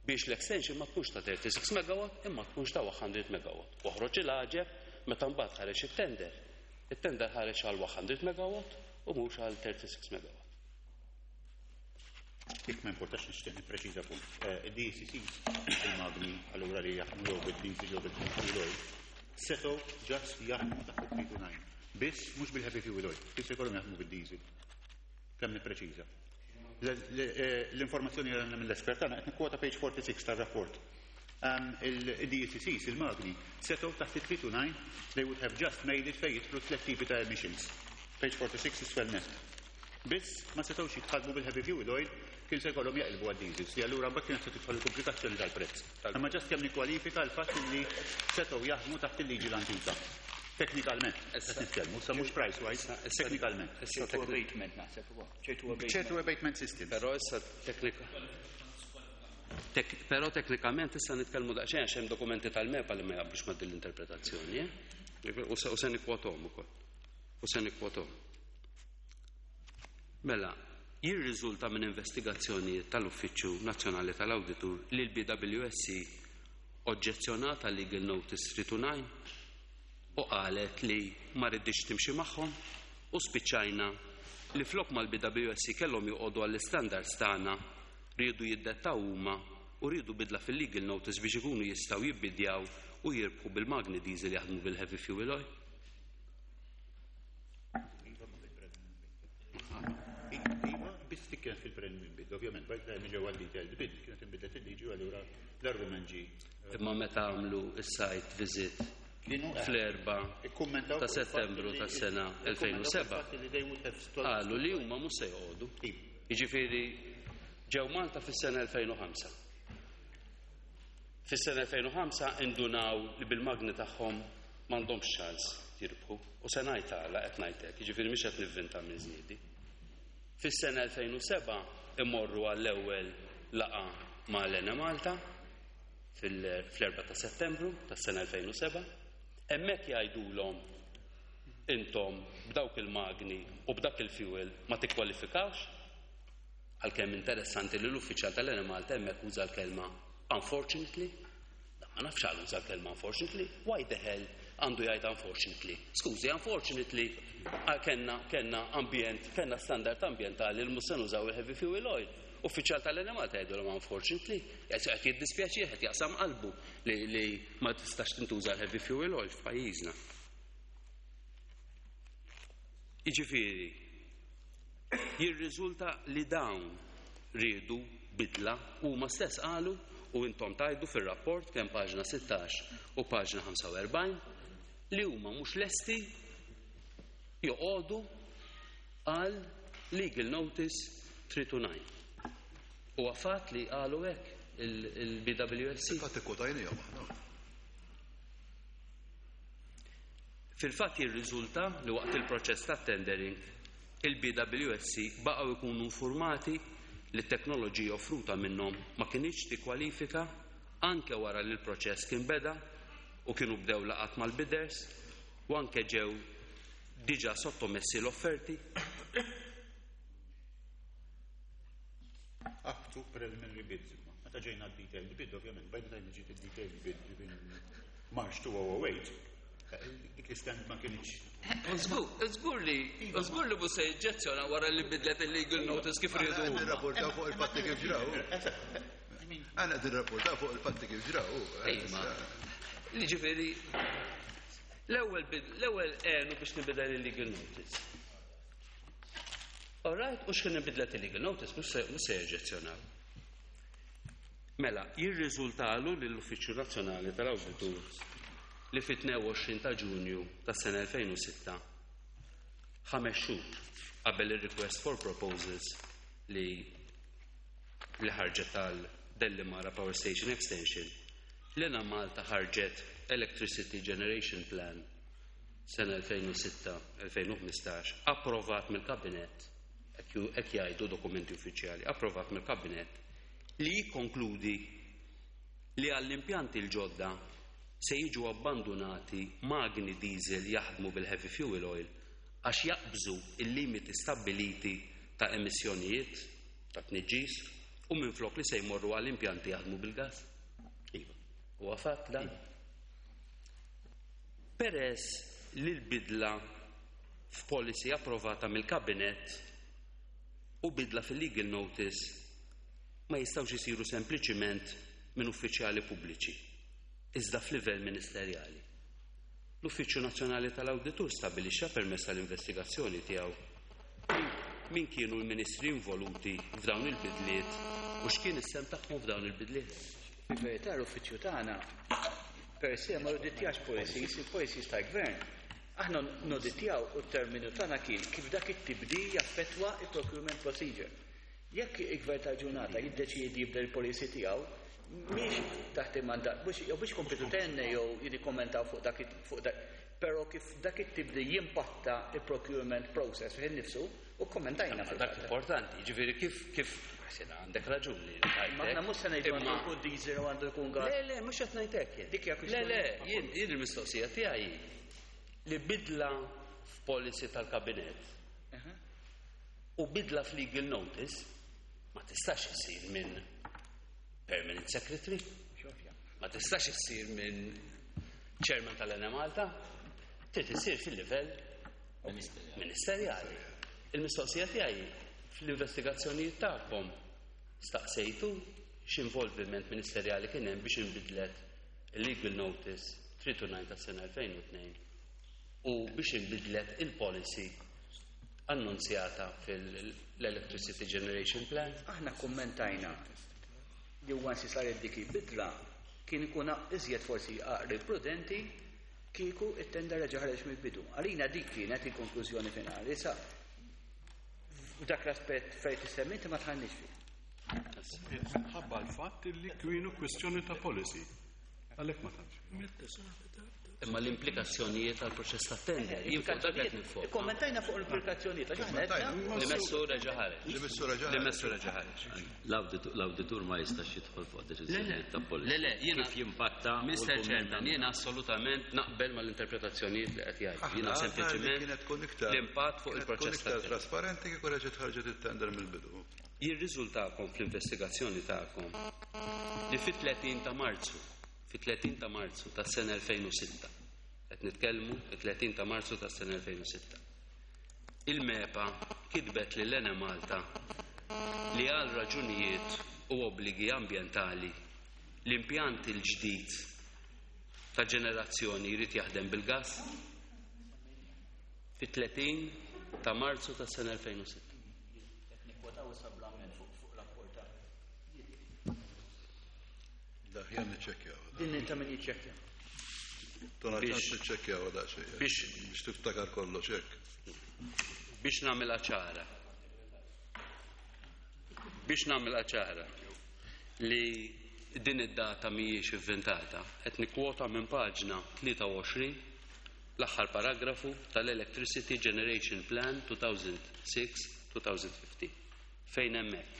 biex l-extension ma tkunx ta' 36 megawatt imma tkunx ta' 100 megawatt. Oħroġ il-għaġeb meta mbagħad ħareġ it-tender. It-tender ħareġ għal 100 megawatt u mhux għal 36 megawatt. Jekk ma importax nixtieq nippreċiża punt. Il-DCCs, il-magni allura li jaħdmu jew bil-diesel jew bil-fuel oil, setgħu just jaħdmu taħt il-329. Biss mhux bil-heavy fuel oil, biss ikollhom jaħdmu bil-diesel. Kemm nippreċiża. L-informazzjoni li għandna mill-espert għandna qed nikkwota page 46 tar-rapport. Il-DCCs, il-magni, setgħu taħt il-329, they would have just made it fejn jidħlu tliet tipi ta' emissions. Page 46 isfel net. Biss ma setgħux jitħadmu bil-heavy fuel oil, kien se jkollhom jaqilbu għad-diesels, li allura mbagħad kienet se tidħol il-komplikazzjoni tal-prezz. Imma just kemm nikkwalifika l-fatt li setgħu jaħdmu taħt il-liġi l-antika. Teknikalment, qed nitkellmu, sa mhux price wise, teknikalment. ċertu abatement naħseb ukoll. Ċertu abatement. Ċertu abatement system. Però issa teknika. Però teknikament issa nitkellmu daqsxejn għax hemm dokumenti tal-MEPA li ma jaqblux ma' din l-interpretazzjoni, eh? U se nikkwothom ukoll. U se nikkwothom. Mela, jirriżulta minn investigazzjonijiet tal-Uffiċċju Nazzjonali tal-Awditur li l-BWSC oġġezzjonat għal Legal Notice 329 u qalet li ma riditx timxi magħhom u spiċċajna li flok mal-BWSC kellhom joqogħdu għall-istandards tagħna riedu jiddettaw huma u riedu bidla fil-legal notice biex ikunu jistgħu jibbidjaw u jirbħu bil-magni diesel jaħdmu bil-heavy fuel oil. Iva, biss dik kienet fil-preliminary bid, ovvjament, by the time ġew għal-detailed bid, kienet inbidlet il-liġi u allura l-argument ġie. Imma meta għamlu s-site visit Kienu fl-4 ikkummentaw ta' fuq il-fatt Settembru li- tas-sena ikkummentaw fuq 2007 il-fatt li they would have stopped- qalu li huma mhux se joqogħdu. Iva. Jiġifieri ġew Malta fis-sena 2005. Fis-sena 2005 indunaw li bil-magni tagħhom m'għandhomx ċans jirbħu. U se ngħid għala qed ngħid hekk, jiġifieri mhix qed nivvinta minn żniedi. Fis-sena 2007 imorru għall-ewwel laqgħa ma' l-Enemalta fl-4 ta' Settembru tas-sena 2007. Hemmhekk jgħidulhom intom b'dawk il-magni u b'dak il-fuel ma tikkwalifikawx, għalkemm interessanti li l-uffiċjal tal-Enemalta hemmhekk uża l-kelma unfortunately. Ma nafx għal uża l-kelma unfortunately, why the hell għandu jgħid unfortunately? Skużi, unfortunately, kellna ambjent, kellna standard ambjentali li mhux se nużaw il-heavy fuel oil. Uffiċjal tal-Enemalta jgħidulhom unfortunately, qed jiddispjaċih, qed jaqsam qalbu li ma tistax tintuża l-heavy fuel oil f'pajjiżna. Jiġifieri, jirriżulta li dawn riedu bidla huma stess qalu u intom tajdu fir-rapport kemm paġna 16 u paġna 45 li huma mhux lesti joqogħdu għal legal notice 329. U għafat li qalu hekk il-BWSC. Fil-fatt ikkwotajnihom aħna. Fil-fatt jirriżulta li waqt il-proċess ta' tendering il-BWSC baqgħu jkunu informati li t-teknoloġija offruta minnhom ma kinitx tikkwalifika anke wara li l-proċess kien beda u kienu bdew laqat mal-bidders u anke ġew diġà sottomessi l-offerti. Up to preliminary bids. Meta ġejna d-detailed bid, ovvjament, by the time ġiet id-detailed bid in March 2008, dik l-stand ma kienx. Żgur li, żgur li mhux se jiġġezzjona wara li bidlet il-legal notice kif riedu Aħna huma. nirrapportaw fuq il-fatti kif ġraw. Aħna qed nirrapportaw fuq il-fatti kif ġraw. Ejma. Jiġifieri, l-ewwel għenu biex nibidel il-legal notice. All right, u x'kien nibidlet il-legal notice, mhux se jeġġezzjonaw. Mela, jirriżultalu lill-Uffiċċju Nazzjonali tal-Awditur li fit-22 ta' Ġunju tas-sena 2006, 5 xhur qabel il-request for proposals li ħarġet tal-Delimara Power Station Extension, l-Enemalta ħarġet Electricity Generation Plan sena 2006-2015, approvat mill-Kabinett, hekk jgħidu dokumenti uffiċjali, approvat mill-Kabinett, li jikkonkludi li għall-impjanti l-ġodda se jiġu abbandonati magni diesel jaħdmu bil-heavy fuel oil għax jaqbżu il-limiti stabbiliti ta' emissjonijiet ta' tniġġis u minflok li se jmorru għall-impjanti jaħdmu bil-gas. Iva. U għafat dan. Peress li l-bidla f'policy approvata mill-Kabinett u bidla fil-legal notice ma jistgħux isiru sempliċiment minn uffiċjali pubbliċi, iżda f'livell ministerjali. L-Uffiċċju Nazzjonali tal-Awditur stabbilixxa permezz tal-investigazzjoni tiegħu min kienu l-ministri involuti f'dawn il-bidliet u x'kien is-sehem tagħhom f'dawn il-bidliet. Fil-verità l-uffiċċju tagħna per se ma noditjax policies, il-policies tal-gvern. Aħna noditjaw u t-terminu tagħna kien kif dak it-tibdil jaffettwa il-procurement procedure. Jekk il-gvern tal-ġurnata jiddeċiedi jibdel il-policy tiegħu, mhix taħt il-mandat, mhux jew biex kompetu tenne jew jikkommentaw fuq dak fuq dak. Però kif dak it-tibdil jimpatta il-procurement process fih innifsu, u kommentajna Dak fil-fatt. Importanti, ġifieri kif għax għandek raġun li Ma aħna mhux se ngħidu għandu Imma jkun diesel u għandu jkun gas. Le, le, mhux qed ngħid hekk jien. Dik hija Le, kwistjoni. le, jien il-mistoqsija tiegħi li bidla f'policy tal-kabinett u bidla f'legal notice ma tistax issir minn permanent secretary, ma tistax issir minn chairman tal-Enemalta, trid issir fil-livell ministerjali. Il-mistoqsija tiegħi, fl-investigazzjonijiet tagħkom staqsejtu x'involviment ministerjali kien hemm biex inbidlet il-legal notice 329 tas-sena 2002 u biex inbidlet il-policy annunzjata fil-Electricity Generation Plan? Aħna kommentajna li once saret dik il-bidla kien ikun iżjed forsi aqri prudenti kieku it-tender reġa' ħareġ mill-bidu. Għalina dik kienet il-konklużjoni finali. Issa f'dak l-aspett fejn tissemmi inti ma tħannix fih. Minħabba l-fatt li kienu kwestjoni ta' policy. Għalhekk ma tantx. Imma l-implikazzjonijiet tal-proċess ta' tender, jien fuq dak qed nifoka. Kommentajna fuq l-implikazzjonijiet, għax aħna għedna Li messu reġa' ħareġ. Li messu reġa' Li messu reġa' ħareġ. L-awditur ma jistax jidħol fuq deċiżjonijiet ta' policy. Le, le, jiena Kif jimpatta u Mr. l-kumment Chairman, jiena assolutament naqbel mal-interpretazzjonijiet li qed jgħid. Jiena Aħna għadna li sempliċement kienet tkun iktar l-impatt fuq kienet tkun il-proċess iktar ta' tender. trasparenti kieku reġgħet ħarġet it-tender mill-bidu. Jirriżultakom fl-investigazzjoni tagħkom li fit-30 ta' Marzu, fit-30 ta' Marzu tas-sena 2006, qed nitkellmu fit-30 ta' Marzu tas-sena 2006. Il-MEPA kitbet lil Enemalta li għal raġunijiet u obbligi ambjentali l-impjant il-ġdid ta' ġenerazzjoni jrid jaħdem bil-gas fit-30 ta' Marzu tas-sena 2006. Nikwotaw issa bl-amment fuq rapport ta' Daħjan niċċekkjaw. din ta' min jiċċekkja. Tona ċans niċċekkjaw daqsxejn. Biex tiftakar kollox hekk. Biex nagħmilha ċara. Biex nagħmilha ċara li din id-data mhijiex inventata, qed nikkwota minn paġna 23 l-aħħar paragrafu tal-Electricity Generation Plan 2006-2015 fejn hemmhekk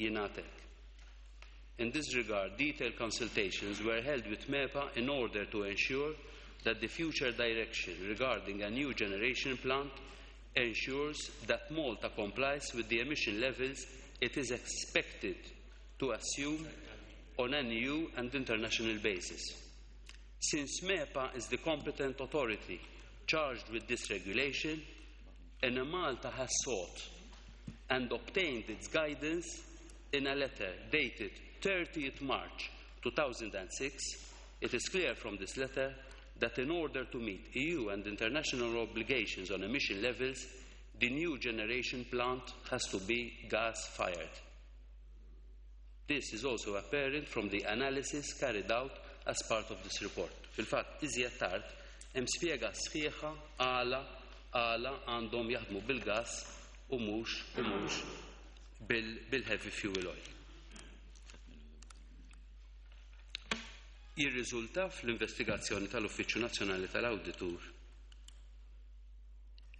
jingħad hekk. In this regard, detailed consultations were held with MEPA in order to ensure that the future direction regarding a new generation plant ensures that Malta complies with the emission levels it is expected to assume on an EU and international basis. Since MEPA is the competent authority charged with this regulation, Enemalta has sought and obtained its guidance in a letter dated 30th March 2006. It is clear from this letter that in order to meet EU and international obligations on emission levels, the new generation plant has to be gas-fired. This is also apparent from the analysis carried out as part of this report. Fil-fatt, iżjed tard, hemm spjega sħiħa għala għandhom jaħdmu bil-gas u mhux bil-heavy fuel oil. Jirriżulta fl-investigazzjoni tal-Uffiċċju Nazzjonali tal-Awditur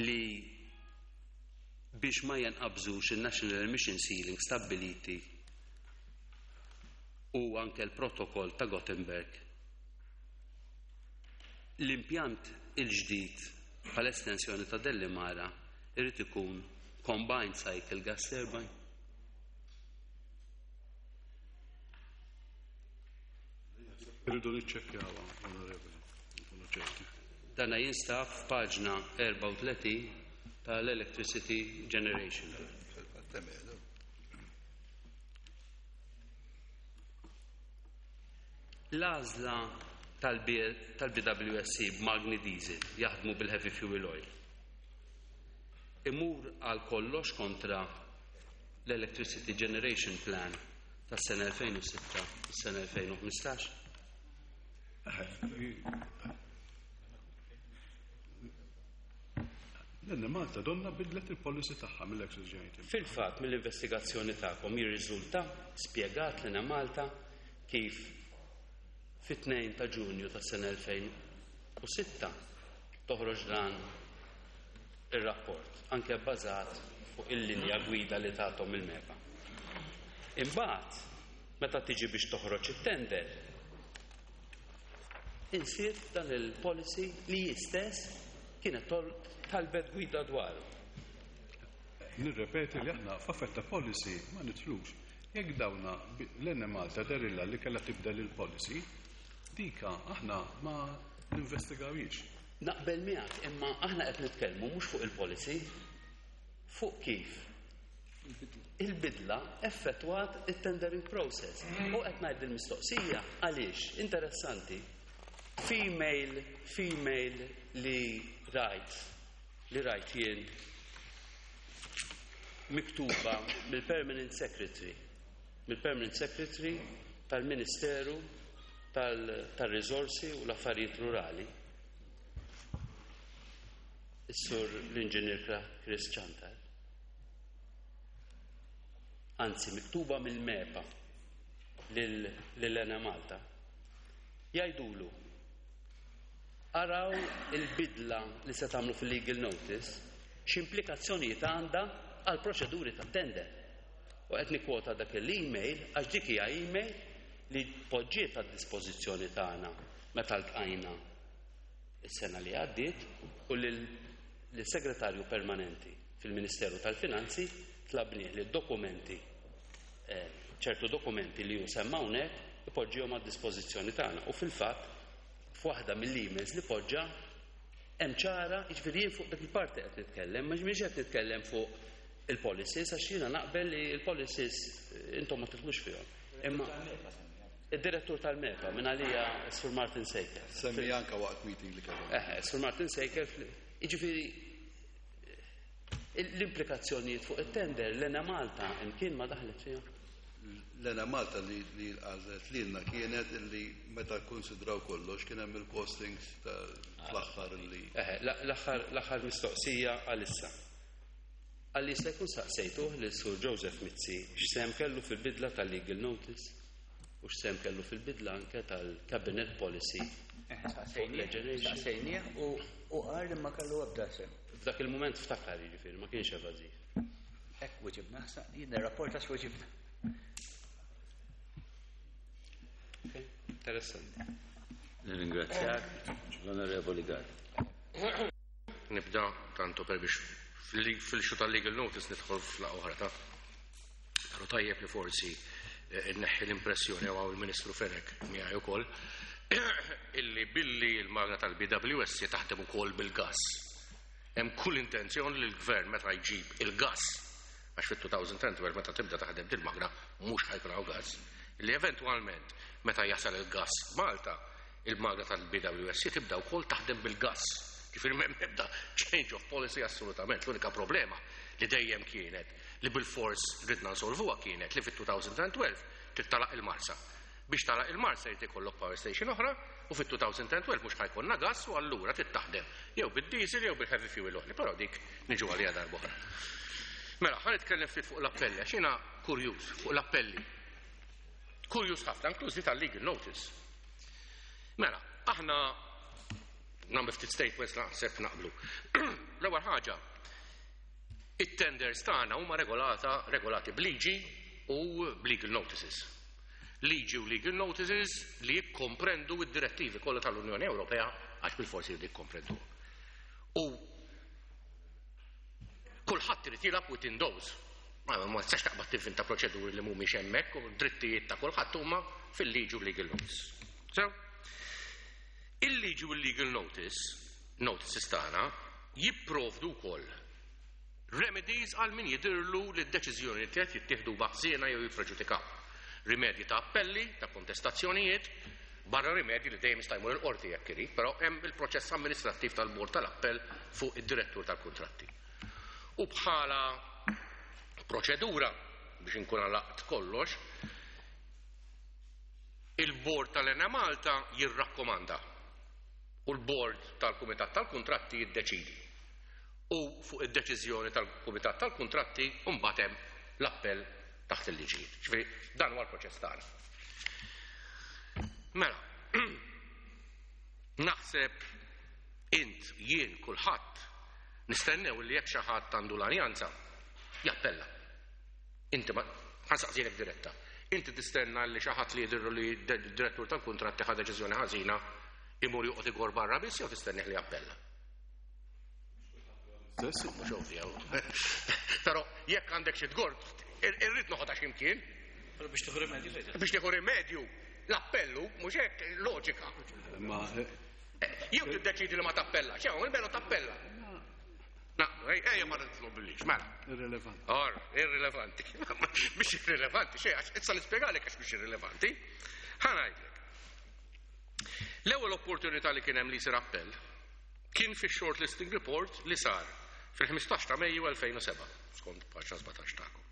li biex ma jenqabżux il-National Emission Ceiling stabbiliti u anke l-protokoll ta' Gothenburg, l-impjant il-ġdid bħal estensjoni ta' Delimara irid ikun combined cycle gas turbine. Irridu niċċekkjawha, onorevoli, nkunu ċerti. Dana jinstab f'paġna 34 tal-Electricity Generation. Fil-fatt hemm qiegħda. L-għażla tal-BWSC b'magni diesel jaħdmu bil-heavy fuel oil imur għal kollox kontra l-Electricity Generation Plan tas-sena 2006 u s-sena 2015. L-Enemalta donna bidlet il-policy tagħha mill-Access Generating. Fil-fatt, mill-investigazzjoni tagħkom jirriżulta spjegat lil Malta kif fit-2 ta' Ġunju tas-sena 2006 toħroġ dan ir-rapport, anke bbażat fuq il-linja gwida li tathom il-MEPA. Imbagħad, meta tiġi biex toħroġ it-tender, insiet dan il-policy li hi stess kienet talbet gwida dwaru. Nirrepeti li aħna f'affett ta' policy ma nidħlux. Jekk dawna l-Enemalta derilha li kellha tibdel il-policy, dika aħna ma ninvestigawhiex. Naqbel miegħek, imma aħna qed nitkellmu mhux fuq il-policy, fuq kif il-bidla effettwat it-tendering process. U qed ngħid il-mistoqsija għaliex interessanti. Female, female li rajt jien miktuba mill-Permanent Secretary tal-Ministeru tal-Risorsi u l-Affarijiet Rurali, is-sur l-Inġinier Chris Ciantar, anzi miktuba mill-MEPA lil Enemalta, jgħidulu araw il-bidla li se tagħmlu fil-legal notice x'implikazzjonijiet għandha għal proċeduri ta' tender. U qed nikkwota dak l-email għax dik hija email li poġġiet għad dispożizzjoni tagħna meta ltqajna is-sena li għaddiet u lill-segretarju permanenti fil-Ministeru tal-Finanzi tlabnieh li dokumenti, ċertu dokumenti li hu semma hawnhekk, ipoġġihom għad dispożizzjoni tagħna. U fil-fatt f'waħda mill-emails li poġġa hemm ċara, jiġifieri jien fuq dak il-parti qed nitkellem, ma mhix qed nitkellem fuq il-policies, għax jiena naqbel li il-policies intom ma tidħlux fihom. Imma id-direttur tal-MEPA minn għalija Sur Martin Sejker. Semmi anka waqt meeting li kellhom. Sur Martin Sejker, jiġifieri l-implikazzjonijiet fuq it-tender l-Enemalta imkien ma daħlet fihom. L-Enemalta li għażlet lilna kienet li meta konsidraw kollox kien hemm il-costings ta' fl-aħħar li L-aħħar mistoqsija għalissa. Għalli se jkun saqsejtuh li Sur Joseph Mizzi x'sehem kellu fil-bidla tal-legal notice u x'sehem kellu fil-bidla anke tal-cabinet policy fuq l-generation. Saqsejnieh u qal li ma kellu ebda sehem. F'dak il-moment ftakar, jiġifieri ma kienx evażiv. Hekk weġibna, jien rapport għax weġibna. Ok, interessanti. Nirringrazzjak, l-Onorevoli Gall. Nibda tanto per biex fil-issue tal-legal notice nidħol f'laqgħa oħra ta' Pero tajjeb li forsi nneħħi l-impressjoni għaw il-Ministru Fenech miegħi ukoll illi billi il-magna tal-BWS taħdem ukoll bil-gas. Hemm kull intenzjoni li l-gvern meta jġib il-gas, għax fit-2010 meta tibda taħdem dil-magna mhux ħa jkun hawn gas, li eventwalment meta jasal il-gas Malta, il-magna tal-BWS tibda wkoll taħdem bil-gas. Ġifieri m'hemm ebda change of policy assolutament. L-unika problema li dejjem kienet li bil-fors ridna nsolvuha kienet li fit-2012 trid tagħlaq il-Marsa. Biex tagħlaq il-Marsa jrid ikollok power station oħra u fit-2012 mhux ħa jkollna gas u allura trid taħdem jew bid-diesel jew bil-heavy fuel oil, però dik niġu għalija darba oħra. Mela, ħa nitkellem ftit fuq l-appelli, għax jiena kurjuż fuq l-appelli. Kurjuż ħafna, inklużi tal-legal notice. Mela, aħna nagħmel ftit statements, naħseb naqblu. L-ewwel ħaġa, it-tenders tagħna huma regolati b'liġi u b'legal notices. Liġi u legal notices li jikkomprendu id-direttivi kollha tal-Unjoni Ewropea, għax bil-forsi jridu jikkomprendu. U kulħadd irid jilgħab within those. Ma tistax taqbad tivvinta proċeduri li mhumiex hemmhekk u drittijiet ta' kulħadd huma fil-liġi u legal notice. So, il-liġi u legal notices tagħna jipprovdu wkoll remedies għal min jidirlu li d-deċiżjoni li qed jittieħdu ħżiena jew jippreġudikaw. Rimedji ta' appelli, ta' kontestazzjonijiet, barra rimedji li dejjem jista' jmur il-qorti jekk irid, però hemm il-proċess amministrattiv tal-bord tal-appell fuq id-direttur tal-kuntratti. U bħala proċedura, biex inkun għalaqt kollox, il-bord tal-Enemalta jirrakkomanda u l-bord tal-Kumitat tal-Kuntratti jiddeċidi. U fuq id-deċiżjoni tal-Kumitat tal-Kuntratti mbagħad hemm l-appell taħt il-liġijiet. Ġifieri dan huwa l-proċess tagħna. Mela, naħseb Int, jien, kulħadd, nistennew li jekk xi ħadd għandu lanjanza, jappella. Inti ma ħa nsaqsilek diretta. Inti tistenna li xi ħadd li jidhirlu li d-direttur tal-kuntratti ħa deċiżjoni ħażina imur joqgħod igor barra biss jew tistennih li jappella? Mhux ovvja. Però jekk għandek xi tgor, irrid noħodha x'imkien. Biex tieħu rimedju. Biex tieħu rimedju. L-appellu mhux hekk loġika. Ma jew tiddeċidi li ma tappella, xew, il-melo tappella. Naqblu, ejja ma nitlobilix, mela. Irrilevanti. Or, irrilevanti. Mhix irrilevanti, xejn, għax issa nispjegalek għax mhix irrilevanti. Ħa ngħidlek. L-ewwel opportunità li kien hemm li jsir appell kien fix-shortlisting report li sar fil-15 ta' Mejju 2007, skont paġna 17 tagħkom.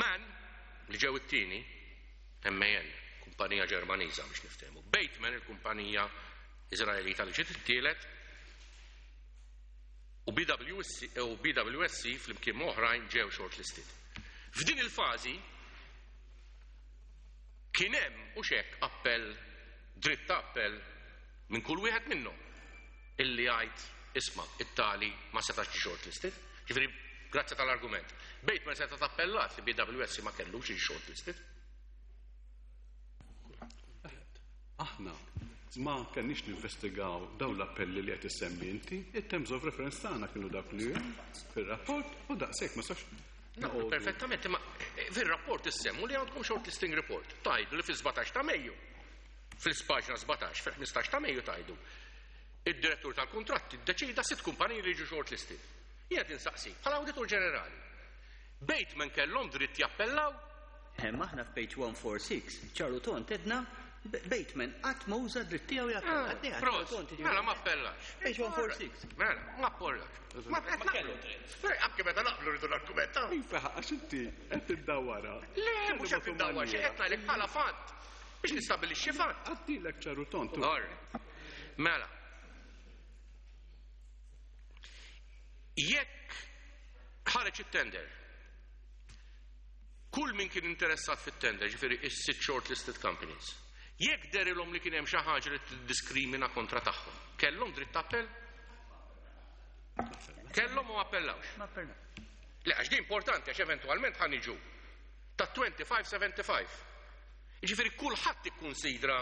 Man, li ġew it-tieni, MAN, kumpanija Ġermaniża biex niftehmu, Bateman, il-kumpanija Iżraelita li ġiet it-tielet, u BWSC, u BWSC flimkien ma' oħrajn ġew shortlisted. F'din il-fażi kien hemm u xek appell, dritt ta' appell minn kull wieħed minnhom illi jgħid isma' it-tali ma setax ġie shortlisted. Ġifieri, grazzi tal-argument. Bateman seta' tappellat li BWSC ma kellux jiġi shortlisted. Aħna ma kenniex ninvestigaw dawn l-appelli li qed issemmi inti, it-terms of reference tagħna kienu dak li hemm fir-rapport u daqshekk ma sax. Naqblu perfettament, imma fir-rapport issemmu li għandkom shortlisting report. Tajdu li fis-17 ta' Mejju, fil-paġna 17, fil-15 ta' Mejju tajdu. Id-direttur tal-kuntratti ddeċida sitt kumpaniji li jiġu shortlisted. Jien qed insaqsi, bħala Awditur Ġenerali, Bateman kellhom dritt jappellaw? Imma aħna f'page 146, ċar u tond għedna Bateman qatt ma uża d-dritt tiegħu jappella. Ah, prost, mela ma appellax. Page 146. Mela, ma appellax. Ma kellu dritt. Anke meta naqblu rridu nargumentaw. Iva, għax inti qed tiddawwarha. Le, mhux qed tiddawwar xi qed ngħidlek bħala fatt. Biex nistabilixxi fatt. Għaddilek ċar u tond. All right. Mela. Jekk ħareġ it-tender, kull min kien interessat fit-tender, ġifieri is-sitt shortlisted companies, jekk derilhom li kien hemm xi ħaġa li tiddiskrimina kontra tagħhom, kellhom dritt ta' appell? Kellhom u ma appellawx. Ma appellawx. Le, għax di importanti għax eventwalment ħa niġu ta' 25-75. Jiġifieri kulħadd ikkunsidra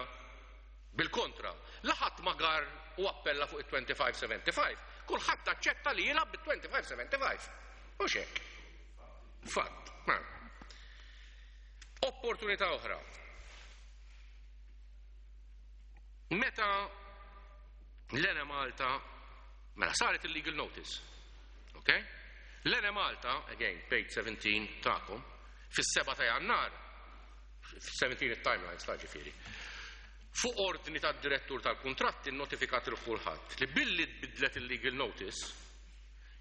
bil-kontra. La ħadd ma gar u appella fuq it-25-75, kulħadd aċċetta li jilgħab bit-25-75. Mhux hekk. Fatt. Mela. Opportunità oħra. Meta l-Enemalta, mela saret il-legal notice, ok? L-Enemalta, again, page 17 tagħkom, fis-7 ta' Jannar, 17 it-timelines ta' ġifieri, fuq ordni tad-direttur tal-kuntratti nnotifikat lil kulħadd li billi tbiddlet il-legal notice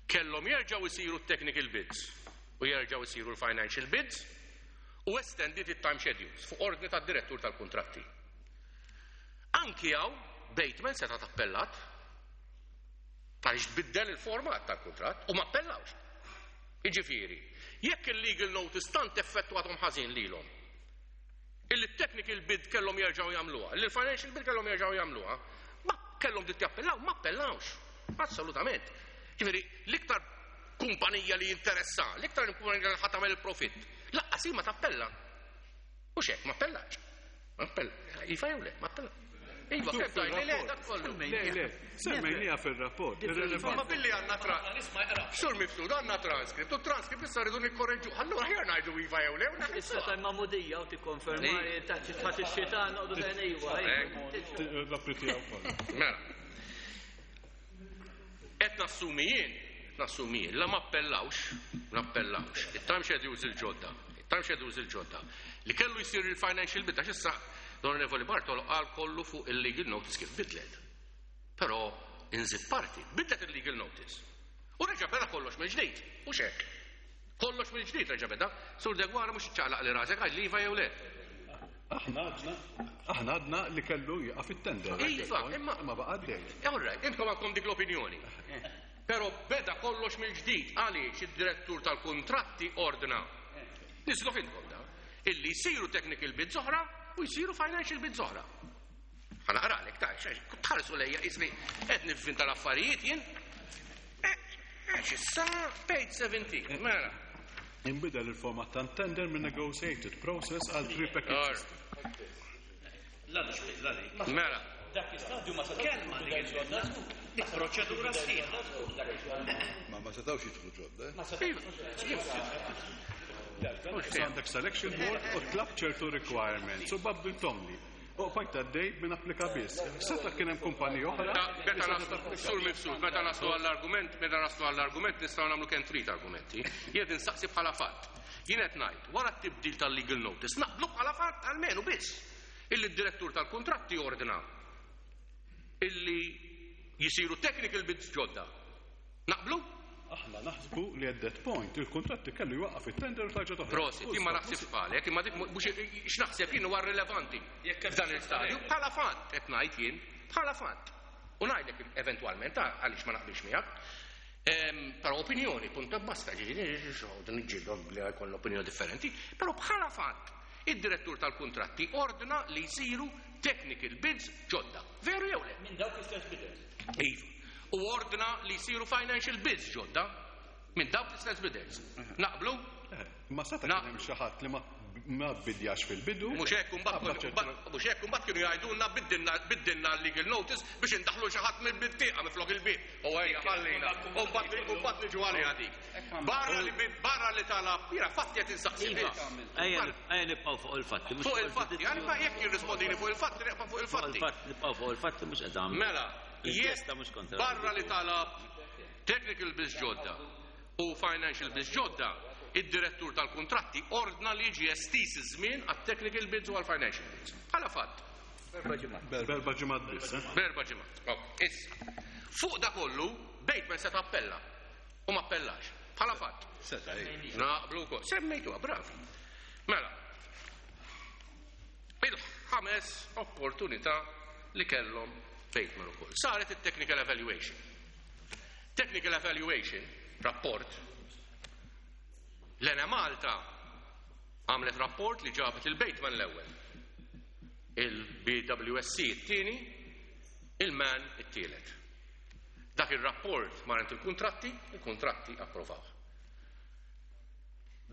kellhom jerġgħu jsiru t-technical bids u jerġgħu jsiru l-financial bids u estendiet it-time schedules fuq ordni tad-direttur tal-kuntratti. Anki hawn Bateman setgħet appellat għaliex tbiddel il-format tal-kuntratt u ma appellawx. Jiġifieri, jekk il-legal notice tant effettwathom ħażin lilhom, illi t-technical bid kellhom jerġgħu jagħmluha, illi l-financial bid kellhom jerġgħu jagħmluha, ma kellhom dritt jappellaw, ma appellawx. Assolutament. Ġifieri, l-iktar kumpanija li jinteressa, l-iktar kumpanija li ħa tagħmel il-profitt, laqqas hi ma tappella. Mhux hekk, ma appellax. Ma appella. Iva jew le, ma appella. Iva, kemm tgħidli le dak kollu. Le, le, semmejniha fir-rapport. Ma billi għandna tra. Sur Mifsud, għandna transcript, u transcript issa rridu nikkorreġu. Allura ħjar ngħidu iva jew le. Issa tal-magħmudija u tikkonferma taħt ix-xitan noqogħdu dejjem iva. L-appli tiegħu kollha. Mela. Qed nassumi jien, qed nassumi jien, la ma appellawx, ma appellawx, it-time schedules il-ġodda, it-time schedules il-ġodda, li kellu jsir il-financial bid, għax issa l-Onorevoli Bartolo qal kollu fuq il-legal notice kif bidlet. Però inżid parti, bidlet il-legal notice. U reġa' beda kollox mill-ġdid, mhux hekk. Kollox mill-ġdid reġa' beda. Sur Deguara mhux iċċaqlaq li rasek, għajd li iva jew le. Aħna għadna, aħna għadna li kellu jieqaf it-tender. Iva, imma Ma baqa' għaddej. All right, intkom għandkom dik l-opinjoni. Però beda kollox mill-ġdid għaliex id-direttur tal-kuntratti ordna. Nislu fintkom da. Illi jsiru technical bids oħra u jsiru financial bids oħra. Ħa naqralek, ta' tħarsu lejja ismi qed nivvinta l-affarijiet jien. Għax issa page 17, mela. Inbidel il-format ta' tender minn negotiated process għal pre-package system. Mela. Dak istadju ma kelma dik proċedura sħiħa. Ma setawx jidħlu ġodda. Għandek selection board u tlab ċertu requirements u babbintomli. U bqajt għaddej minn applika biss. Seta kien hemm kumpanija oħra. Meta naslu, sur mifsud, meta naslu għall-argument, meta naslu għall-argument nistgħu nagħmlu kemm trid argumenti. Jien insaqsi bħala fatt. Jien qed ngħid, wara t-tibdil tal-legal notice, naqblu bħala fatt almenu biss. Illi d-direttur tal-kontratti ordna illi jisiru technical bids ġodda. Naqblu? Aħna naħsbu li at that point il-kontratti kellu jwaqqaf it-tender u tarġa' toħroġ. Prosit, jien ma naħsibx bħalek, imma dik mhux x'naħseb jien huwa rilevanti f'dan il-stadju. Bħala fatt qed ngħid jien, bħala fatt. U ngħidlek eventwalment għaliex ma naqbilx miegħek. Però opinjoni, punta basta, ġifieri niġġieldu li jkollna opinjoni differenti, però bħala fatt id-direttur tal-kontratti ordna li jsiru technical bids ġodda. Veru jew le? Minn dawk istess bidders. Iva. U ordna li jsiru financial bids ġodda minn dawk l-istess bidders. Naqblu? Ma seta kien hemm xi ħadd li ma bidjax fil-bidu. Mhux hekk imbagħad kienu jgħidulna biddilna l-legal notice biex indaħlu xi ħadd mill-bintieqa miflok il-bib. U ejja ħallina. U mbagħad niġu għaliha dik. Barra li talab, jiena fatti qed insaqsi biss. Ejja nibqgħu fuq il-fatti. Fuq il-fatti, għalma jekk jirrispondini fuq il-fatti, nibqa' fuq il-fatti. Nibqgħu fuq il-fatti mhux qed Mela, jekk barra li talab technical bids ġodda u financial bids ġodda, id-direttur tal-kontratti ordna li jiġi estis iż-żmien għat-technical bids u għal-financial bids. Bħala fatt. Berba ġimgħat biss. Berba ġimgħat. Issa. Fuq da kollu, Bateman se tappella. U ma appellax. Bħala fatt. Seta' Naqblu wkoll. Semmejtuha, bravi. Mela. Il-ħames opportunità li kellhom Bateman ukoll. Saret it-technical evaluation. Technical evaluation, rapport, l-Enemalta għamlet rapport li ġabet il-Bateman l-ewwel. Il-BWSC it-tieni, il-MAN it-tielet. Dak il-rapport marent il-kontratti, il-kontratti approvaw.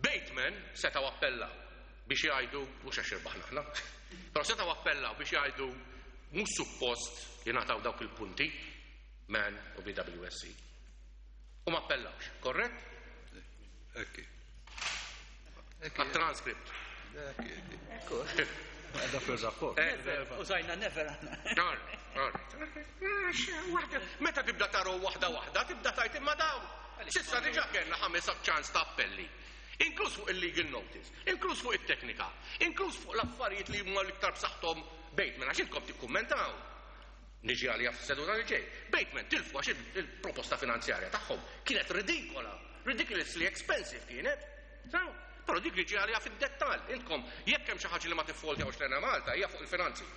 Bateman setaw appellaw biex jgħidu, mhux għax irbaħna aħna, però setaw appellaw biex jgħidu mhux suppost jingħataw dawk il-punti, MAN u BWSC. U ma appellawx, korrett? Ekki. Għat-transcript. Ekku. Da fil-rapport. Użajna never Meta tibda taru waħda waħda, tibda tajt imma daw. Sissa diġa kellna ħames ċans ta' appelli. Inkluż fuq il-legal notice, inkluż fuq it-teknika, inkluż fuq l-affarijiet li huma l-iktar b'saħħthom Bateman, għax intkom tikkummentaw. Niġi għalija fis-seduta li ġej. Bateman tilfu għax il-proposta finanzjarja tagħhom kienet ridikola, ridiculously expensive kienet. Però dik li ġi għalija fid-dettall. Intkom jekk hemm xi ħaġa li ma tiffoltjawx l-Enemalta hija fuq il-finanzi.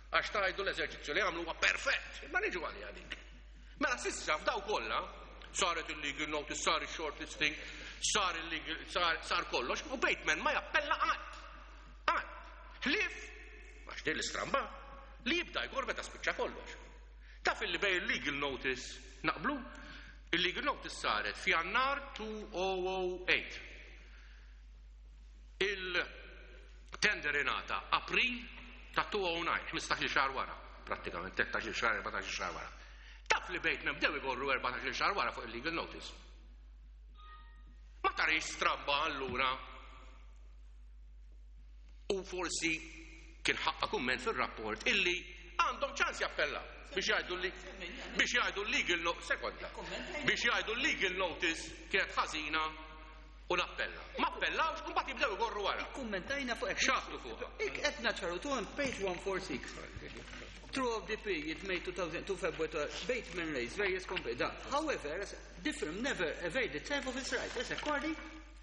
Għax tajdu l-eżerċizzju li għamlu huwa perfett, imma niġu għalija dik. Mela sissa f'daw kollha saret il-legal notice, sar il-shortlisting, sar il-legal, sar kollox, u Bateman ma jappella qatt. Qatt. Ħlief, għax din l-istramba, li jibda jgor meta spiċċa kollox. Taf illi bej il-legal notice naqblu, il-legal notice saret f'Jannar 2008. Il-tender ingħata April ta' 2009, 15 xahar wara, prattikament 13 xahar, 14 xahar wara. Taf li Bateman bdew igorru 14 xahar wara fuq il-legal notice. Ma tarix stramba allura. U forsi kien ħaqqa kumment fil-rapport illi għandhom ċans jappellaw biex jgħidu li biex jgħidu legal no sekonda biex jgħidu legal notice kienet ħażina u nappella. Ma appellawx u mbagħad jibdew igorru wara. Kummentajna fuq hekk. X'għastu fuqha? Qed naċċaru tu on page 146. Throughout the period May 2002 February, Bateman raised various complaints. However, the firm never availed itself of its right. As according,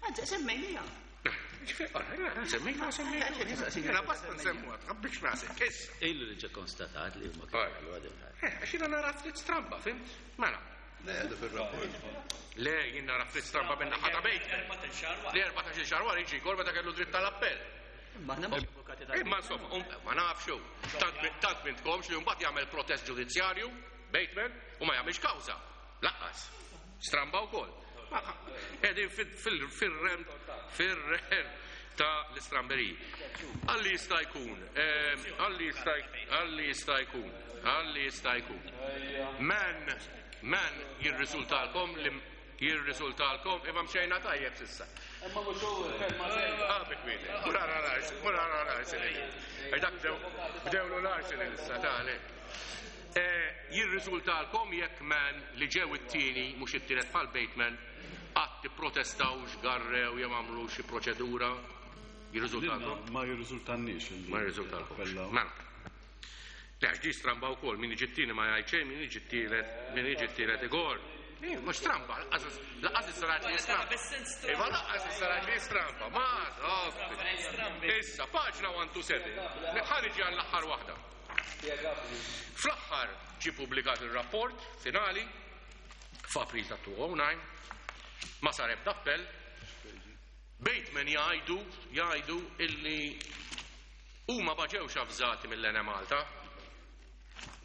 anzi, semmejnija. Semmejna, semmejna. Jena basta nsemmuha, tħabbix rasek, issa. Ilu li ġa konstatat li huma kienu għadu Għax jiena nara ftit stramba, fimt? Mela. Le, għadu fil-rapport. Le, jien nara ftit stramba minn naħa ta' Bateman. Li 14 xahar wara jiġi jgor meta kellu dritt tal-appell. Ma aħna mhux avukati. Imma insomma, ma nafx hu. Tant mintkomx li mbagħad jagħmel protest ġudizzjarju, Bateman, u ma jagħmilx kawża. Lanqas. Stramba wkoll. Qegħdin fir-realm ta' l-istramberiji. Għalli jista' jkun, għalli jista' għalli jista' jkun, għalli jista' jkun. Man jirriżultalkom li jirriżultalkom imma mxejna tajjeb s'issa. Imma mhux hu kelma sejra. Ah, bi kwieti. Mur ara l-Arsenal, mur ara l-Arsenal. Għax dak bdewlu l-Arsenal issa ta' Jirriżultalkom jekk Man li ġew it-tieni mhux it-tielet bħal Bateman qatt ipprotestaw x'garrew jew għamlu xi proċedura? Jirriżultalkom? Ma jirriżultanniex. Ma jirriżultalkomx. Mela. Le, għax di stramba wkoll, min jiġi t-tieni ma jgħid xejn, min jiġi t-tielet, min jiġi t-tielet igor. Mhux stramba, lanqas issa ngħid li stramba. Iva lanqas issa ngħid li stramba, ma Issa, paġna 127, ħa niġi għall-aħħar waħda. Fl-aħħar ġie pubblikat il-rapport finali f'April ta' 2009, ma sar ebda appell. Bateman jgħidu illi huma ma ġewx avżati mill-Enemalta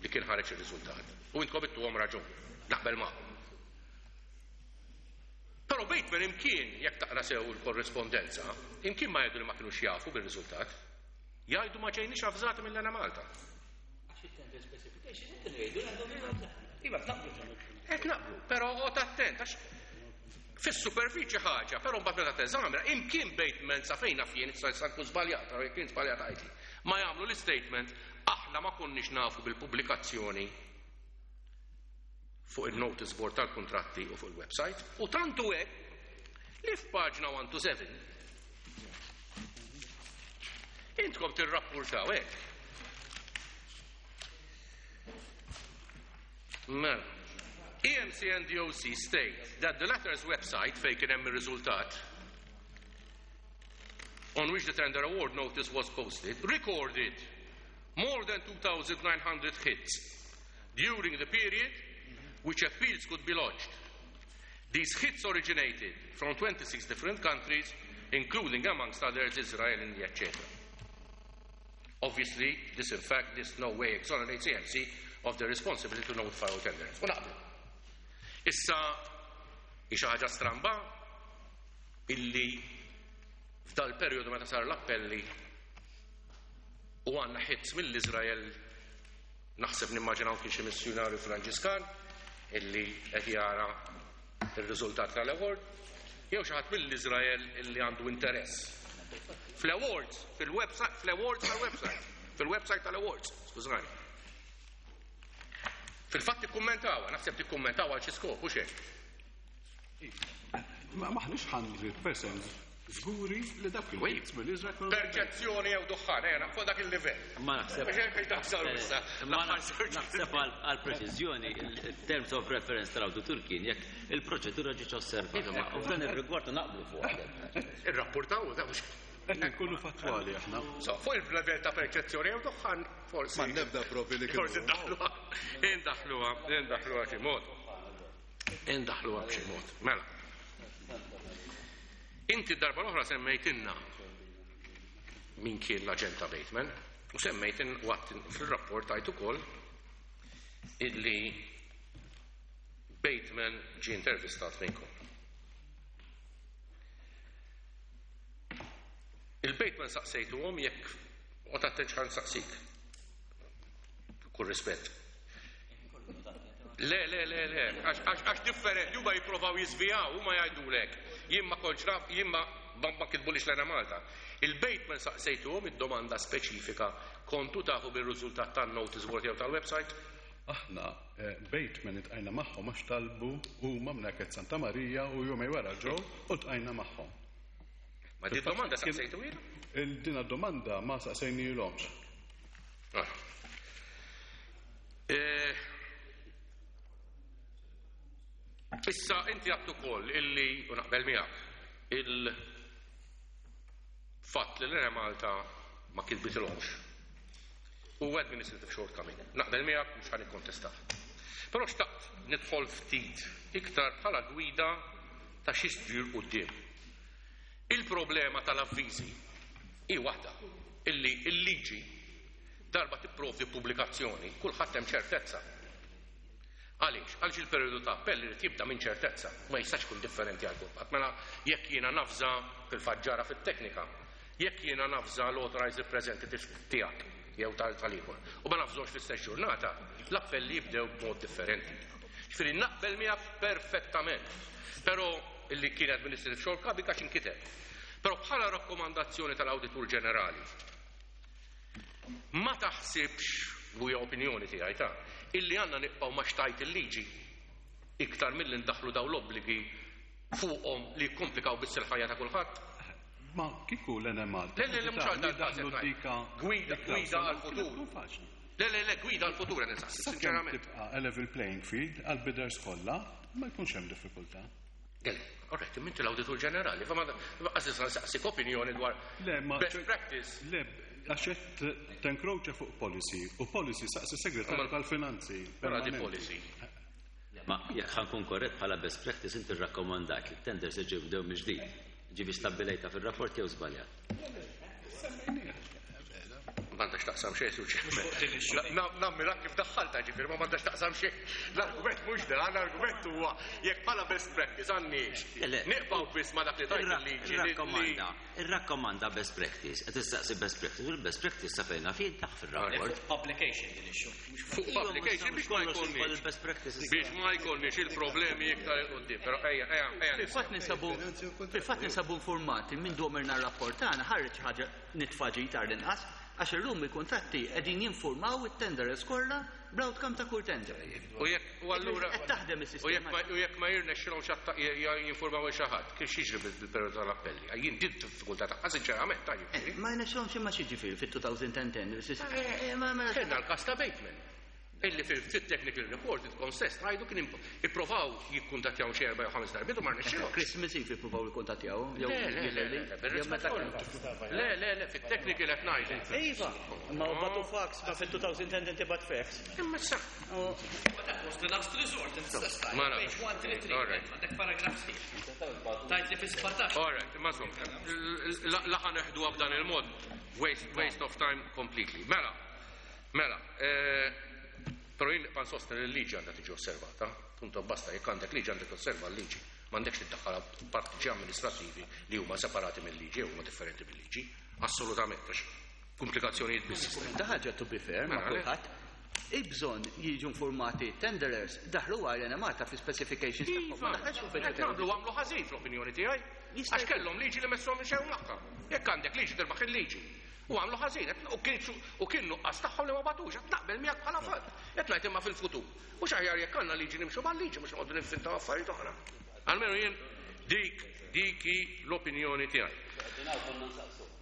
li kien ħareġ ir-riżultat. U intkom ittuhom raġun, naqbel magħhom. Però Bateman imkien, jekk taqra sew il-korrispondenza, imkien ma jgħidu li ma kinux jafu bir-riżultat. Jgħidu ma ġejniex avżati mill-Enemalta. Iva, naqblu. Qed naqblu, però oqgħod attent għax fis-superfiċi ħaġa, però mbagħad meta teżamina, imkien Bateman sa fejn naf jien, issa nkun żbaljat, però jekk jien żbaljat għidli. Ma jagħmlu l-istatement aħna ma konniex nafu bil-pubblikazzjoni fuq il-notice board tal-kontratti u fuq il-website. U tantu hekk li f'paġna 127 intkom tirrappurtaw hekk. Mela. EMC and DOC state that the latter's website fejn kien hemm ir-riżultat on which the tender award notice was posted recorded more than 2,900 hits during the period which appeals could be lodged. These hits originated from 26 different countries, including, amongst others, Israel, India, etc. Obviously, this in fact, this no way exonerates EMC of the responsibility to notify all tenderers. U naqblu. Issa, hi xi ħaġa stramba illi f'dal periodu meta sar l-appelli u għandna hits mill-Izrael, naħseb nimmaġinaw kien xi missjonarju Franġiskan illi qed jara il-riżultat tal-award, jew xi ħadd mill-Izrael illi għandu interess. Fl-awards, fil-website, fl-awards tal-website, fil-website tal-awards, skużani. Fil-fatt tikkummentaw, naħseb tikkummentaw għal xi skop, u xejn. Ma maħniex 100% żguri li dak il-hits mill-Izrael kienu. Perċezzjoni jew duħħan, ejja, fuq dak il-livell. Ma naħseb. Biex hekk taħsar issa. Ma naħseb għal preċiżjoni, il-terms of reference tal-awditur kien jekk il-proċedura ġietx osservata. U f'dan ir-rigward naqblu fuq. Irrapportaw, da mhux. Qed nkunu fattwali aħna. So, fuq il-level ta' perċezzjoni jew duħħan, forsi. Ma nebda provi li kienu. Forsi ndaħluha, indaħluha, indaħluha xi mod. Indaħluha b'xi mod. Mela. Inti darba l-oħra semmejtinna min kien l-aġent ta' Bateman u semmejtin waqt fil-rapport tajt ukoll illi Bateman ġie intervistat minnkom. Il-Bateman saqsejtuhom jekk u tattenċ ħan saqsik. Kull rispett. Le, le, le, le, għax differenti, huma jipprovaw jiżvijaw, huma jgħidulek. Jien ma kontx naf, jien ma kitbulix l-Enemalta. Il-Bateman saqsejtuhom id-domanda speċifika kontu tafu bil-riżultat tan-notice board jew tal-website? Aħna Bateman iltqajna magħhom għax talbu huma minn Santa Marija u jumejn wara ġew u ltqajna magħhom. Ma di domanda saqsejtu ilu? Il-dina domanda ma saqsejnielhomx. Ah. Issa inti għattu ukoll illi, u naqbel miegħek, il-fatt li l-Enemalta ma kitbitilhomx u administrative shortcoming. Naqbel miegħek mhux ħa nikkontestah. Però xtaqt nidħol ftit iktar bħala gwida ta' xi sġir quddiem. Il-problema tal-avviżi hi waħda. illi l-liġi darba tipprovdi pubblikazzjoni, kulħadd hemm ċertezza. Għaliex? Għaliex il-perjodu ta' appell irid jibda minn ċertezza, ma jistax ikun differenti għal kulħadd. Mela jekk jiena nafża fil-fatt ġara fit-teknika, jekk jiena nafża l-authorized representative tiegħek jew tal-ieħor u ma nafżox fl-istess ġurnata, l-appelli jibdew b'mod differenti. Ġifieri naqbel miegħek perfettament. Però illi kien administrative shortcoming għax inkiteb. Però bħala rakkomandazzjoni tal-Awditur Ġenerali, ma taħsibx, u hija opinjoni tiegħi ta', illi għandna nibqgħu ma xtajt il-liġi iktar milli ndaħlu daw l-obbligi fuqhom li jikkomplikaw biss il-ħajja ta' kulħadd? Ma kieku l-Enemalta. Le, le, le, mhux għal dal-każ qed ngħid. Gwida, gwida għal-futur. Le, le, le, gwida għal-futur qed insaqsi, sinċerament. Tibqa' a level playing field għal-bidders kollha, ma jkunx hemm diffikultà. Għalli, alright, inti l-Awditur Ġenerali, fa ma għażiż nsaqsik opinjoni dwar Le, ma best practice. Le, għax qed tenkroċa fuq policy, u policy saqsi segretarju tal-finanzi. Mela di permanenti. policy. Ma jekk ħa nkun korrett, bħala best practice inti rrakkomandat li t-tenders jibdew mill-ġdid. Ġifi stabbilejta fil-rapport jew żbaljat? M'għandax taqsam xejn, suċ. Nammira kif daħħalta ġifieri, ma m'għandax taqsam xejn. L-argument mhux dan, l-argument huwa jekk bħala best practice għandniex. Le. Nibqgħu biss ma dak li tajt il-liġi. Irrakkomanda, irrakkomanda best practice, qed tistaqsi best practice, u l-best practice sa fejna fin taħ fil-rapport. Fuq publication din issue. Mhux Fuq publication biex ma jkollniex. Il-best practice. Biex ma jkollniex il-problemi iktar 'il quddiem. Però ejja, ejja, ejja. Fil-fatt ninsabu informati minn domirna r-rapport tagħna ħareġ ħaġa nitfaġi tar l-inqas għax illum il-kuntratti qegħdin jinformaw it-tenderers kollha bl-outcome ta' kull tender. U jekk u allura Qed taħdem u jekk is-sistema. ma jirnexxilhom jinformaw xi ħadd, kif jiġri bil-perjodu tal-appelli? Jien din diffikultà tagħha sinċerament ta' jiġifieri. Ma jirnexxilhomx imma xi ġifieri fit-2010. Ma Kellna l-każ ta' Bateman. Illi fil-technical report intkom stess tgħidu kien ipprovaw jikkuntattjaw xi erba' jew ħames darbiet u ma rnexxilhomx. Christmas Eve ippruvaw jikkuntattjaw. Le, le, le, le, le, bir-rispett kollu. Le, le, le, fit-technical qed ngħid. Iva, ma bagħtu fax, ma fil-2010 tibgħat fax. Imma sa. But that was the last resort, inti stess tajt. Ma nafx. Page 133, All right. għandek paragraf sħiħ. Tajt li fi 17. All right, imma insomma, laħa neħdu b'dan il-mod. Waste of time completely. Mela, mela, però jien nibqa' nsostni li l-liġi għandha tiġi osservata. Punto basta, jekk għandek liġi għandek osserva l-liġi. M'għandekx tiddaħħal partiġi amministrativi li huma separati mill-liġi u huma differenti mill-liġi. Assolutament, għax komplikazzjonijiet biss. Ta' ħaġa to be fair, ma' Mela, le. kulħadd. Il-bżonn jiġu informati tenderers daħlu għal Malta fi specifications tagħhom. Ma Iva, daħalx qed fil- nagħmlu għamlu ħażin fl-opinjoni tiegħi. Jista' Għax kellhom liġi li messhom xew magħha. Jekk għandek liġi tirbaħ il-liġi. U għamlu ħażin, u kien nuqqas tagħhom li ma bagħtux, qed naqbel miegħek bħala fatt. Qed ngħid imma fil-futur. Mhux aħjar jekk għandna liġi nimxu mal-liġi mhux noqogħdu ninfintaw affarijiet oħra. Almenu jien dik hi l-opinjoni tiegħi.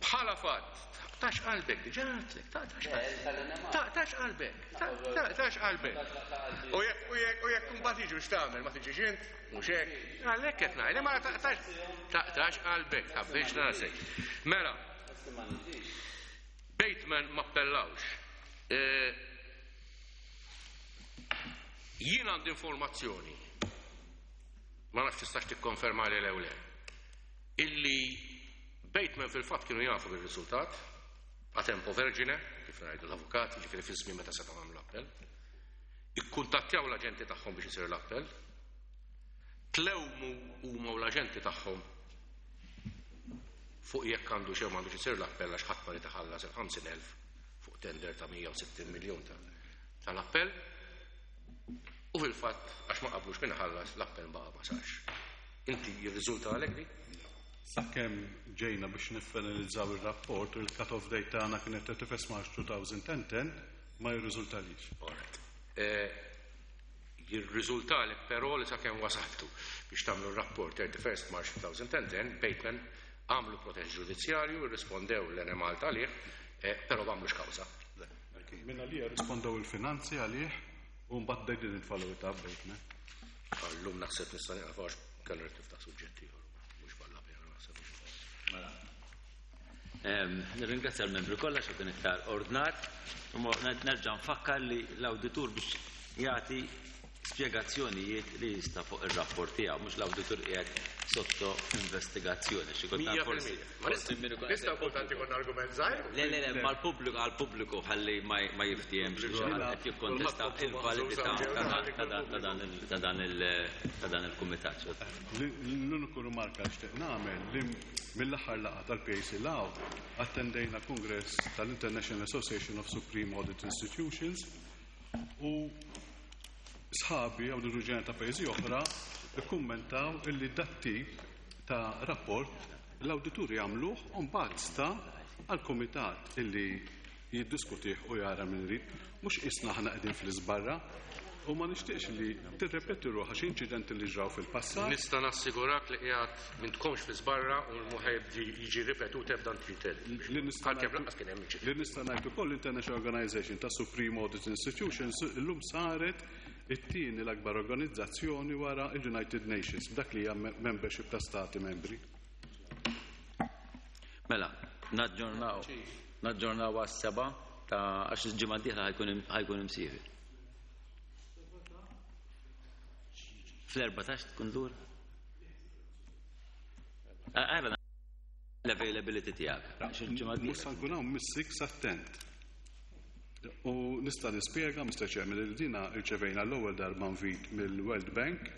Bħala fatt, tax qalbek, diġà għedtlek, tax qalbek. Tax qalbek, tax qalbek. U jekk mbagħad jiġu x'tagħmel, ma tiġix int, mhux hekk. Għalhekk qed ngħid, ma taqtax qalbek, tħabbix rasek. Mela, Bateman ma appellawx. Jien għandi informazzjoni, ma nafx tistax tikkonferma li lew le, illi Bateman fil-fatt kienu jafu bil-riżultat, a tempo vergine, kif ngħidu l-avukat, jiġifieri fi żmien meta setgħu għamlu l-appell, ikkuntattjaw l-aġenti tagħhom biex isir l-appell, tlewmu huma u l-aġenti tagħhom fuq jekk għandu xew m'għandux isir l-appell għax ħadd ma rid iħallas il-50,000 fuq tender ta' 160 miljun tal-appell. U fil-fatt għax ma qablux minn ħallas l-appell baqa' ma sarx. Inti jirriżulta għalek di? Sakemm ġejna biex niffinalizzaw il-rapport u il-cut-off date tagħna kienet 31 March 2010, ma jirriżultalix. All right. Jirriżultalek però li sakemm wasaltu biex tagħmlu r-rapport 31 March 2010, Bateman għamlu protest ġudizzjarju, irrispondew l-Enemalta għalih, però m'għamlux kawża. Minna li rispondew il-finanzi għalih u mbagħad they didn't follow it up, Bateman. Allum naħseb nista' nieqaf għax kellu rrid niftaħ suġġetti ieħor, mhux valla pena naħseb. Mela. Nirringrazzja l-membri kollha xi kien iktar ordnat. U nerġa' nfakkar li l-awditur biex jagħti spjegazzjonijiet li jista' fuq ir-rapport tiegħu, mhux l-awditur qiegħed sotto investigazzjoni. Xi kultant forsi. Ma nistgħu kultant ikun argument żgħir. Le, le, le, mal-pubbliku għall-pubbliku ħalli ma jiftiehemx li xi ħadd qed jikkontesta il-validità ta' dan il-kumitat. L-uniku rimarka li xtieq nagħmel li mill-aħħar laqgħa tal-PAC law attendejna kongress tal-International Association of Supreme Audit Institutions u sħabi awdituri ġenerali ta' pajjiżi oħra ikkummentaw illi dat-tip ta' rapport l-awdituri jagħmluh u mbagħad sta għall-kumitat illi jiddiskutih u jara min irid, mhux qisna aħna qegħdin fl-iżbarra u ma nixtieqx li tirrepeti ruħha xi inċidenti li ġraw fil-passat. Nista' nassigurak li qiegħed m'intkomx fl-iżbarra u mhu ħa jiġi ripetut ebda inċident. Għalkemm lanqas kien hemm inċident. Li nista' ngħid ukoll l-International Organization ta' Supreme Audit Institutions illum saret it-tieni l-akbar organizzazzjoni wara il-United Nations b'dak li hija membership ta' stati membri. Mela, naġġornaw naġġornaw għas-7 ta' għax il-ġimgħa d-dieħla ħa jkun imsiefer. Fl-14 tkun lura? Għara l-availability tiegħek. Għax il-ġimgħa Mhux d-dieħla. sa nkun hawn mis-6 attent. U nista' nispjega, Mr. Chairman, li dina rċevejna l-ewwel darba invit mill-World Bank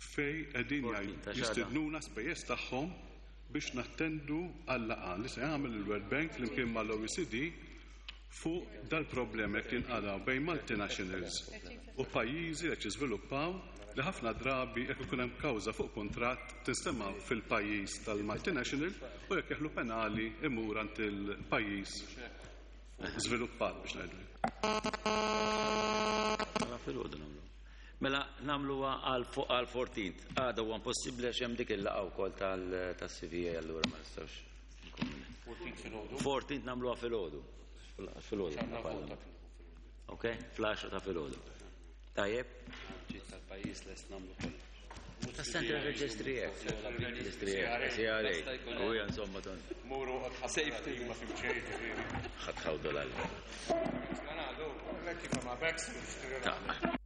fej qegħdin 14 ta' xahar. jistednuna spejjeż tagħhom biex nattendu għal-laqgħa li se jagħmel il-World Bank flimkien mal-OECD fuq dal-problemi jekk jinqalgħu bejn multinationals u pajjiżi li qed jiżviluppaw li ħafna drabi jekk ikun hemm kawża fuq kuntratt tinstema' fil-pajjiż tal-multinational u jekk jeħlu penali imur għand il-pajjiż żviluppat biex ngħidu. Mela filgħodu nagħmlu. Mela nagħmluha għal 14. Għada huwa impossibbli għax hemm dik il-laqgħa wkoll tas-CVA, allura ma nistgħux. 14 nagħmluha filgħodu. Filgħodu. Ok? Fl-10 ta' filgħodu. Tajjeb? Ġiet tal-pajjiż lest nagħmlu kollox. Ta' Central Registry Act. Registry Act, CRA. U hija insomma ton. Muru Safety. ma fimxejn ġifieri. Ħadħawdu l Kif ma Ta'